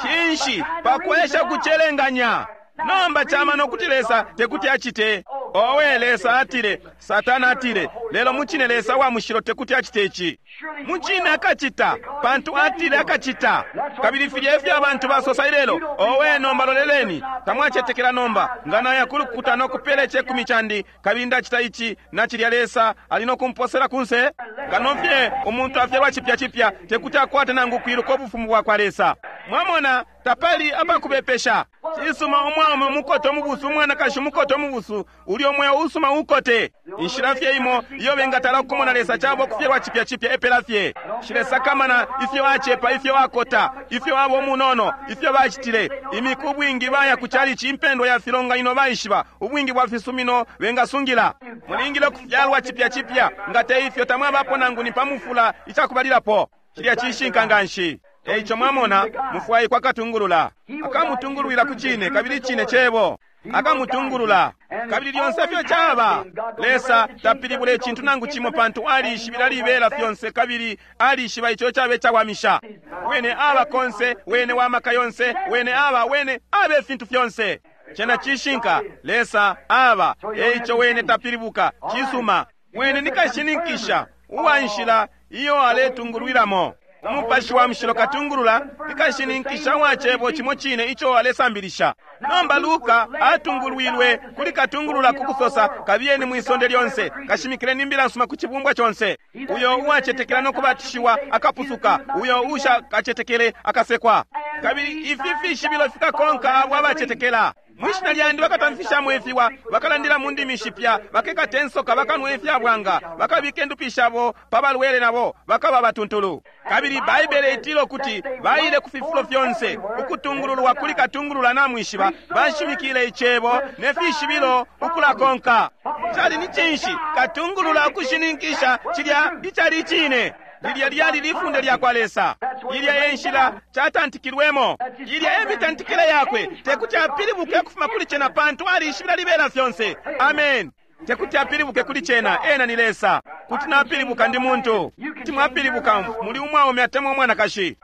Cinshi pakwesha kucelenganya. Nomba chamano kuti Lesa tekuti acite. Owe, Lesa atile, Satana atile, lelo mucine Lesa wa mushilo tekuti acite ici. Mucine akacita, pantu atile akacita. Kabili filya efyo abantu basosa ilelo. Owe, nomba loleleni, tamwacetekela nomba. Nga naya kulukuta no kupela icekumi candi, kabili ndacita ici na cilya, Lesa ali no kumposela kunse. Kano fye umuntu afyalwa cipya cipya tekuti akwate nangu kwiluka ubufumu bwa kwa Lesa. Mwamona, tapali apakubepesha. Cisuma umwaume umukote umubusu, umwanakashi umukote umubusu, ulyo mweo usuma ukote. Inshila fye imo iyo bengatala ukumona Lesa cabo kufyalwa cipya cipya epela fye. Shilesakamana ifyo acepa, ifyo akota, ifyo abo munono, ifyo bacitile. Imiku ubwingi baya ku chalichi, impendwa ya filonganino baishiba, ubwingi bwa fisumino bengasungila. Mulingile kufyalwa cipya cipya, nga te ifyo tamwabapo nangu ni pamufula icakubalilapo. Cilya cishinka nganshi. Eico mwamona, mufwaikwa katungulula. Akamutungulwila ku cine, kabili cine cebo. Akamutungulula. Kabili lyonse fyo caba. Lesa tapilibula icintu nangu cimo, pantu alishibila libela fyonse, kabili alishiba ico cabe cawamisha. Wene aba konse, wene wa maka yonse, wene aba, wene abe fintu fyonse. Cena cishinka, Lesa aba. Eico wene tapilibuka, cisuma. Wene nikashininkisha uwa nshila iyo aletungulwilamo. Umupashi wa mushilo katungulula nikashininkisha wa cebo cimo cine ico alesambilisha. Nomba Luka atungulwilwe kuli katungulula ku kusosa, kabiyeni mwisonde lyonse, kashimikileni imbila nsuma ku cibumbwa conse. Uyo uwacetekela no kubatishiwa akapusuka, uyo ushakacetekele akasekwa. Kabili ifi fishibilo fikakonka abo abacetekela. Mwishina lyandi bakatamfishamo ifiwa, bakalandila mu ndimi shipya, bakekata insoka, bakanwa ifyabwanga, bakabika indupi shabo pa balwele nabo bakaba batuntulu. Kabili Baibele itila ukuti baile ku fifulo fyonse, ukutungululwa kuli katungulula namwishiba, bashimikile icebo ne fishibilo ukulakonka. Cali ni cinshi? Katungulula ukushininkisha cilya icali icine. Lilya lyali lifunde lya kwa Lesa. Ilya e nshila catantikilwemo. Ilya e mitantikile yakwe. Tekuti apilibuke ukufuma kuli cena, pantu alishibila libela fyonse. Amen. Tekuti apilibuke kuli cena, ena ni Lesa. Kuti napilibuka ndi muntu. Kuti mwapilibuka muli umwaume atemwa umwanakashi.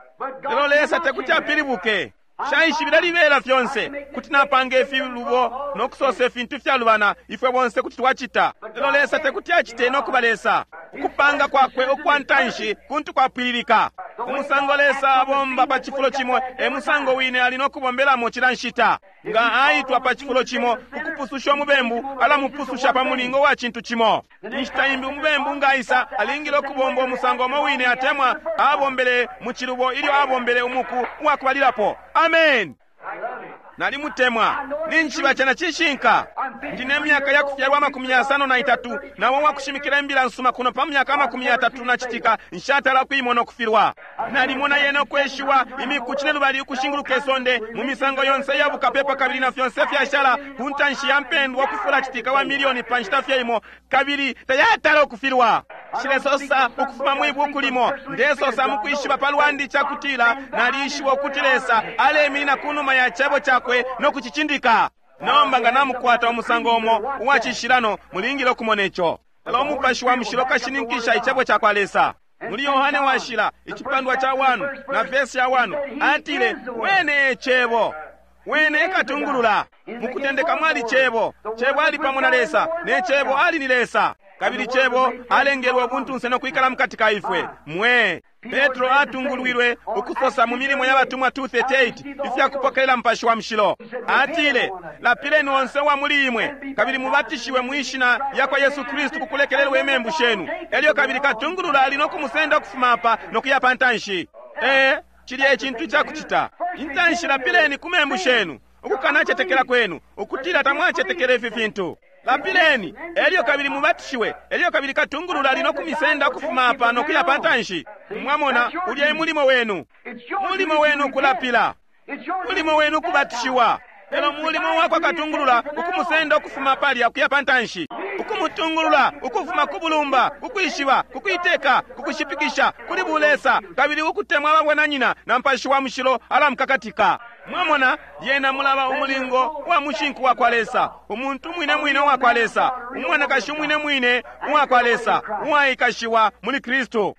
Lelo Lesa tekuti apilibuke. Shaishibila libela fyonse. Kuti napanga ifilubo no kusosa ifintu fyalubana, ifwe bonse kuti twacita. Lelo Lesa tekuti acite no kuba Lesa. Ukupanga kwakwe ukwa ntanshi kuntu kwapwililika. Umusango Lesa abomba pa cifulo cimo e musango wine ali no kubombelamo cila nshita. Nga aitwa pa cifulo cimo ukupususha umubembu, alamupususha pa mulingo wa cintu cimo. Inshita imbi umubembu nga aisa alingile ukubomba umusango umo wine atemwa abombele mu cilubo ilyo abombele umuku uwakubalilapo. Amen. Nalimutemwa. Ninjiba cena cishinka. Ndine myaka ya kufyalwa amakumi yasano na itatu, nawo wakushimikila imbila nsuma kuno pa myaka amakumi yatatu na citika, nshatala kuimona okufilwa. Nalimona yena okweshiwa imiku cine lubali ukushinguluka isonde mu misango yonse ya bukapepa, kabili na fyonse fyashala ku ntanshi ya mpendwa okufula citika wa milioni pa nshita fye imo, kabili tayatala okufilwa. Nshilesosa ukufuma mwi buku limo, ndesosa mukwishiba palwandi cakutila nalishiba ukuti Lesa aleminina kunuma ya cebo cakwe no kucicindika. Nomba nga namukwata umusango umo uwacishilano, mulingile okumona ico. Lelo umupashi wa mushilo kashininkisha icebo ca kwa Lesa. Muli Yohane washila icipandwa ca wanu na vesi ya wanu atile, wene e cebo, wene ekatungulula. Mukutendeka mwali cebo, cebo ali pamo na Lesa, ne cebo ali ni Lesa. Kabili cebo alengelwe ubuntunse no kwikala mukati ka ifwe. Mwe Petro atungulwilwe ukusosa mu milimo ya batumwa two thirty-eight ifya kupokelela mupashi wa mushilo. Atile, lapileni onse wa muli imwe, kabili mubatishiwe mu ishina lya kwa Yesu Kristu ku kulekelelwa imembu shenu. Elyo kabili katungulula ali no kumusenda ukufuma apa no kuya pa ntanshi. Eh, cilya ecintu icakucita. Intanshi lapileni ku membu shenu, ukukanacetekela kwenu, ukutila tamwacetekela ifi fintu. Lapileni, elyo kabili mubatishiwe, elyo kabili katungulula ali no kumisenda ukufuma apa no kuya pa ntanshi. Mwamona, ulya e mulimo wenu. Mulimo wenu kulapila. Mulimo wenu kubatishiwa. Lelo mulimo wakwa katungulula ukumusenda ukufuma palya kuya pa ntanshi. Ukumutungulula ukufuma ku bulumba, kukwishiba, kukuiteka, kukushipikisha, kuli bulesa, kabili ukutemwa ababwananyina na mpashi wa mushilo alamukakatika. Mwamona, lyena mulaba umulingo wa mushinku wa kwa Lesa, umuntu mwine mwine wa kwa Lesa, umwanakashi mwine mwine wa kwa Lesa, uwaikashiwa muli Kristu.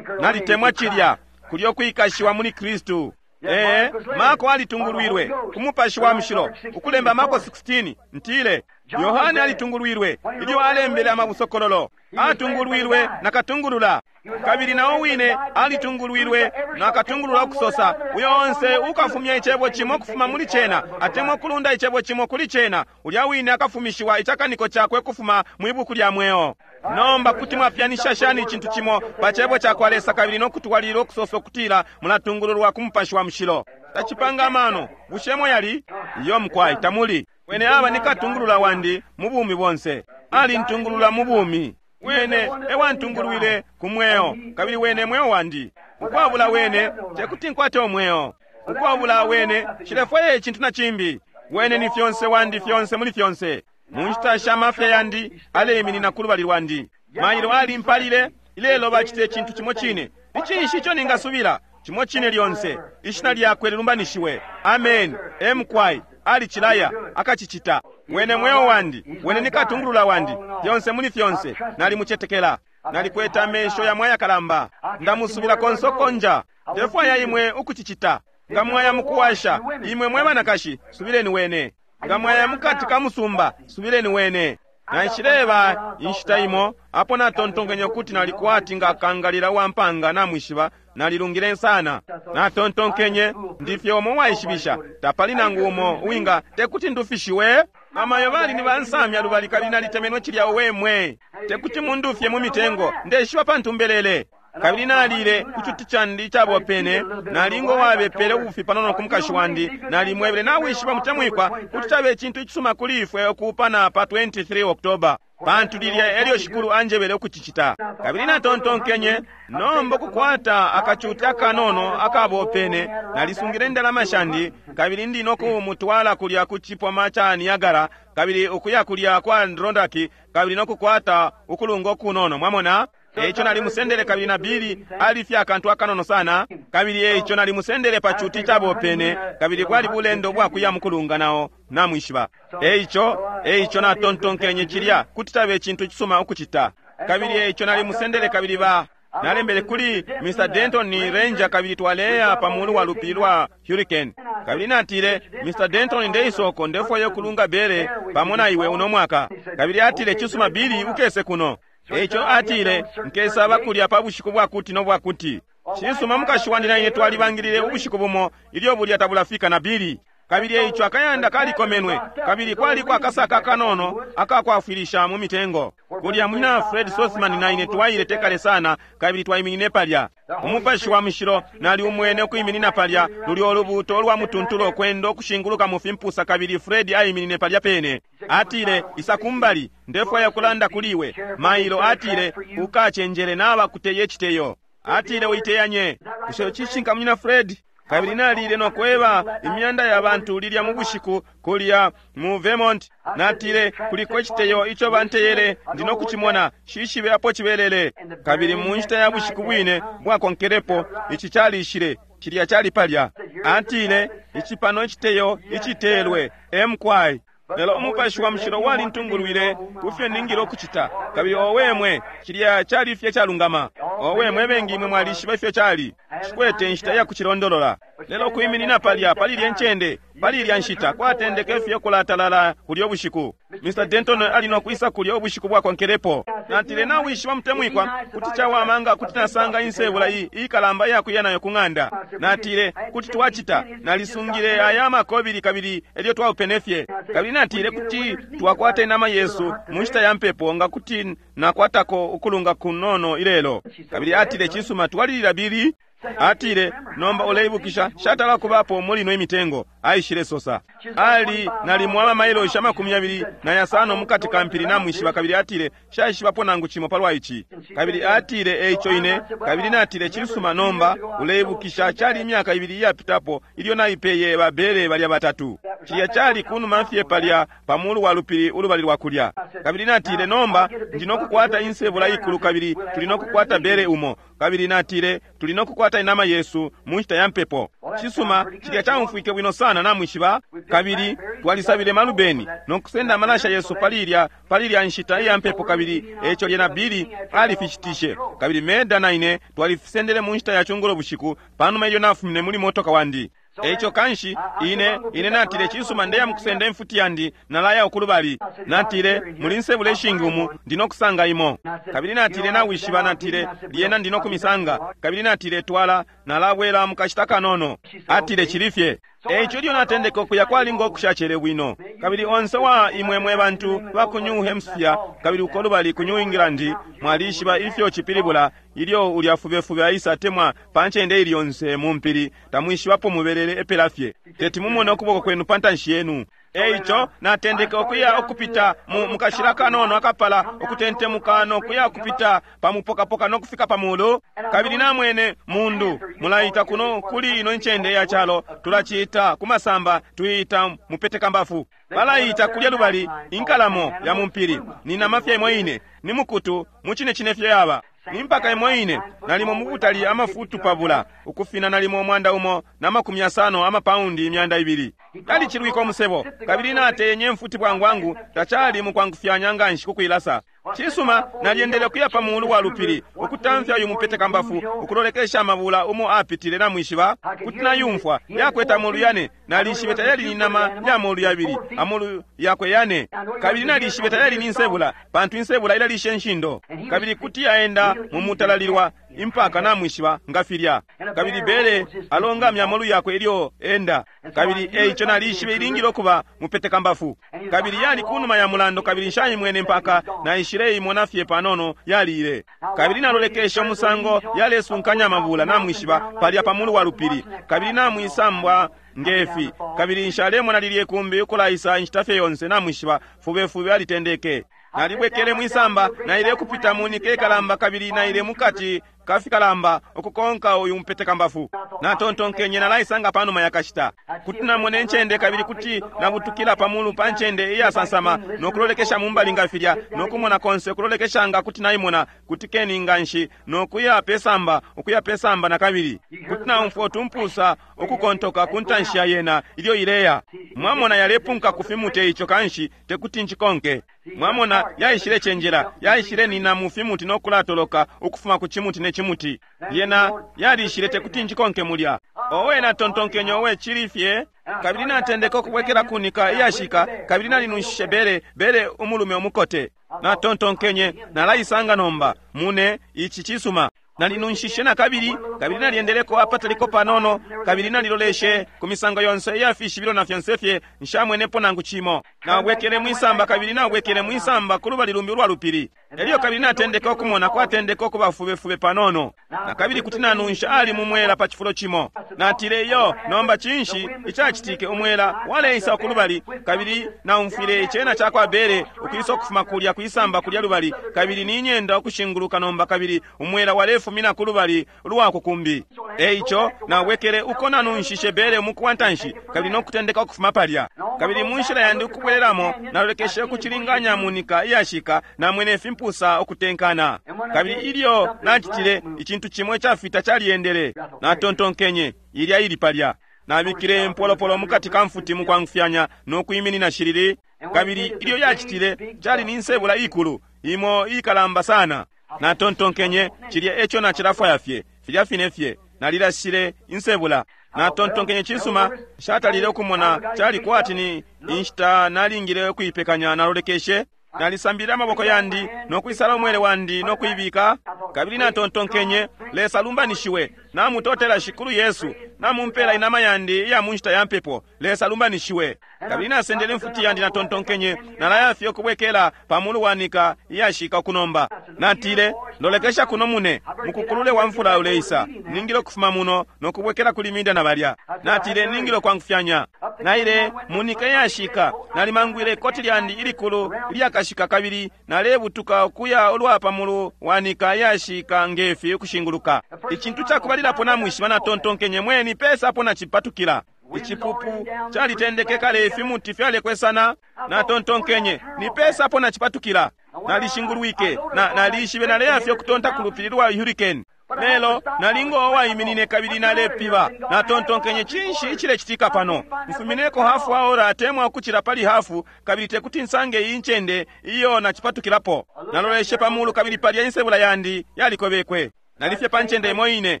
Nalitemwa cilya, kulyo kwikashiwa muli Kristu. Ee, Marko alitungulwilwe ku Mupashi wa Mushilo ukulemba Marko sixteen, ntile Yohane alitungulwilwe ilyo alembele amabusokololo, atungulwilwe na katungulula, kabili nao wine alitungulwilwe na katungulula ukusosa, uyo onse ukafumya icebo cimo kufuma muli cena atemwa kulunda icebo cimo kuli cena, ulya wine akafumishiwa icakaniko cakwe kufuma mwi buku lya mweo. Nomba kuti mwapyanisha shani icintu cimo pa cebo ca kwa Lesa kabili no kutwalilila ukusosa ukutila mulatungululwa ku Mupashi wa Mushilo? Tacipanga amano. Bushemo yali iyo mukwai tamuli. Wene aba ni katungulula wandi mu bumi bonse, alintungulula mu bumi. Wene ewantungulwile ku mweo, kabili wene mweo wandi. Ukwabula wene tekuti nkwate umweo. Ukwabula wene nshilefwaya icintu na cimbi. Wene ni fyonse wandi, fyonse muli fyonse. Mu nshita sha mafya yandi aleiminina ku lubali lwandi. Mailo alimpalile, ilelo bacita icintu cimo cine. Ni cinshi ico ningasubila? Cimo cine lyonse. Ishina lyakwe lilumbanishiwe. Amen. Emkwai alicilaya akacicita. Wene mweo wandi, wene ni katungulula wandi, fyonse muli fyonse. Nalimucetekela, nalikweta amesho yamwe ayakalamba, ndamusubila konse uko nja. Ndefwaya imwe ukucicita. Nga mwaya mukuwasha, imwe mwe banakashi, subileni wene. Nga mwaya mukati ka musumba, subileni wene. Naishileba inshita imo apo natontonkenye ukuti nalikwati nga kangalila wa mpanga, namwishiba, nalilungile sana. Natontonkenye ndifye umo waishibisha, tapali nangu umo uwinga tekuti ndufishiwe. Amayo bali ni bansamya lubali kabili nalitemenwe cilya wemwe. Tekuti mundufye mu mitengo, ndeshiba pantu mbelele. Kabili nalile ku cuti candi icabopene, nalingo wabepele ubufi panono ku mukashi wandi, nalimwebele nawishiba mutemwikwa kuti cabe icintu icisuma kuli ifwe ukuupana pa twenty-three October, pantu lilya elyo shikulu anjebele ukucicita. Kabili natontonkenye nomba kukwata akacuti akanono akabopene, nalisungile indalama shandi kabili ndi no kumutwala kulya ku cipoma ca Niagara, kabili ukuya kulya kwa Adirondack, kabili no kukwata ukulunga ukunono, mwamona. Eico nalimusendele kabili na Bili alifye akantu akanono sana, kabili eico nalimusendele pa cuti cabopene, kabili bwali bulendo bwakuya mukulunga nao namwishiba. Eico, eico natontonkenye cilya kuti cabe icintu icisuma ukucita. Kabili eico nalimusendele kabili ba nalembele kuli Mister Denton ni Ranger, kabili twaleya pa mulu wa lupili lwa Hurricane. Kabili natile, Mister Denton, ndeisoko ndefwaya ukulunga bere pamo na iwe uno mwaka. Kabili atile, cisuma Bili, ukese kuno. Eico atile, nkesaba kulya pa bushiku bwakuti no bwakuti. Cisuma mukashi wandi na ine twalibangilile ubushiku bumo ilyo bulya tabulafika na Bili. Kabili eico akayanda kalikomenwe, kabili kwaliko akasaka kanono akakwafwilisha mu mitengo. Kulya munyina Fred Sothmann na ine twaile tekale sana, kabili twaiminine palya. Umupashi wa Mushilo nali umwene ukwiminina palya, lulyo ulubuuto lwa mutuntulo kwenda ukushinguluka mu fimpusa, kabili Fred aiminine palya pene. Atile, isa kumbali, ndefwaya kulanda kuli iwe. Mailo atile, ukacenjele naba kuteye iciteyo. Atile, uiteyanye. Bushe cishinka munyina Fred? Kabili nalile no kweba imyanda ya bantu lilya mu bushiku kulya mu Vermont. Natile, kuliko iciteyo ico banteyele, ndi no kucimona, shishibe apo cibelele. Kabili mu nshita ya bushiku bwine bwakonkelepo, ici calishile, cilya cali palya. Atile, ici pano iciteyo icitelwe, emkwai. Lelo Umupashi wa Mushilo walintungulwile kufyo ningile ukucita. Kabili owe mwe, cilya cali fye calungama. Owe mwe bengi imwe mwalishiba ifyo cali. Shikwete inshita ya kucilondolola. Lelo kwiminina palya, pali ilya ncende, pali ilya nshita, kwatendeke fye kulatalala kulya ubushiku. Mister Denton ali no kwisa kulya ubushiku bwakonkelepo. Natile, nawishiba mutemwikwa, kuti cawama nga kuti nasanga insebula iyi ikalamba iyakuya nayo ku ng'anda. Natile, kuti twacita. Nalisungile aya makobili kabili elyo twaupene fye. Kabili natile kuti twakwata inama yesu mu nshita ya mpepo nga kuti nakwatako ukulunga kunono ilelo. Kabili atile, cisuma, twalilila Bili. Atile, nomba uleibukisha, shatala kubapo muli ino imitengo. Aishile sosa. Ali nalimwa amamailoshi amakumi yabili na yasano mukati ka mpili namwishiba. Kabili atile, shaishibapo nangu cimo palwa ici. Kabili atile, eico ine. Kabili natile, cisuma, nomba uleibukisha, cali imyaka ibili iyapitapo ilyo naipeye babere balya batatu. Cilya cali kunuma fye palya pa mulu wa lupili ulubali lwa kulya. Kabili natile, nomba ndi nokukwata insebula ikulu, kabili tuli nokukwata bere umo. Kabili natile, tuli nokukwata inama yesu mu nshita ya mpepo. Cisuma, cilya caumfwike bwino sana, namwishiba. Kabili twalisabile malubeni nokusenda amalasha yesu pali ilya pali ilya nshita iya mpepo. Kabili eco lyena Billy alifishitishe, kabili Meda na ine twalifisendele mu nshita ya cungulo bushiku panuma ilyo nafumine muli motoka wandi. Eico kanshi ine ine natile, cisuma, ndeya mukusenda imfuti yandi, nalaya ukulubali. Natile, muli nsebula ishingi umu, ndinokusanga imo. Kabili natile, nawishiba, natile, lyena ndinokumisanga. Kabili natile, twala nalabwela mukashita kanono. Atile, chilifye. Eico ilyo natendeka ukuya kwalinga okushacele bwino. Kabili onse wa imwe mwe bantu ba ku New Hampshire kabili uko lubali ku New England, mwalishiba ifyo cipilibula ilyo ulya fubefube aisa atemwa pa ncende ili yonse mu mpili, tamwishibapo mubelele epela fye, teti mumone ukuboko kwenu pa ntanshi yenu. Eico natendeka ukuya ukupita mu mukashila kanono akapala ukutentemuka nokuya kupita pa mupokapoka nokufika pa mulu. Kabili namwene mundu mulaita kuno kuli ino ncende ya calo, tulaciita kumasamba, tuiita mupetekambafu. Balaita kulya lubali inkalamo ya mumpili. Ni nama fye imo ine, ni mukutu mucine cine fye yaba ni mpaka imo ine, nalimo mubutali amafutu pabula ukufina nalimo umwanda umo na makumi yasano amapaundi imyanda ibili. Yalicilwike umusebo, kabili nateyenye mfuti bwangwangu, tacali mukwangufyanya nganshi kukuilasa. Cisuma, nalyendele kuya pa mulu wa lupili ukutamfya uyu mupetekambafu ukulolekesha amabula umo apitile, namwishiba kuti nayumfwa yakweta amolu yane. Nalishibe tayali ni nama ya molu yabili, amolu yakwe yane. Kabili nalishibe tayali ni nsebula, pantu insebula ilalisha enshindo, kabili kuti yaenda mu mutalalilwa impaka, namwishiba nga filya. Kabili bere alongamya amolu yakwe ilyo enda. Kabili eico nalishibe ilingile okuba mupetekambafu. Kabili yali kunuma ya mulando, kabili nshayimwene mpaka naishile imona fye panono yaliile. Kabili nalolekesha umusango yalesunkanya amabula, namwishiba, palya pa mulu wa lupili. Kabili namwisambwa ngefi, kabili nshalemona lilye kumbi ukulaisa inshita fye yonse, namwishiba, fubefube alitendeke. Nalibwekele mwisamba, naile kupita munike ikalamba, kabili naile mukati kafikalamba ukukonka uyu mupetekambafu. Natontonkenye nalaisanga panuma yakashita kuti namona encende, kabili kuti nabutukila pamulu pa ncende iyasansama nokulolekesha mumbali nga filya, nokumona konse ukulolekesha nga kuti naimona, kuti keni nganshi nokuya pesamba, ukuya pesamba na kabili kuti naumfwa utumpusa ukukontoka ku ntanshi ya yena ilyo ileya. Mwamona yalepunka ku fimuti, ico kanshi tekuti nchikonke. Mwamona yaishile cenjela, yaishile nina mu fimuti nokulatoloka ukufuma ku chimuti ne chimuti. Yena yalishile, tekuti nchikonke mulya. Owe, natontonkenye, owe, chili fye. Kabili natendeka ukubwekela kunika iyashika, kabili nalinunshishe bere bere umulume umukote. Natontonkenye nalaisanga nomba mune ichi cisuma. Nalinunshishe na kabili, kabili nalyendeleko apataliko panono, kabili naliloleshe ku misango yonse iyafishibilo na fyonse fye, nshamwenepo nangu cimo. Nabwekele mwisamba, kabili nabwekele mwisamba ku lubali lumbi ulwa lupili. Elyo kabili natendeka ukumona kwatendeka ukuba fubefube panono, na kabili kuti nanunsha ali mumwela pa cifulo cimo. Natile, iyo, nomba cinshi icacitike? Umwela waleisa ku lubali, kabili naumfwile icena ca kwa bere ukwisa ukufuma kulya kwisamba kulya lubali, kabili ninyenda ukushinguluka nomba, kabili umwela walefumina ku lubali lwa kukumbi. Eico nabwekele uko nanunshishe bere umuku wa ntanshi, kabili nokutendeka ukufuma palya. Kabili mu nshila yandi ukubwelelamo, nalolekeshe ukucilinganya munika iyashika, namwene fimpusa ukutenkana. Kabili ilyo nacitile, icintu cimo icafita calyendele. Natontonkenye, ilya ili palya. Nabikile impolopolo mukati ka mfuti mukwangufyanya nokwiminina shilili. Kabili ilyo yacitile, cali ni nsebula ikulu, imo ikalamba sana. Natontonkenye, cilya eco nacilafwaya fye, filya fine fye. Nalilashile insebula. Natontonkenye, cisuma, nshatalile ukumona, cali kwati ni inshita nalingile ukuipekanya. Nalolekeshe, nalisambile amaboko yandi nokwisala umwele wandi nokuibika. Kabili natontonkenye, Lesa lumbanishiwe, namutotela Shikulu Yesu, namumpela inama yandi iya mu nshita ya mpepo. Lesa lumbanishiwe. Kabili nasendele imfuti yandi, natontonkenye, nalaya fye ukubwekela pa mulu wanika iyashika ukunomba. Natile, lolekesha kuno mune, mukukulule wa mfula uleisa, ningile ukufuma muno nokubwekela kuli minda na balya. Natile, ningile ukwangufyanya. Naile munika iyashika, nalimangwile ikoti lyandi ilikulu ilyakashika, kabili nalebutuka ukuya ulwa pa mulu wanika iyashika ngefi ukushinguluka. Icintu cakubalilapo namwishiba, natontonkenye, mweni pesa apo nacipatukila. Icipupu calitendeke kale, ifimuti fyalekwesana. Natontonkenye, nipesa apo nacipatukila. Nalishingulwike, na nalishibe naleya fye ukutonta ku lupili lwa Hurricane. Lelo nalingo waiminine kabili nalepiba. Natontonkenye, cinshi icilecitika pano? Mfumineko hafu aora atemwa ukucila pali hafu, kabili tekuti nsange iyi ncende iyo nacipatukilapo. Naloleshe pa mulu kabili palya insebula yandi yalikobekwe. Nalifye pa ncende imo ine.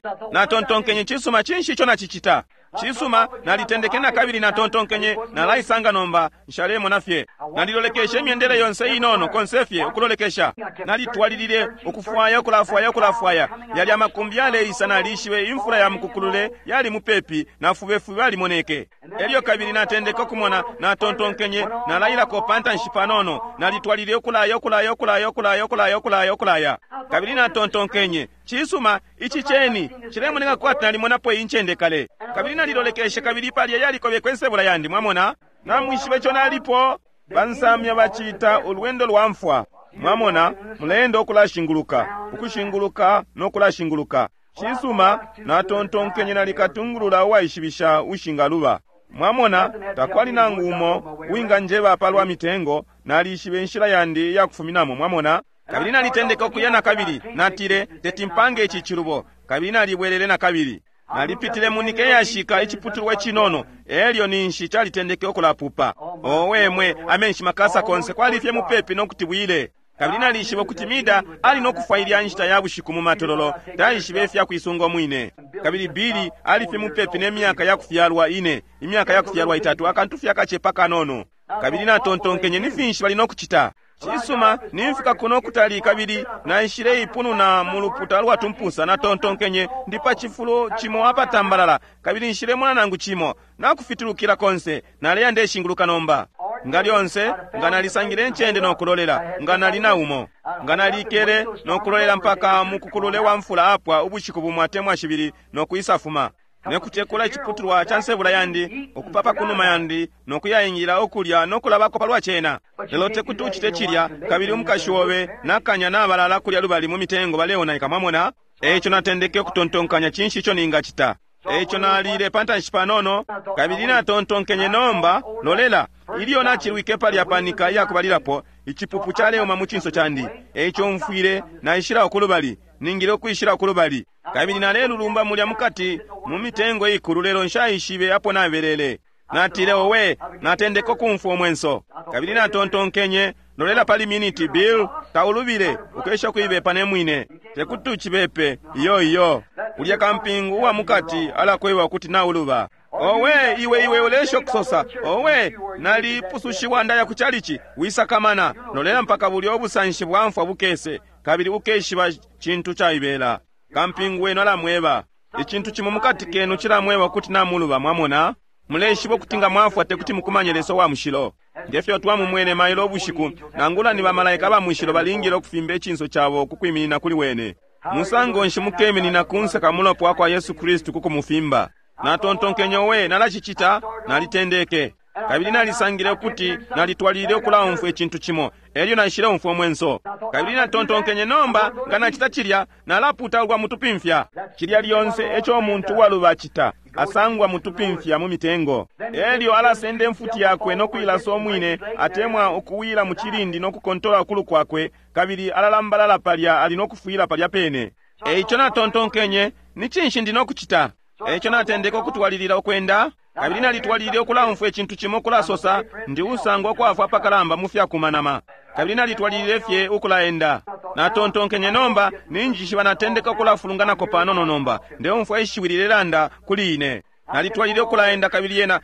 Natontonkenye, cisuma, cinshi ico nacicita? Cisuma, nalitendeke na kabili natontonkenye, nalaisanga nomba, nshalemona fye. Nalilolekeshe imyendele yonse inono konse fye ukulolekesha. Nalitwalilile ukufwaya, ukulafwaya, ukulafwaya. Yali amakumbi yaleisa, nalishibe imfula ya mukukulule yali mupepi na fubefube alimoneke. Elyo kabili natendeke ukumona, natontonkenye, nalailako pantanshi panono. Nalitwalilile ukulaya, ukulaya, ukulaya, ukulaya, ukulaya, ukulaya, ukulaya. Kabili natontonkenye, cisuma, ici ceni cilemoneka kwati nalimonapo iyi ncende kale. Kabili nalilolekeshe kabili palya yalikobekwe nsebula yandi, mwamona. Namwishibe ico nalipo. Bansamya bacita ulwendo lwa mfwa. Mwamona, mulendo ukulashinguluka, ukushinguluka no kulashinguluka. Cisuma, natontonkenye nalikatungulula uwaishibisha ushingaluba. Mwamona, takwali nangu umo uwinganjeba palwa mitengo, nalishibe inshila yandi iyakufuminamo, mwamona. Kabili nalitendeka ukuya na kabili, natile, teti mpange ici cilubo. Kabili nalibwelele na kabili. Nalipitile munike yashika iciputulwa cinono, elyo ninshi calitendeke ukulapupa. Owe mwe, amenshi makasa konse kwali fye mupepi nokuti bwile. Kabili nalishiba ukuti Mida ali nokufwa ilya nshita ya bushiku mu matololo, taishibe ifya kuisunga umwine. Kabili Bili ali fye mupepi ne myaka ya kufyalwa ine, imyaka ya kufyalwa itatu, akantu fye akacepa kanono. Kabili natontonkenye, ni finshi bali nokucita? Cisuma, nimfika kuno kutali kabili naishile ipununa mu luputa lwa tumpusa. Natontonkenye, ndi pa cifulo cimo apatambalala kabili nshilemona nangu cimo. Nakufitulukila konse, naleya ndeshinguluka nomba. Nga lyonse, nga nalisangile ncende nokulolela, nga nali na umo. Nga nalikele nokulolela mpaka mukukulule wa mfula apwa ubushiku bumo atemwa shibili nokuisafuma. Nekutekula iciputulwa ca nsebula yandi, ukupapa kunuma yandi, nokuyaingila okulya nokulabako palwa cena. Lelo tekuti ucite cilya, kabili umukashi obe nakanya nabalala kulya lubali mu mitengo baleonaika, mwamona. Eico natendeke ukutontonkanya, cinshi ico ningacita? Eico nalile pantanshi panono, kabili natontonkenye, nomba lolela. Ilyo nacilwike palya panika iyakubalilapo, icipupu caleuma mu cinso candi. Eico mfwile naishila ukulubali, ningile ukwishila ukulubali. Kabili nalelulumba mulya mukati mu mitengo ikulu, lelo nshaishibe apo nabelele. Natile, owe, natendeka ukumfwa umwenso. Kabili natontonkenye, lolela pali miniti, Bill, taulubile, ukesha kuibepa ne mwine. Tekuti ucibepe, iyo iyo. Ulya kampingu uwa mukati alakweba ukuti nauluba. Owe, iwe iwe ulesha okusosa. Owe, nalipusushiwa ndaya ku chalichi, wisakamana. Lolela mpaka bulya obusanshi bwa mfwa bukese, kabili ukeshiba cintu caibela. Kampingu wenu alamweba. Icintu cimo mukati kenu cilamweba ukuti namuluba, mwamona. Muleshiba ukuti nga mwafwa tekuti mukumanye Lesa wa mushilo. Ngefyo twamumwene mailo ubushiku, nangula ni bamalaika ba mushilo balingile ukufimba icinso cabo ku kwiminina kuli wene. Musango nshi mukeminina kunse ka mulopa wa kwa Yesu Kristu ku kumufimba? Natontonkenye, we, nalacicita, nalitendeke. Kabili nalisangile ukuti nalitwalilile ukulaumfwa icintu cimo, elyo naishile umfwa umwenso. Kabili natontonkenye, nomba nga nacita cilya, nalaputaulwa mutupimfya. Cilya lyonse eco umuntu uwaluba acita, asangwa mutupimfya mu mitengo. Elyo alasenda imfuti yakwe no kuilasa umwine, atemwa ukuwila mu cilindi no kukontola ukulu kwakwe, kabili alalambalala palya ali no kufwila palya pene. Eico natontonkenye, ni cinshi ndi no kucita? Eico natendeka ukutwalilila ukwenda, kabili nalitwalilile ukulaumfwa icintu cimo kulasosa, ndi usangwa kwafwa apakalamba mu fyakumanama. Kabili nalitwalilile fye ukulaenda. Natontonkenye, nomba ninjishiba natendeka ukulafulunganako panono nomba, ndeumfwa ishiwi lilelanda kuli ine. Nalitwalilile ukulaenda kabili yena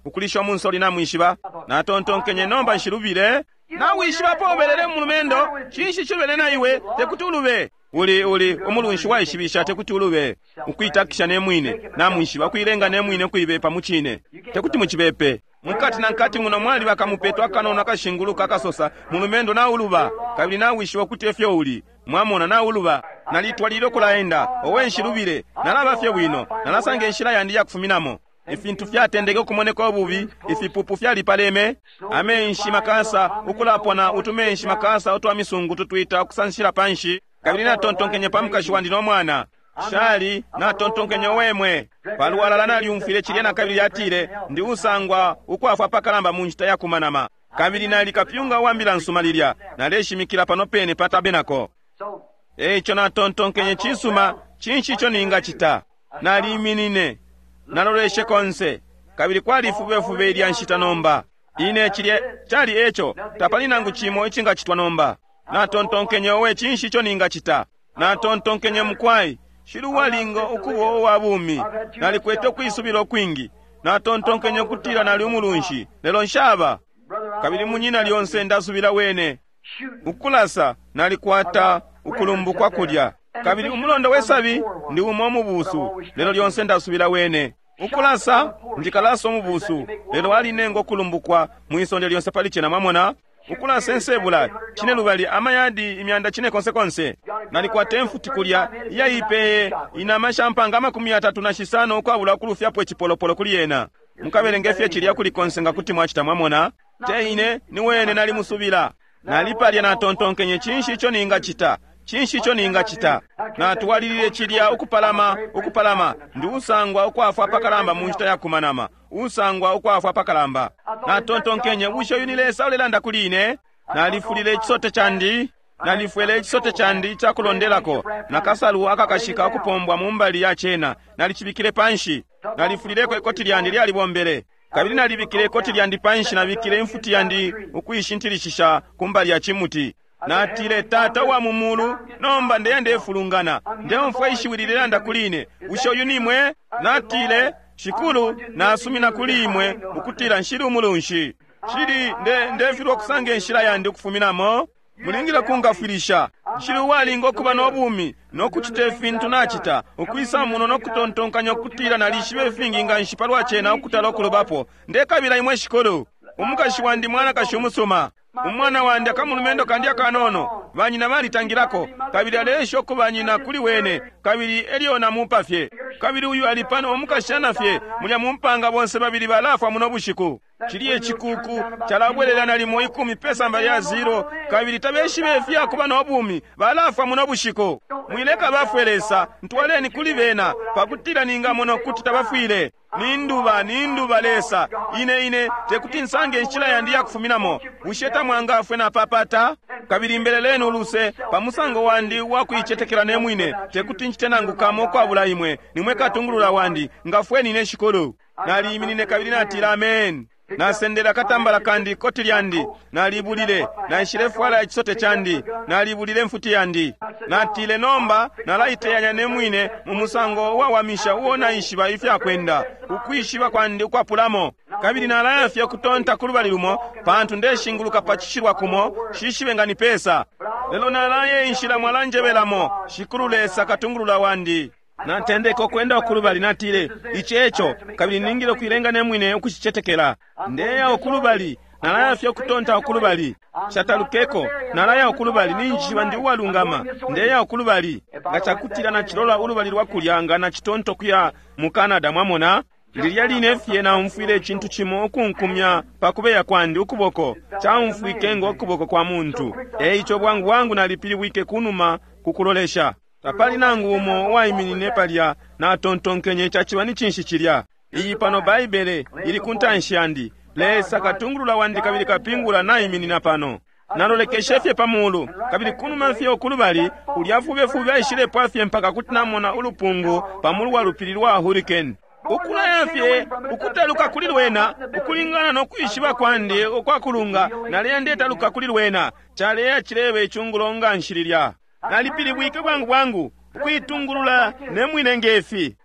ukulisha umunsoli namwishiba. Natontonkenye, nomba nshilubile. Nawishibapo ubelele mulumendo, cinshi cilubele na iwe, tekuti ulube. Uli uli umulunshi waishibisha tekuti ulube. Ukuitakisha ne mwine, namwishiba, kuilenga ne mwine kuibepa mu cine. Tekuti mucibepe. Mukati na nkati muno mwali bakamupeto akanono akashinguluka akasosa, mulumendo nauluba, kabili nawishiba ukuti efyo uli. Mwamona, nauluba. Nalitwalile ukulaenda, owe nshilubile, nalaba fye bwino, nalasanga inshila yandi yakufuminamo. Ifintu fyatendeke ukumoneka ububi, ifipupu fyalipaleme, amenshi makasa ukulapona utumenshi makasa utwa misungu tutwita ukusanshila panshi. Kabili natontonkenye pa mukashi wandi no mwana. Shali natontonkenye wemwe palwalala nalyumfwile cilya na kabili yatile ndi usangwa ukwafwa pakalamba mu nshita yakumanama. Kabili nali kapyunga wa mbila nsuma lilya naleshimikila pano pene pa tabenako. Eico natontonkenye cisuma, cinshi ico ningacita? Naliminine, naloleshe konse, kabili kwali fubefube ilya nshita nomba. Ine cilye cali eco, tapali nangu cimo icingacitwa nomba. Natontonkenye owe cinshi ico ningacita? Natontonkenye mukwai, shili uwalinga ukuba uwa bumi. Nalikwete ukwisubila ukwingi. Natontonkenye ukutila nali umulunshi, lelo nshaba. Kabili munyina lyonse ndasubila wene. Ukulasa nalikwata ukulumbukwa kulya. Kabili umulondo wesabi ndi umo umubusu, lelo lyonse ndasubila wene. Ukulasa ndikalasa umubusu, lelo alinenga ukulumbukwa mwisonde lyonse pali cena, mwamona. Ukulasa ensebula cine lubali amayadi imyanda cine konse konse. Nalikwata emfuti kulya iyaipeye inama shampanga amakumi yatatu na shisano ukwabula ukulufyapo icipolopolo kuli yena. Mukabelenge fye cilya kuli konse nga kuti mwacita, mwamona. Te ine ni wene nalimusubila. Nalipalya natontonkenye cinshi ico ningacita? Cinshi ico ningacita? Natwalilile cilya ukupalama ukupalama ndi usangwa ukwafwa pakalamba mu nshita yakumanama, usangwa ukwafwa pakalamba. Natontonkenye bushe uyu ni Lesa ulelanda kuli ine? Nalifulile ichisote chandi, nalifwele ichisote chandi icakulondelako nakasalu akakashika ukupombwa mu mbali ya cena, nalicibikile panshi. Nalifulileko ikoti lyandi lyalibombele. Kabili nalibikile ikoti lyandi panshi, nabikile imfuti yandi ukuishintilishisha ku mbali ya chimuti. Natile, Tata wa mu mulu, nomba ndeya ndefulungana, ndeumfwa ishiwi lilelanda kuli ine, bushe uyu nimwe? Natile, Shikulu, nasumina kuli imwe ukutila nshili umulunshi. Shili nde ndefilwa okusanga enshila yandi ukufuminamo. Mulingile kungafwilisha. Nshili uwalinga okuba n'obumi n'okucita efintu nachita, ukwisa muno n'okutontonkanya okutila nalishiba efingi nga nshi palwa cena okutala okulobapo. Ndekabila imwe Shikulu. Umukashi wandi mwanakashi umusuma. Umwana wandi akamulumendo kandi akanono, banyina balitangilako, kabili aleesha okubanyina kuli wene, kabili elyo namupa fye. Kabili uyu ali pano omukashana fye, mulya mumpanga bonse babili balafwa muno bushiku. Chili echikuku chalabwelela nalimo ikumi pesamba lya zero, kabili tabeshibe ifyakuba n'obumi, balafwa muno bushiku. Mwileka bafwe Lesa, ntwaleni kuli bena, pakutila ningamona ukuti tabafwile. Ninduba, ninduba Lesa, ine ine tekuti nsange inshila yandi yakufuminamo. Bushe tamwangafwe napapata? Kabili mbeleleni uluse pa musango wandi wakuichetekela ne mwine, tekuti nchite nangu kamo ukwabula imwe. Nimwe katungulula wandi, ngafweni ne Shikulu. Naliyiminine kabili natila amen. Nasendela katambala kandi koti lyandi, nalibulile, naishilefwala ichisote chandi, nalibulile mfuti yandi. Natile nomba nalaiteyanya ne mwine mu musango uwawamisha uo naishiba ifyakwenda, ukwishiba kwandi ukwapulamo. Kabili nalaya fye kutonta ku lubali lumo, pantu ndeshinguluka pa chishilwa kumo, shishibe nga ni pesa. Lelo nalaye inshila mwalanjebelamo, Shikulu Lesa katungulula wandi. Natendeka okwenda okulubali, natile ichi echo, kabili ningile okuilenga ne mwine ukuchichetekela. Ndeya okulubali, nalaya fye okutonta okulubali. Shatalukeko, nalaya okulubali, ninjishiba ndi uwalungama. Ndeya okulubali. Nga chakutila nachilola ulubali lwa kulya nga nachitonto kuya mu Canada, mwamona. Lilya line fye naumfwile ichintu chimo okunkumya pakubeya kwandi ukuboko, chaumfwike ngo kuboko kwa muntu. Eicho bwangu bwangu nalipilibwike kunuma kukulolesha. Tapali nangu umo uwaiminine palya, natontonkenye chachiba ni chinshi chilya. Iyi pano Baibele ili kuntanshi yandi. Lesa katungulula wandi kabili kapingula naiminina pano. Nalolekeshe fye pamulu, kabili kunuma fye okulubali, ulya fubefube aishilepwa fye mpaka kuti namona ulupungu pamulu wa lupili lwa hurricane. Ukulaya fye ukutaluka kuli lwena, ukulingana n'okwishiba kwandi okwakulunga, naleya ndetaluka kuli lwena. Chaleya chilebe ichungulo nga nshililya. Nalipilibwike bwangu bwangu ukuitungulula ne mwine ngefi.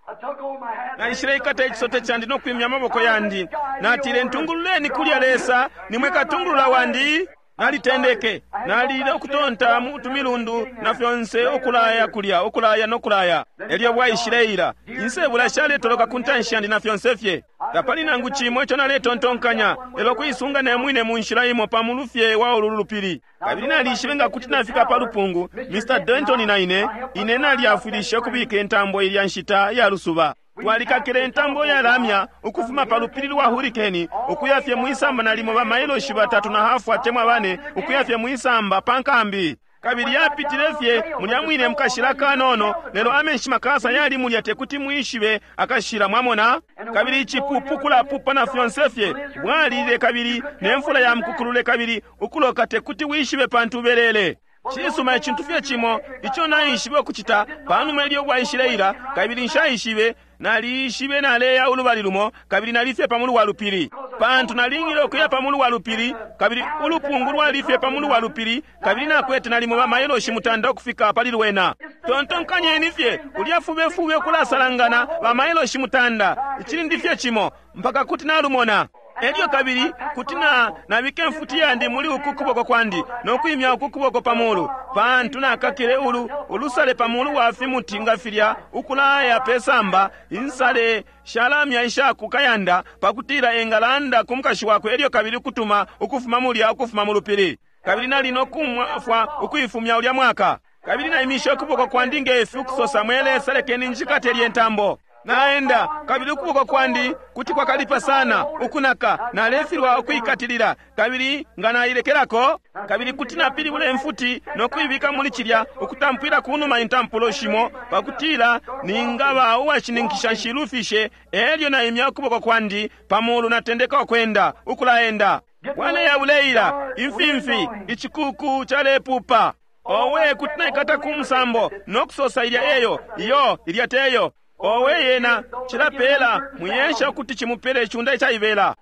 Naishileikata ichisote chandi n'okwimya amaboko yandi. Natile ntungululeni kulya Lesa, nimwe katungulula wandi. Nalitendeke, nalile okutonta mu tumilundu na fyonse okulaya kulya, okulaya n'okulaya. Elyo bwaishileila, insebula shaletoloka ku ntanshi yandi na fyonse fye. Tapali nangu chimo icho naletontonkanya, lelo kuisunga ne mwine mu nshila imo pamulu fye wa ulu lupili. Kabili nalishibe nga kuti nafika pa lupungu, Mister Denton na ine, ine nalyafwilishe okubika entambo ilya nshita ya lusuba. Twalikakile entambo ya lamya ukufuma pa lupili lwa hurricane ukuya fye mwisamba nalimo ba mailoshi batatu na hafu atemwa bane ukuya fye mwisamba pa nkambi. Kabili yapitile fye mulya mwine mukashila kanono, lelo amenshi makasa yali mulya tekuti mwishibe akashila, mwamona. Kabili icipupu kulapupa na fyonse fye bwalile, kabili ne mfula ya mukukulule, kabili ukuloka tekuti wishibe pantu ubelele. Cisuma, icintu fye cimo ico naishibe ukucita panuma ilyo bwaishileila, kabili nshaishibe, naliishibe naleya ulubali lumo, kabili nalifye pa mulu wa lupili, pantu nalingile ukuya pa mulu wa lupili, kabili ulupungu lwalifye pa mulu wa lupili, kabili nakwete nalimo bamailoshi mutanda ukufika pali lwena. Tontonkanyeni fye ulya fubefube ukulasalangana bamailoshi mutanda, icilindi fye cimo mpaka kuti nalumona. Elyo kabili kuti na nabika imfuti yandi muli uku kuboko kwandi no kwimya uku kuboko pa mulu, pantu nakakile ulu ulusale pa mulu wa fimuti nga filya ukulaya pe samba insale shalamya ishaku kayanda, pakutila engalanda ku mukashi wakwe, elyo kabili kutuma ukufuma mulya ukufuma mu lupili. Kabili nali no kumwafwa ukuifumya ulya mwaka. Kabili naimishe ukuboko kwandi ngefi ukusosa, mwe Lesa, lekeni njikate lye ntambo. Naenda, kabili ukuboko kwandi kuti kwakalipa sana ukunaka, nalefilwa ukuikatilila, kabili nga nailekelako, kabili kuti napilibula imfuti no kuibika muli cilya, ukutampwila kunuma intampulo shimo, pakutila ningaba uwashininkisha nshilufishe. Elyo naimya ukuboko kwandi pamulu, natendeka ukwenda, ukulaenda. Waleya buleila imfimfi, icikuku calepupa. Owe, kuti naikata ku musambo no kusosa ilya eyo, iyo ilya teyo. Owe, yena cilapela muyesha ukuti chimupele icunda icaibela.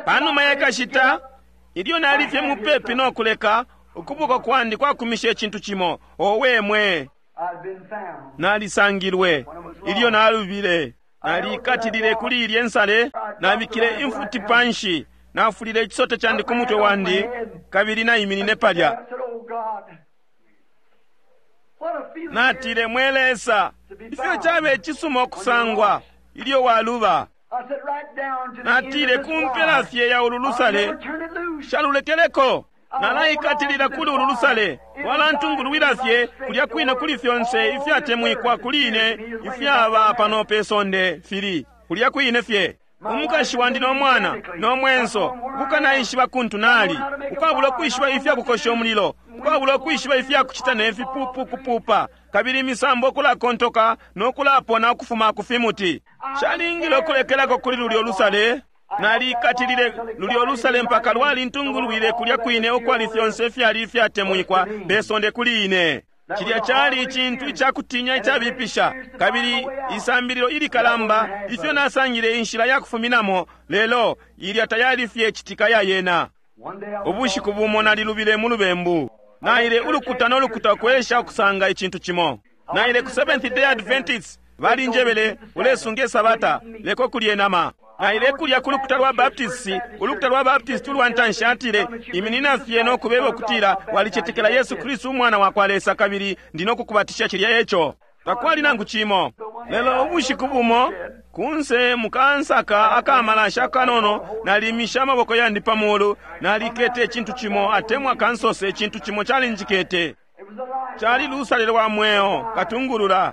Panuma yakashita, ilyo nalifye mupepi no kuleka, ukuboko kwandi kwakumisha icintu cimo. Owe mwe, nalisangilwe ilyo nalubile. Nalikatilile kuli ilye nsale, nabikile imfuti panshi, nafulile ichisote chandi ku mutwe wandi, kabili naiminine palya. Natile, mwe Lesa, ifyo chabe icisuma okusangwa ilyo waluba. Natile, kumpela fye ya ulu lusale shalulekeleko. Nalaikatilila kuli ulu lusale, walantungulwila fye kulya kwine kuli fyonse ifyatemwikwa kuli ine ifyaba pano pe sonde fili kulya kwine fye. Umukashi wandi no mwana no mwenso, ukukanaishiba kuntu nali, ukwabula ukwishiba ifya kukosha umulilo, ukwabula ukwishiba ifya kucita ne fipupu kupupa, kabili imisambo kulakontoka no kulapona ukufuma ku fimuti. Shalingile ukulekelako kuli lulyo lusale. Nalikatilile lulyo lusale mpaka lwalintungulwile kulya kwine ukwali fyonse ifyali ifyatemwikwa pe sonde kuli ine. Cilya cali icintu icakutinya icabipisha, kabili isambililo ilikalamba ifyo nasangile inshila ya kufuminamo, lelo ilya tayali fye citika ya yena. Ubushiku bumo nalilubile mu lubembu. Naile ulukuta no lukuta ukwesha ukusanga icintu cimo. Naile ku Seventh Day Adventists, balinjebele ulesunge sabata leko kulye nama. Naile kulya ku lukuta lwa Baptist, ulukuta lwa Baptist ulwa ntanshi atile, iminina fye no kubeba ukutila walicetekela Yesu Kristu umwana wa kwa Lesa, kabili ndi no kukubatisha cilya eco. Takwali nangu cimo. Lelo ubushiku bumo kunse mukansaka akamalasha kanono, nalimisha amaboko yandi pa mulu, nalikete icintu cimo, atemwa kansose icintu cimo calinjikete. Cali lusale lwa mweo katungulula,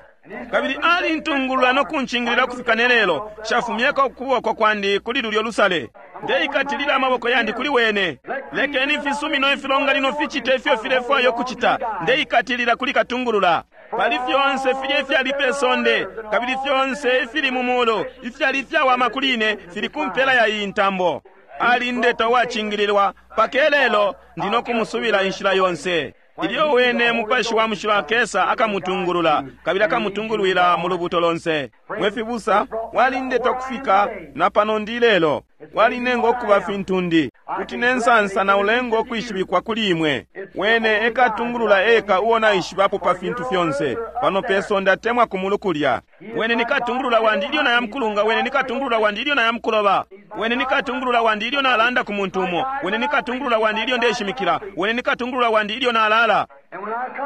kabili alintungulula no kunchingilila kufika ne lelo. Shafumyeko ukuboko kwandi kuli lulyo lusale, ndeikatilila amaboko yandi kuli wene. Lekeni fisumino ifilonganino fichite ifyo filefwayo kuchita, ndeikatilila kuli katungulula. Pali fyonse filye ifyali pe sonde, kabili fyonse ifili mu mulu, ifyali ifyawama kuli ine, fili ku mpela ya iyi ntambo. Alindeta uwachingililwa pake lelo, ndi no kumusubila inshila yonse. Ilyo wene mupashi wa mushilo akesa akamutungulula, kabili akamutungulwila mu lubuto lonse. Mwe fibusa, walindeta kufika na pano ndi lelo, walinenga okuba fintu ndi kuti nensansa na ulenga okwishibikwa kuli imwe. Wene ekatungulula eka uo naishibapo pa fintu fyonse pano pe sonde atemwa ku mulu kulya. Wene nikatungulula wandi ilyo nayamkulunga, wene nikatungulula wandi ilyo nayamkuloba, wene nikatungulula wandi ilyo nalanda ku muntu umo, wene nikatungulula wandi ilyo ndeshimikila, wene nikatungulula wandi ilyo nalala.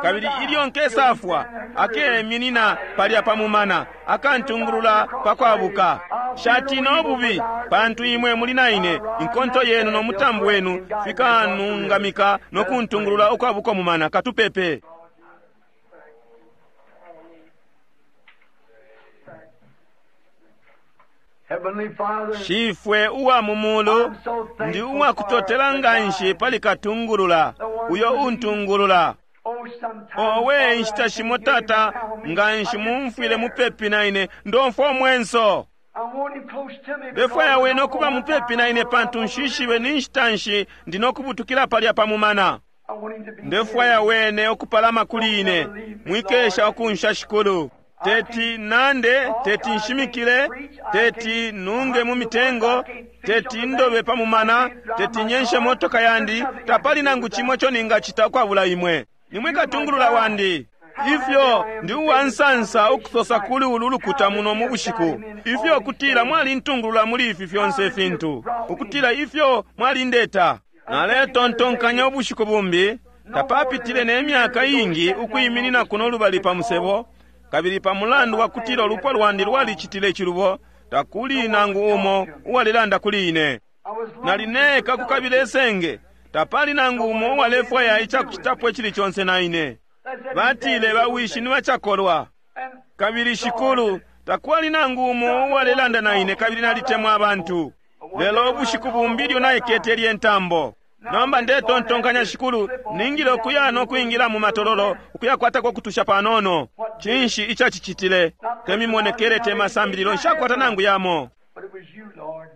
Kabili ilyo nkesafwa akeminina palya pamumana akantungulula pakwabuka. Shatina obubi, pantu imwe muli naine, inkonto yenu no mutambu wenu fikanungamika no kuntungulula ukwabuka mumana. Katupepe. Heavenly Father, Shifwe uwa mu mulu, ndi uwakutotela nganshi pali katungulula uyo untungulula. oh, sometimes, Owe Father, inshita I shimo can't hear tata him around me. nganshi I get mumfwile scared. mupepi na ine ndomfwa omwenso. I want him close to me Ndefwaya because wene I okuba know mupepi na ine pantu nshishibe ni nshita nshi ndi nokubutukila palya pa mumana. I want him to be Ndefwaya near me. wene okupalama kuli ine mwikesha okunsha shikulu. Teti nande, teti nshimikile, teti nunge mu mitengo, teti ndobe pa mumana, teti nyenshe motoka yandi, tapali nangu chimo icho ningachita ukwabula imwe. Nimwe katungulula wandi. Ifyo ndi uwansansa ukusosa kuli ulu lukuta muno mu bushiku. Ifyo kutila mwalintungulula muli ifi fyonse ifintu. Ukutila ifyo mwalindeta. Naletontonkanya ubushiku bumbi, tapapitile ne myaka iingi ukwiminina kuno lubali pa musebo, kabili pa mulandu wa kutila ulupwa lwandi lwalicitile icilubo, takuli nangu umo uwalilanda kuli ine. I was Nali neka kukabila esenge, tapali nangu umo uwalefwaya icakucitapo icili conse na ine. Batile bawishi ni bacakolwa, And kabili shikulu, takwali nangu umo uwalelanda na ine kabili nalitemwa abantu. Lelo ubushiku bumbi ilyo naikete lye ntambo. Nomba ndetontonkanya shikulu, ningile ukuya no kwingila mu matololo, ukuyakwatako kutusha panono. Cinshi icacicitile? Temimonekele te masambililo nshakwata nangu yamo. but it was you, Lord.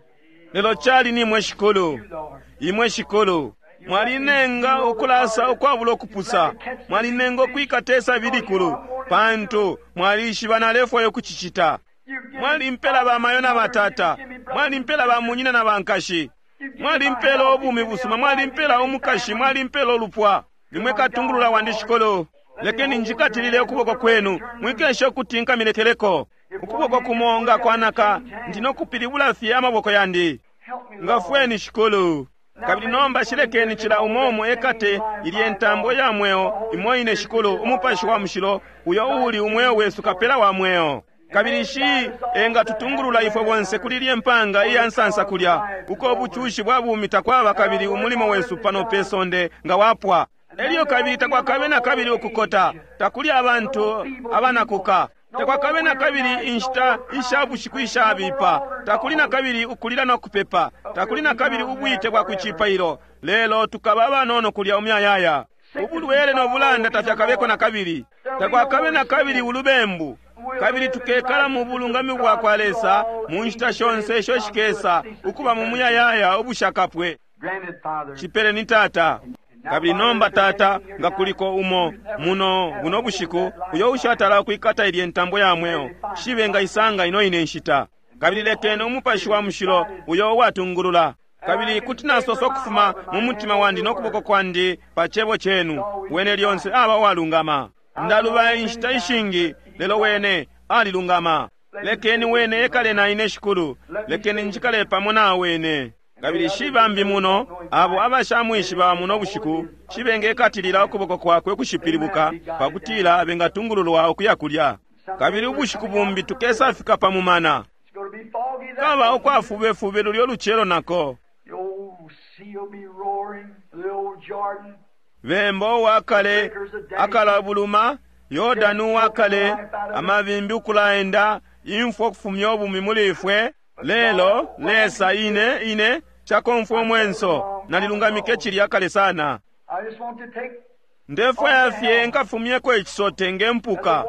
Lelo cali nimwe shikulu. You, Lord. Imwe shikulu. Mwalinenga ukulasa ukwabula ukupusa. Mwalinenga ukwikata isabi likulu. Pantu mwalishiba nalefwaya ukucicita. You've given Mwalimpela bamayo na batata. Mwalimpela bamunyina na bankashi. Mwalimpela ubumi busuma, mwalimpela umukashi, mwalimpela ulupwa. Nimwe katungulula wandi shikulu. Lekeni njikatilile ukuboko kwenu, mwikeshe ukuti nkamilekeleko. Ukuboko kumo nga kwanaka, ndi nokupilibula fye amaboko yandi. Help me, Lord. Ngafweni shikulu. Kabili nomba shilekeni cila umo umo ekate ilye ntambo ya mweo imo ine shikulu umupashi wa mushilo uyo uuli umweo wesu kapela wa mweo. Kabili shi engatutungulula ifwe bonse kuli lye mpanga iya nsansa kulya uko ubucushi bwa bumi takwaba kabili umulimo wesu pano pe sonde nga wapwa. Elyo kabili takwakabe na kabili ukukota, takuli abantu abanakuka. Takwakabe na kabili inshita isha bushiku ishabipa, takuli na kabili ukulila no kupepa, takuli na kabili ubwite bwa kucipailo. Lelo tukaba abanono kulya umuyayaya. Ubulwele no bulanda tafyakabeko na kabili. Takwakabe na kabili ulubembu. Kabili tukekala mu bulungami bwa kwa Lesa mu nshita shonse isho shikesa ukuba mu muyayaya ubushakapwe. Grant it, Father. Chipele ni tata. Kabili nomba tata nga kuliko umo muno buno bushiku uyo ushatala kwikata ilye ntambo ya mweo shibe nga isanga ino ine nshita. Kabili lekeni umupashi wa mushilo uyo uwatungulula. Kabili kuti nasosa ukufuma mu mutima wandi no kuboko kwandi pa chebo chenu wene lyonse aba uwalungama. Ndaluba inshita ishingi lelo wene alilungama. Lekeni wene ekale na ine shikulu, lekeni njikale pamo na wene. Kabili shibambi muno abo abashamwishiba muno bushiku shibengekatilila ukuboko kwakwe kushipilibuka pakutila bengatungululwa ukuya kulya. Kabili ubushiku bumbi tukesafika pa mumana. It's going to be foggy that Kaba day. ukwafubefube lulyo lucelo nako. The old sea will be roaring, the old Jordan. Bemba uwakale akalabuluma, Yordani uwakale amabimbi ukulaenda, imfwa ukufumya ubumi muli ifwe. Lelo Lesa ine ine chakomfwa omwenso nalilungamike chilya kale sana. I just want to take Ndefwaya fye nkafumyeko ichisote ngempuka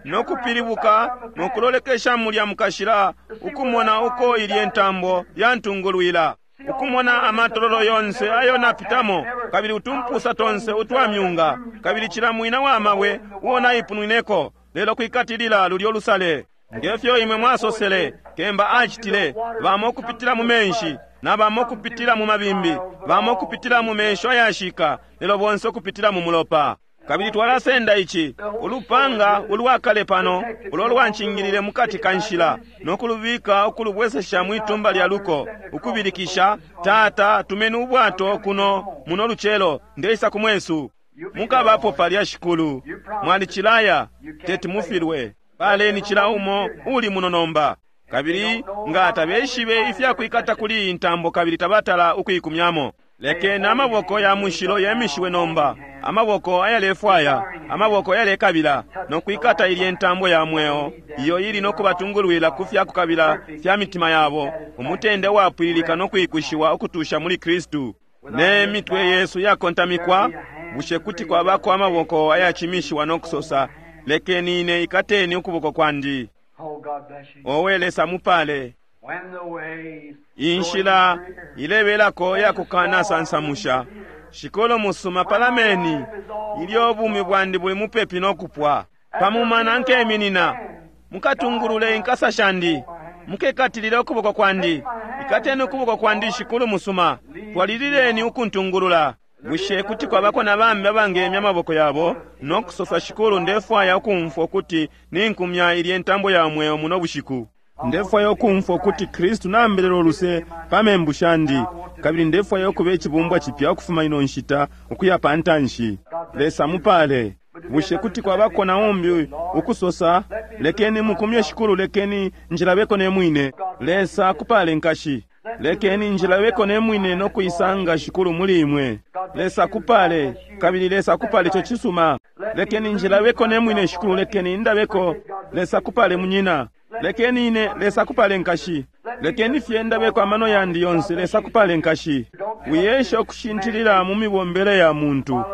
nokupilibuka nokulolekesha mulya mukashila ukumona uko ilye ntambo yantungulwila ukumona amatololo yonse ayo napitamo kabili utumpusa tonse utwamyunga kabili cila mwina wa mabwe uo naipunwineko lelo kwikatilila lulyo lusale ngefyo imwe mwasosele kemba acitile bamo ukupitila mu menshi na bamo ukupitila mu mabimbi bamo ukupitila mu mensho ayashika lelo bonse ukupitila mu mulopa. Kabili twalasenda ici ulupanga ulwakale pano ulo lwanchingilile mukati ka nshila nokulubika ukulubwesesha mwitumba lya luko ukubilikisha tata tumeni ubwato kuno muno lucelo ndeisa kumwesu. Mukabapo palya shikulu mwalicilaya teti mufilwe paleni cila umo uli muno nomba. Kabili nga tabeshibe ifyakwikata kuli iyi ntambo kabili tabatala ukuikumyamo. Lekeni amaboko ya mushilo yemishiwe nomba, amaboko ayalefwaya, amaboko ayalekabila, nokwikata ilye ntambo ya mweo iyo ili nokubatungulwila ku fyakukabila fya mitima yabo, umutende wapwililika nokwikushiwa ukutusha muli Kristu. Ne mitwe yesu yakontamikwa, bushe kuti kwabako amaboko ayachimishiwa nokusosa, lekeni ine ikateni ukuboko kwandi. Oh, God bless you. Owe Lesa mupale. When the ways Inshila ilebelako yakukana sansamusha. Shikolo musuma palameni, ilyo ubumi bwandi buli mupepi nokupwa. Pamumana nkeminina, mukatungulule inkasa shandi, mukekatilile ukuboko kwandi. Ikateni ukuboko kwandi Shikulu musuma, twalilileni ukuntungulula. Bushe kuti kwabako na bambi abangemya amaboko yabo nokusosa, Shikulu, ndefwaya ukumfwa ukuti ninkumya ilye ntambo ya mweo muno bushiku. Ndefwaya ukumfwa ukuti Kristu nambelela uluse pa membu shandi, kabili ndefwaya ukuba icibumbwa cipya ukufuma ino nshita ukuya pa ntanshi. Lesa mupale. Bushe kuti kwabako na umbi ukusosa, lekeni mukumye Shikulu, lekeni njilabeko ne mwine. Lesa akupale nkashi. Lekeni njilabeko ne mwine nokuisanga Shikulu muli imwe. Lesa akupale, kabili Lesa akupale ico cisuma. Lekeni njilabeko ne mwine Shikulu, lekeni ndabeko. Lesa akupale munyina. Lekeni ine, Lesa akupale nkashi. Lekeni fye ndabeko amano yandi yonse, Lesa akupale nkashi. Wiyesha ukushintilila mu mibombele ya muntu.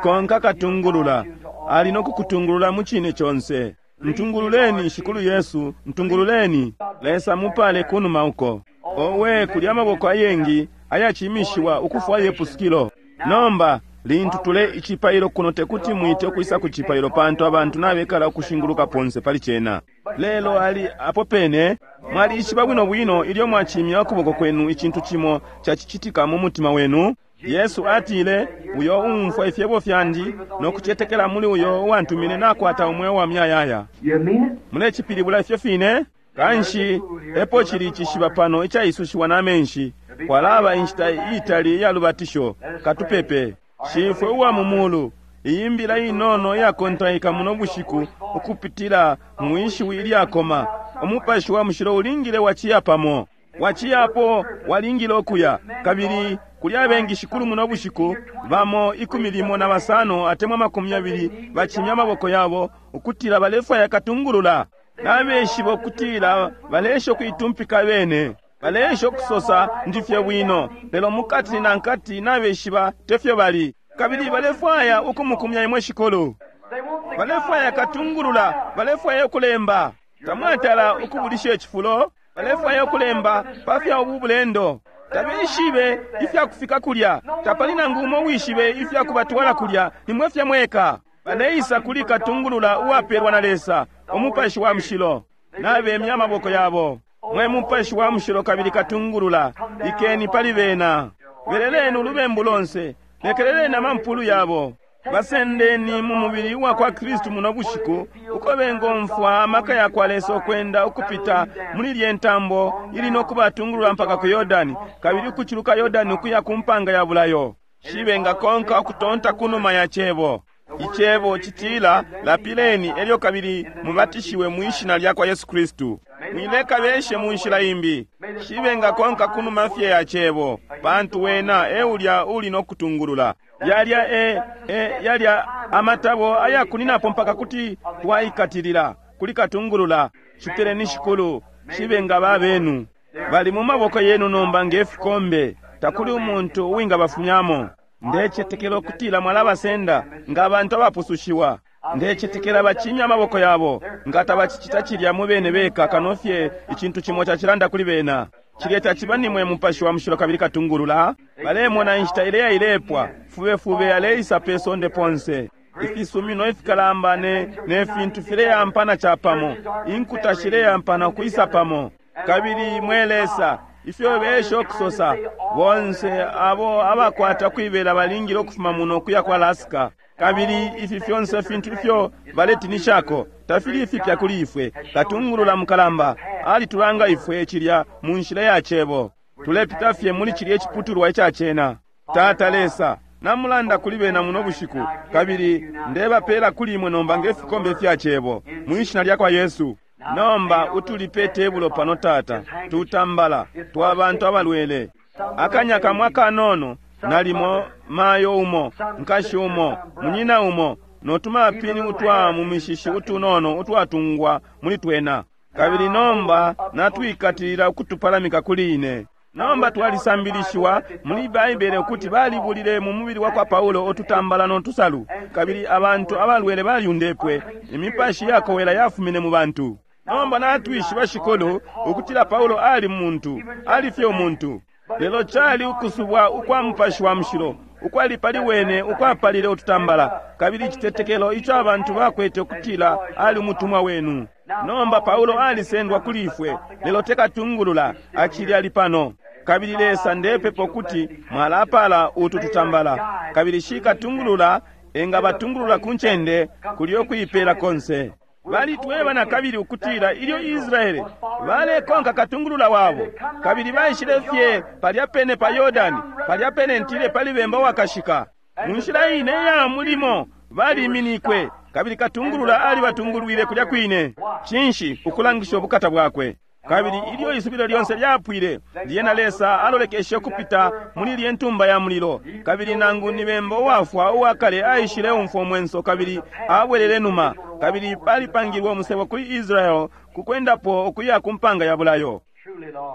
Konka katungulula, ali nokukutungulula mu cine conse. Ntungululeni Shikulu Yesu, ntungululeni. Lesa mupale kunuma uko. Owe kuli amaboko ayengi ayachimishiwa ukufwaya ipusukilo. Nomba lintu tule icipailo kuno tekuti mwite ukwisa ku cipailo pantu abantu nabekala ukushinguluka ponse pali cena. Lelo ali apo pene mwalishiba bwino bwino ilyo mwachimya ukuboko kwenu icintu cimo cacicitika mu mutima wenu. Yesu atile, uyo umfwa ifyebo fyandi nokucetekela muli uyo uwantumine nakwata umweo wa muyayaya. You mean it? Mulecipilibula ifyo fine? Kanshi epo chili icishiba pano icaisushiwa na menshi, kwalaba inshita iitali iya lubatisho. Katupepe. Shifwe uwa mu mulu, iyi mbila inono iyakontaika muno bushiku ukupitila mwishiwi ilyakoma, umupashi wa mushilo ulingile waciya pamo, waciyapo walingile okuya. Kabili kuli abengi Shikulu muno bushiku, bamo ikumi limo na basano atemwa makumi abili bachimya amaboko yabo ukutila balefwaya katungulula. Nabeshiba ukutila balesha ukuitumpika bene, balesha ukusosa ndifye bwino, lelo mukati na nkati nabeshiba tefyo bali. Kabili balefwaya ukumukumya imwe Shikulu, They want the balefwaya katungulula, balefwaya ukulemba. Tamwatala ukubulisha icifulo, balefwaya ukulemba pafya ubu bulendo. Tabeshibe ifya kufika kulya, tapali nangu umo wishibe ifya kubatwala kulya, nimwe fye mweka. Baleisa kuli katungulula uwapelwa na Lesa, umupashi wa mushilo. Nabemya amaboko yabo. Mwe mupashi wa mushilo kabili katungulula, ikeni pali bena. Beleleni ulubembu lonse, lekeleleni amampulu yabo. Basendeni mu mubili wa kwa Kristu muno bushiku, uko bengomfwa amaka ya kwa Lesa ukwenda ukupita muli lye ntambo ili nokubatungulula mpaka ku Yordani, kabili ukuciluka Yordani ukuya ku mpanga ya bulayo. Shibengakonka ukutonta kunuma ya cebo. Icebo citila, lapileni elyo kabili mubatishiwe mwishina lya kwa Yesu Kristu. Mwileka beshe mu nshila imbi. Shibengakonka kunuma fye ya cebo, pantu wena eulya uli nokutungulula. Yalya e, e yalya amatabo ayakuninapo mpaka kuti twaikatilila kuli katungulula. Cipeleni Shikulu, shibenga babenu. Bali mu maboko yenu nomba nge fikombe, takuli umuntu uwingabafumyamo. Ndecetekela ukutila mwalabasenda nga abantu abapusushiwa. Ndecetekela bachimya amaboko yabo, nga tabacicita cilya mu bene beka kano fye icintu cimo cacilanda kuli bena. Cilya taciba nimwe mupashi wa mushilo kabili katungulula. Balemona inshita ileya ilepwa, fubefube aleisa pe sonde ponse. Ifisumino ifikalamba ne, ne fintu fileyampana capamo, inkuta shileyampana ukwisa pamo. Kabili mwe Lesa, ifyo besha okusosa, bonse abo abakwata kwibela balingile ukufuma muno kuya kwa Alaska. Kabili ifi fyonse fintu ifyo baletinishako tafili ifipya kuli ifwe. Katungulula mukalamba alitulanga ifwe cilya mu nshila ya cebo. Tulepita fye muli cilya iciputulwa ica cena. Tata Lesa, namulanda kuli bena muno bushiku, kabili ndebapela kuli imwe nomba nge fikombe fya cebo mwishina lya kwa Yesu. Nomba utulipe tebulo pano Tata, tutambala twa bantu abalwele. Akanya kamwe akanono Nalimo mayo umo, nkashi umo, munyina umo, notumapini utwa mu mishishi utunono utwatungwa muli twena. Kabili nomba natwikatilila ukutupalamika kuli ine. Nomba twalisambilishiwa muli Baibele ukuti balibulile mu mubili wa kwa Paulo ututambala no tusalu, kabili abantu abalwele balyundepwe, imipashi yakowela yafumine mu bantu. Nomba natwishiba, Shikulu, ukutila Paulo ali muntu, ali fye umuntu. Lelo cali ukusubwa ukwa Mupashi wa Mushilo ukwali pali wene ukwapalile ututambala, kabili icitetekelo ico abantu bakwete ukutila ali umutumwa wenu. Nomba Paulo alisendwa kuli ifwe, lelo tekatungulula, acili ali pano. Kabili Lesa, ndepepa ukuti mwalapala utu tutambala, kabili shikatungulula engabatungulula ku ncende kulyo kuipela konse. Balitweba na kabili ukutila ilyo Israele balekonka katungulula wabo, kabili baishile fye palya pene pa Yordani, palya pene ntile pali bemba wakashika. Mu nshila ine ya mulimo baliminikwe, kabili katungulula alibatungulwile kulya kwine. Cinshi? Ukulangisha ubukata bwakwe. Kabili ilyo isubilo lyonse lyapwile, lyena Lesa alolekeshe ukupita muli lye ntumba ya mulilo, kabili nangu ni bemba uwafwa uwakale aishile umfwa umwenso kabili abwelele numa, kabili palipangilwe umusebo kuli Israel kukwendapo ukuya ku mpanga ya bulayo.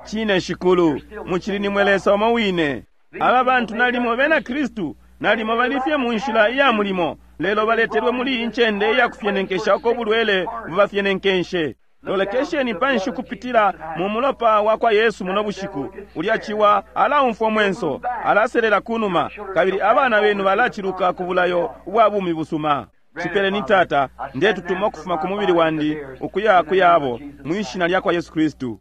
Cine Shikulu, mucili nimwe Lesa umo wine. Aba bantu nalimo bena Kristu, nalimo balifye mu nshila iya mulimo, lelo baletelwe muli iyi ncende iya kufyenenkesha uko bulwele bubafyenenkeshe. Lolekesheni panshi kupitila mu mulopa wa kwa Yesu muno bushiku. Ulya ciwa alaumfwa mwenso, alaselela kunuma, kabili abana benu balaciluka ku bulayo ubwa bumi busuma. Cipeleni Tata, ndetutuma ukufuma ku mubili wandi ukuya ku yabo, mwishina lya kwa Yesu Kristu.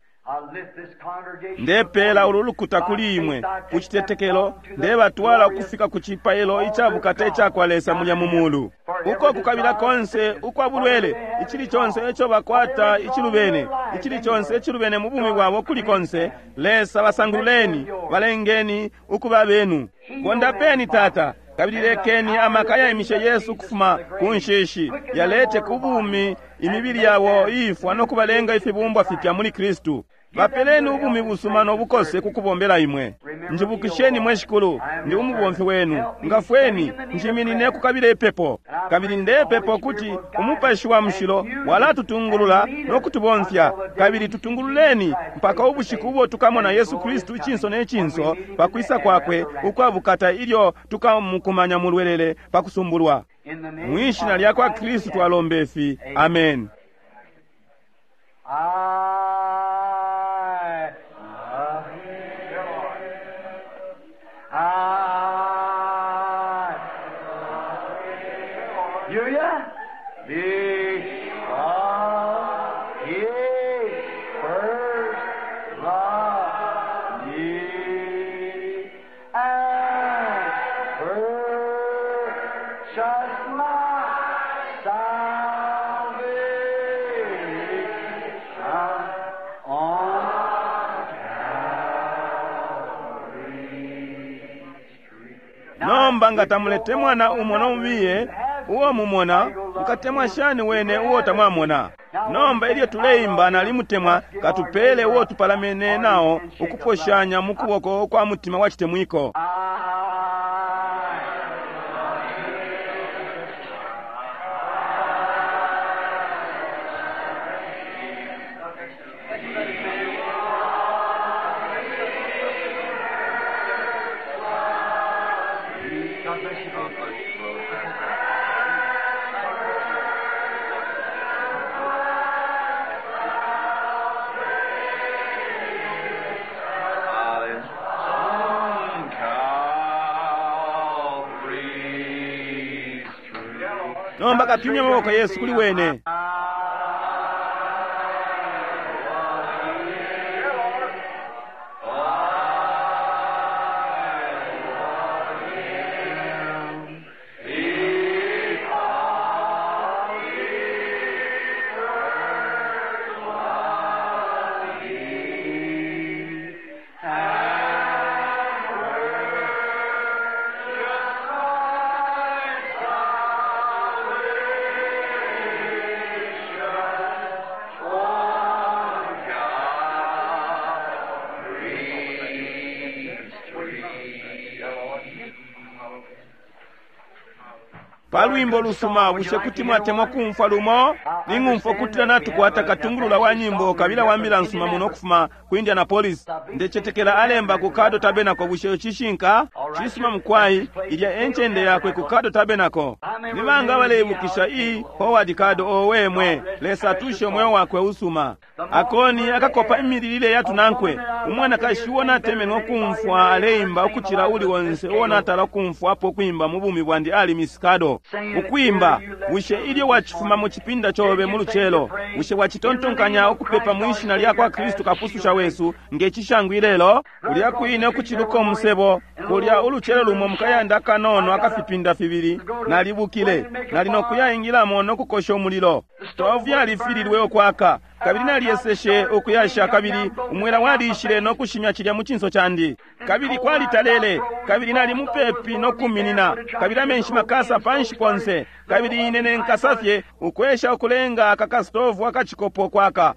Ndepela ulu lukuta kuli imwe ku citetekelo, ndebatwala ukufika ku cipailo icabukata ica kwa Lesa mulya mu mulu. Uko kukabila konse ukwa bulwele, icili conse ico bakwata icilubene, icili conse icilubene mu bumi bwabo kuli konse, Lesa basangululeni, balengeni ukuba benu. Bondapeni Tata, kabili lekeni amaka yaimishe Yesu kufuma ku nshishi yalete ku bumi imibili yabo iifwa no kubalenga ifibumbwa fipya muli Kristu. Bapeleni ubumi busuma no bukose ku kubombela imwe. Njibukisheni mwe Shikulu, ndi umubomfi wenu. Ngafweni, njiminine kukabila ipepo. Kabili ndepepa ukuti Umupashi wa Mushilo walatutungulula no kutubomfya, kabili tutungululeni mpaka ubushiku ubo tukamona Yesu Kristu icinso ne cinso pa kwisa kwakwe ukwabukata ilyo tukamukumanya mulwelele pa kusumbulwa. Mwishina lya kwa Kristu twalomba ifi. Amen. I love him. I love him. You yeah? Because he first loved me and purchased my salvation on Calvary's tree. Nomba nga tamulete mwana umo nomubiye uo mumona, mukatemwa shani wene uo tamwamona? Nomba ilyo tuleimba nalimutemwa, katupele uo tupalamene nao ukuposhanya mu kuboko kwa mutima wa chitemwiko. I God bless you. God bless you, brother. On Calvary's tree. Nomba katumye amaboko yesu kuli wene. Salvation Pa lwimbo lusuma, bushe kuti mwatemwa kumfwa lumo? Ning'umfwa ukutila natukwata katungulula wa nyimbo kabila wa mbila nsuma muno kufuma ku Indianapolis. Ndecetekela alemba ku Caddo Tabernacle. Bushe cishinka? Cisuma mukwai, ilya encende yakwe ku Caddo Tabernacle. Nibanga baleibukisha i Howard Caddo? Owe mwe, Lesa atushe umweo wakwe usuma. Akoni akakopa imililile yatunankwe. Umwanakashi uo natemenwe kumfwa aleimba ukucila uli onse uo natala kumfwapo kwimba mu bumi bwandi ali Miss Caddo. Ukwimba, bushe ilyo wacifuma mu cipinda cobe mu lucelo, bushe wacitontonkanya ukupepa mu ishina lya kwa Kristu kapususha wesu nge cishangu ilelo? Kulya kwine ukuciluka umusebo, kulya ulucelo lumo mukayanda kanono akafipinda fibili, nalibukile, nali nokuyaingilamo nokukosha umulilo. Stovu yalifililwe ukwaka, kabili nalyeseshe ukuyasha, kabili umwela walishile nokushimya cilya mu cinso candi. Kabili kwalitalele, kabili nali mupepi nokuminina, kabili amenshi makasa panshi ponse, kabili ine nenkasafye ukwesha ukulenga aka kastovu akacikopo kwaka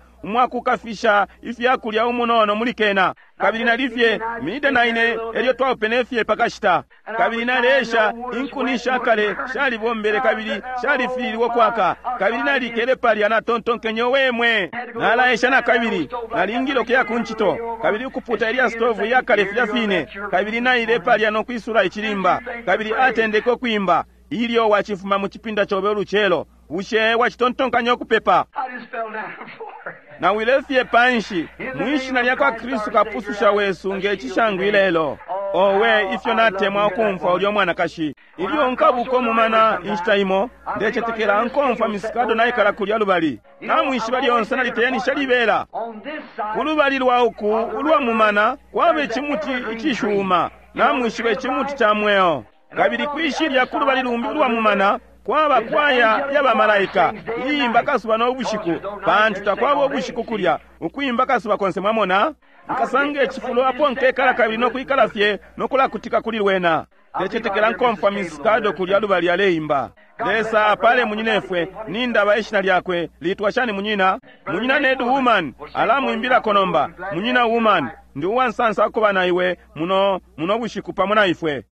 umwakukafisha ifyakulya umunono muli kena. Kabili nalifye mida na ine elyo twaupene fye pakashita, kabili naleesha inkuni shakale shalibombele kabili shalifililwe kwaka, kabili nalikele palya natontonkenye wemwe nalaesha na kabili nalingile ukuya ku ncito kabili ukuputa ilya stovu iyakale filya fine, kabili naile palya nokwisula icilimba, kabili atendeke ukwimba. Ilyo wacifuma mu cipinda cobe ulucelo, bushe wacitontonkanya ukupepa? I just fell down on the floor. Nawile fye panshi mwishina lya kwa Kristu kapususha wesu nge cishangu ilelo. Owe, ifyo natemwa ukumfwa ulyo mwanakashi. Ilyo nkabuka umumana inshita imo, ndecetekela nkomfwa Miss Caddo naikala kulya lubali. Namwishiba lyonse naliteyanisha libela. On this side, Kulubali lwa uku ulwa mumana kwaba icimuti icishuma, namwishiba icimuti ca mweo. Kabili kwishilya kulubali lumbi ulwa mumana kwaba kwaya y'abamalaika iyimba kasuba n'obushiku, pantu takwaba ubushiku kulya, ukwimba kasuba konse. Mwamona, nkasanga icifulo apo nkekala kabili nokwikala fye nokulakutika kuli lwena. Ndecetekela nkomfwa Miss Caddo kulya lubali aleimba. Lesa apale munyinefwe, nindaba ishina lyakwe litwa shani munyina? Munyina Ned Woman alamwimbilako nomba. Munyina Woman, ndi uwansansa kuba na iwe muno muno bushiku pamo na ifwe.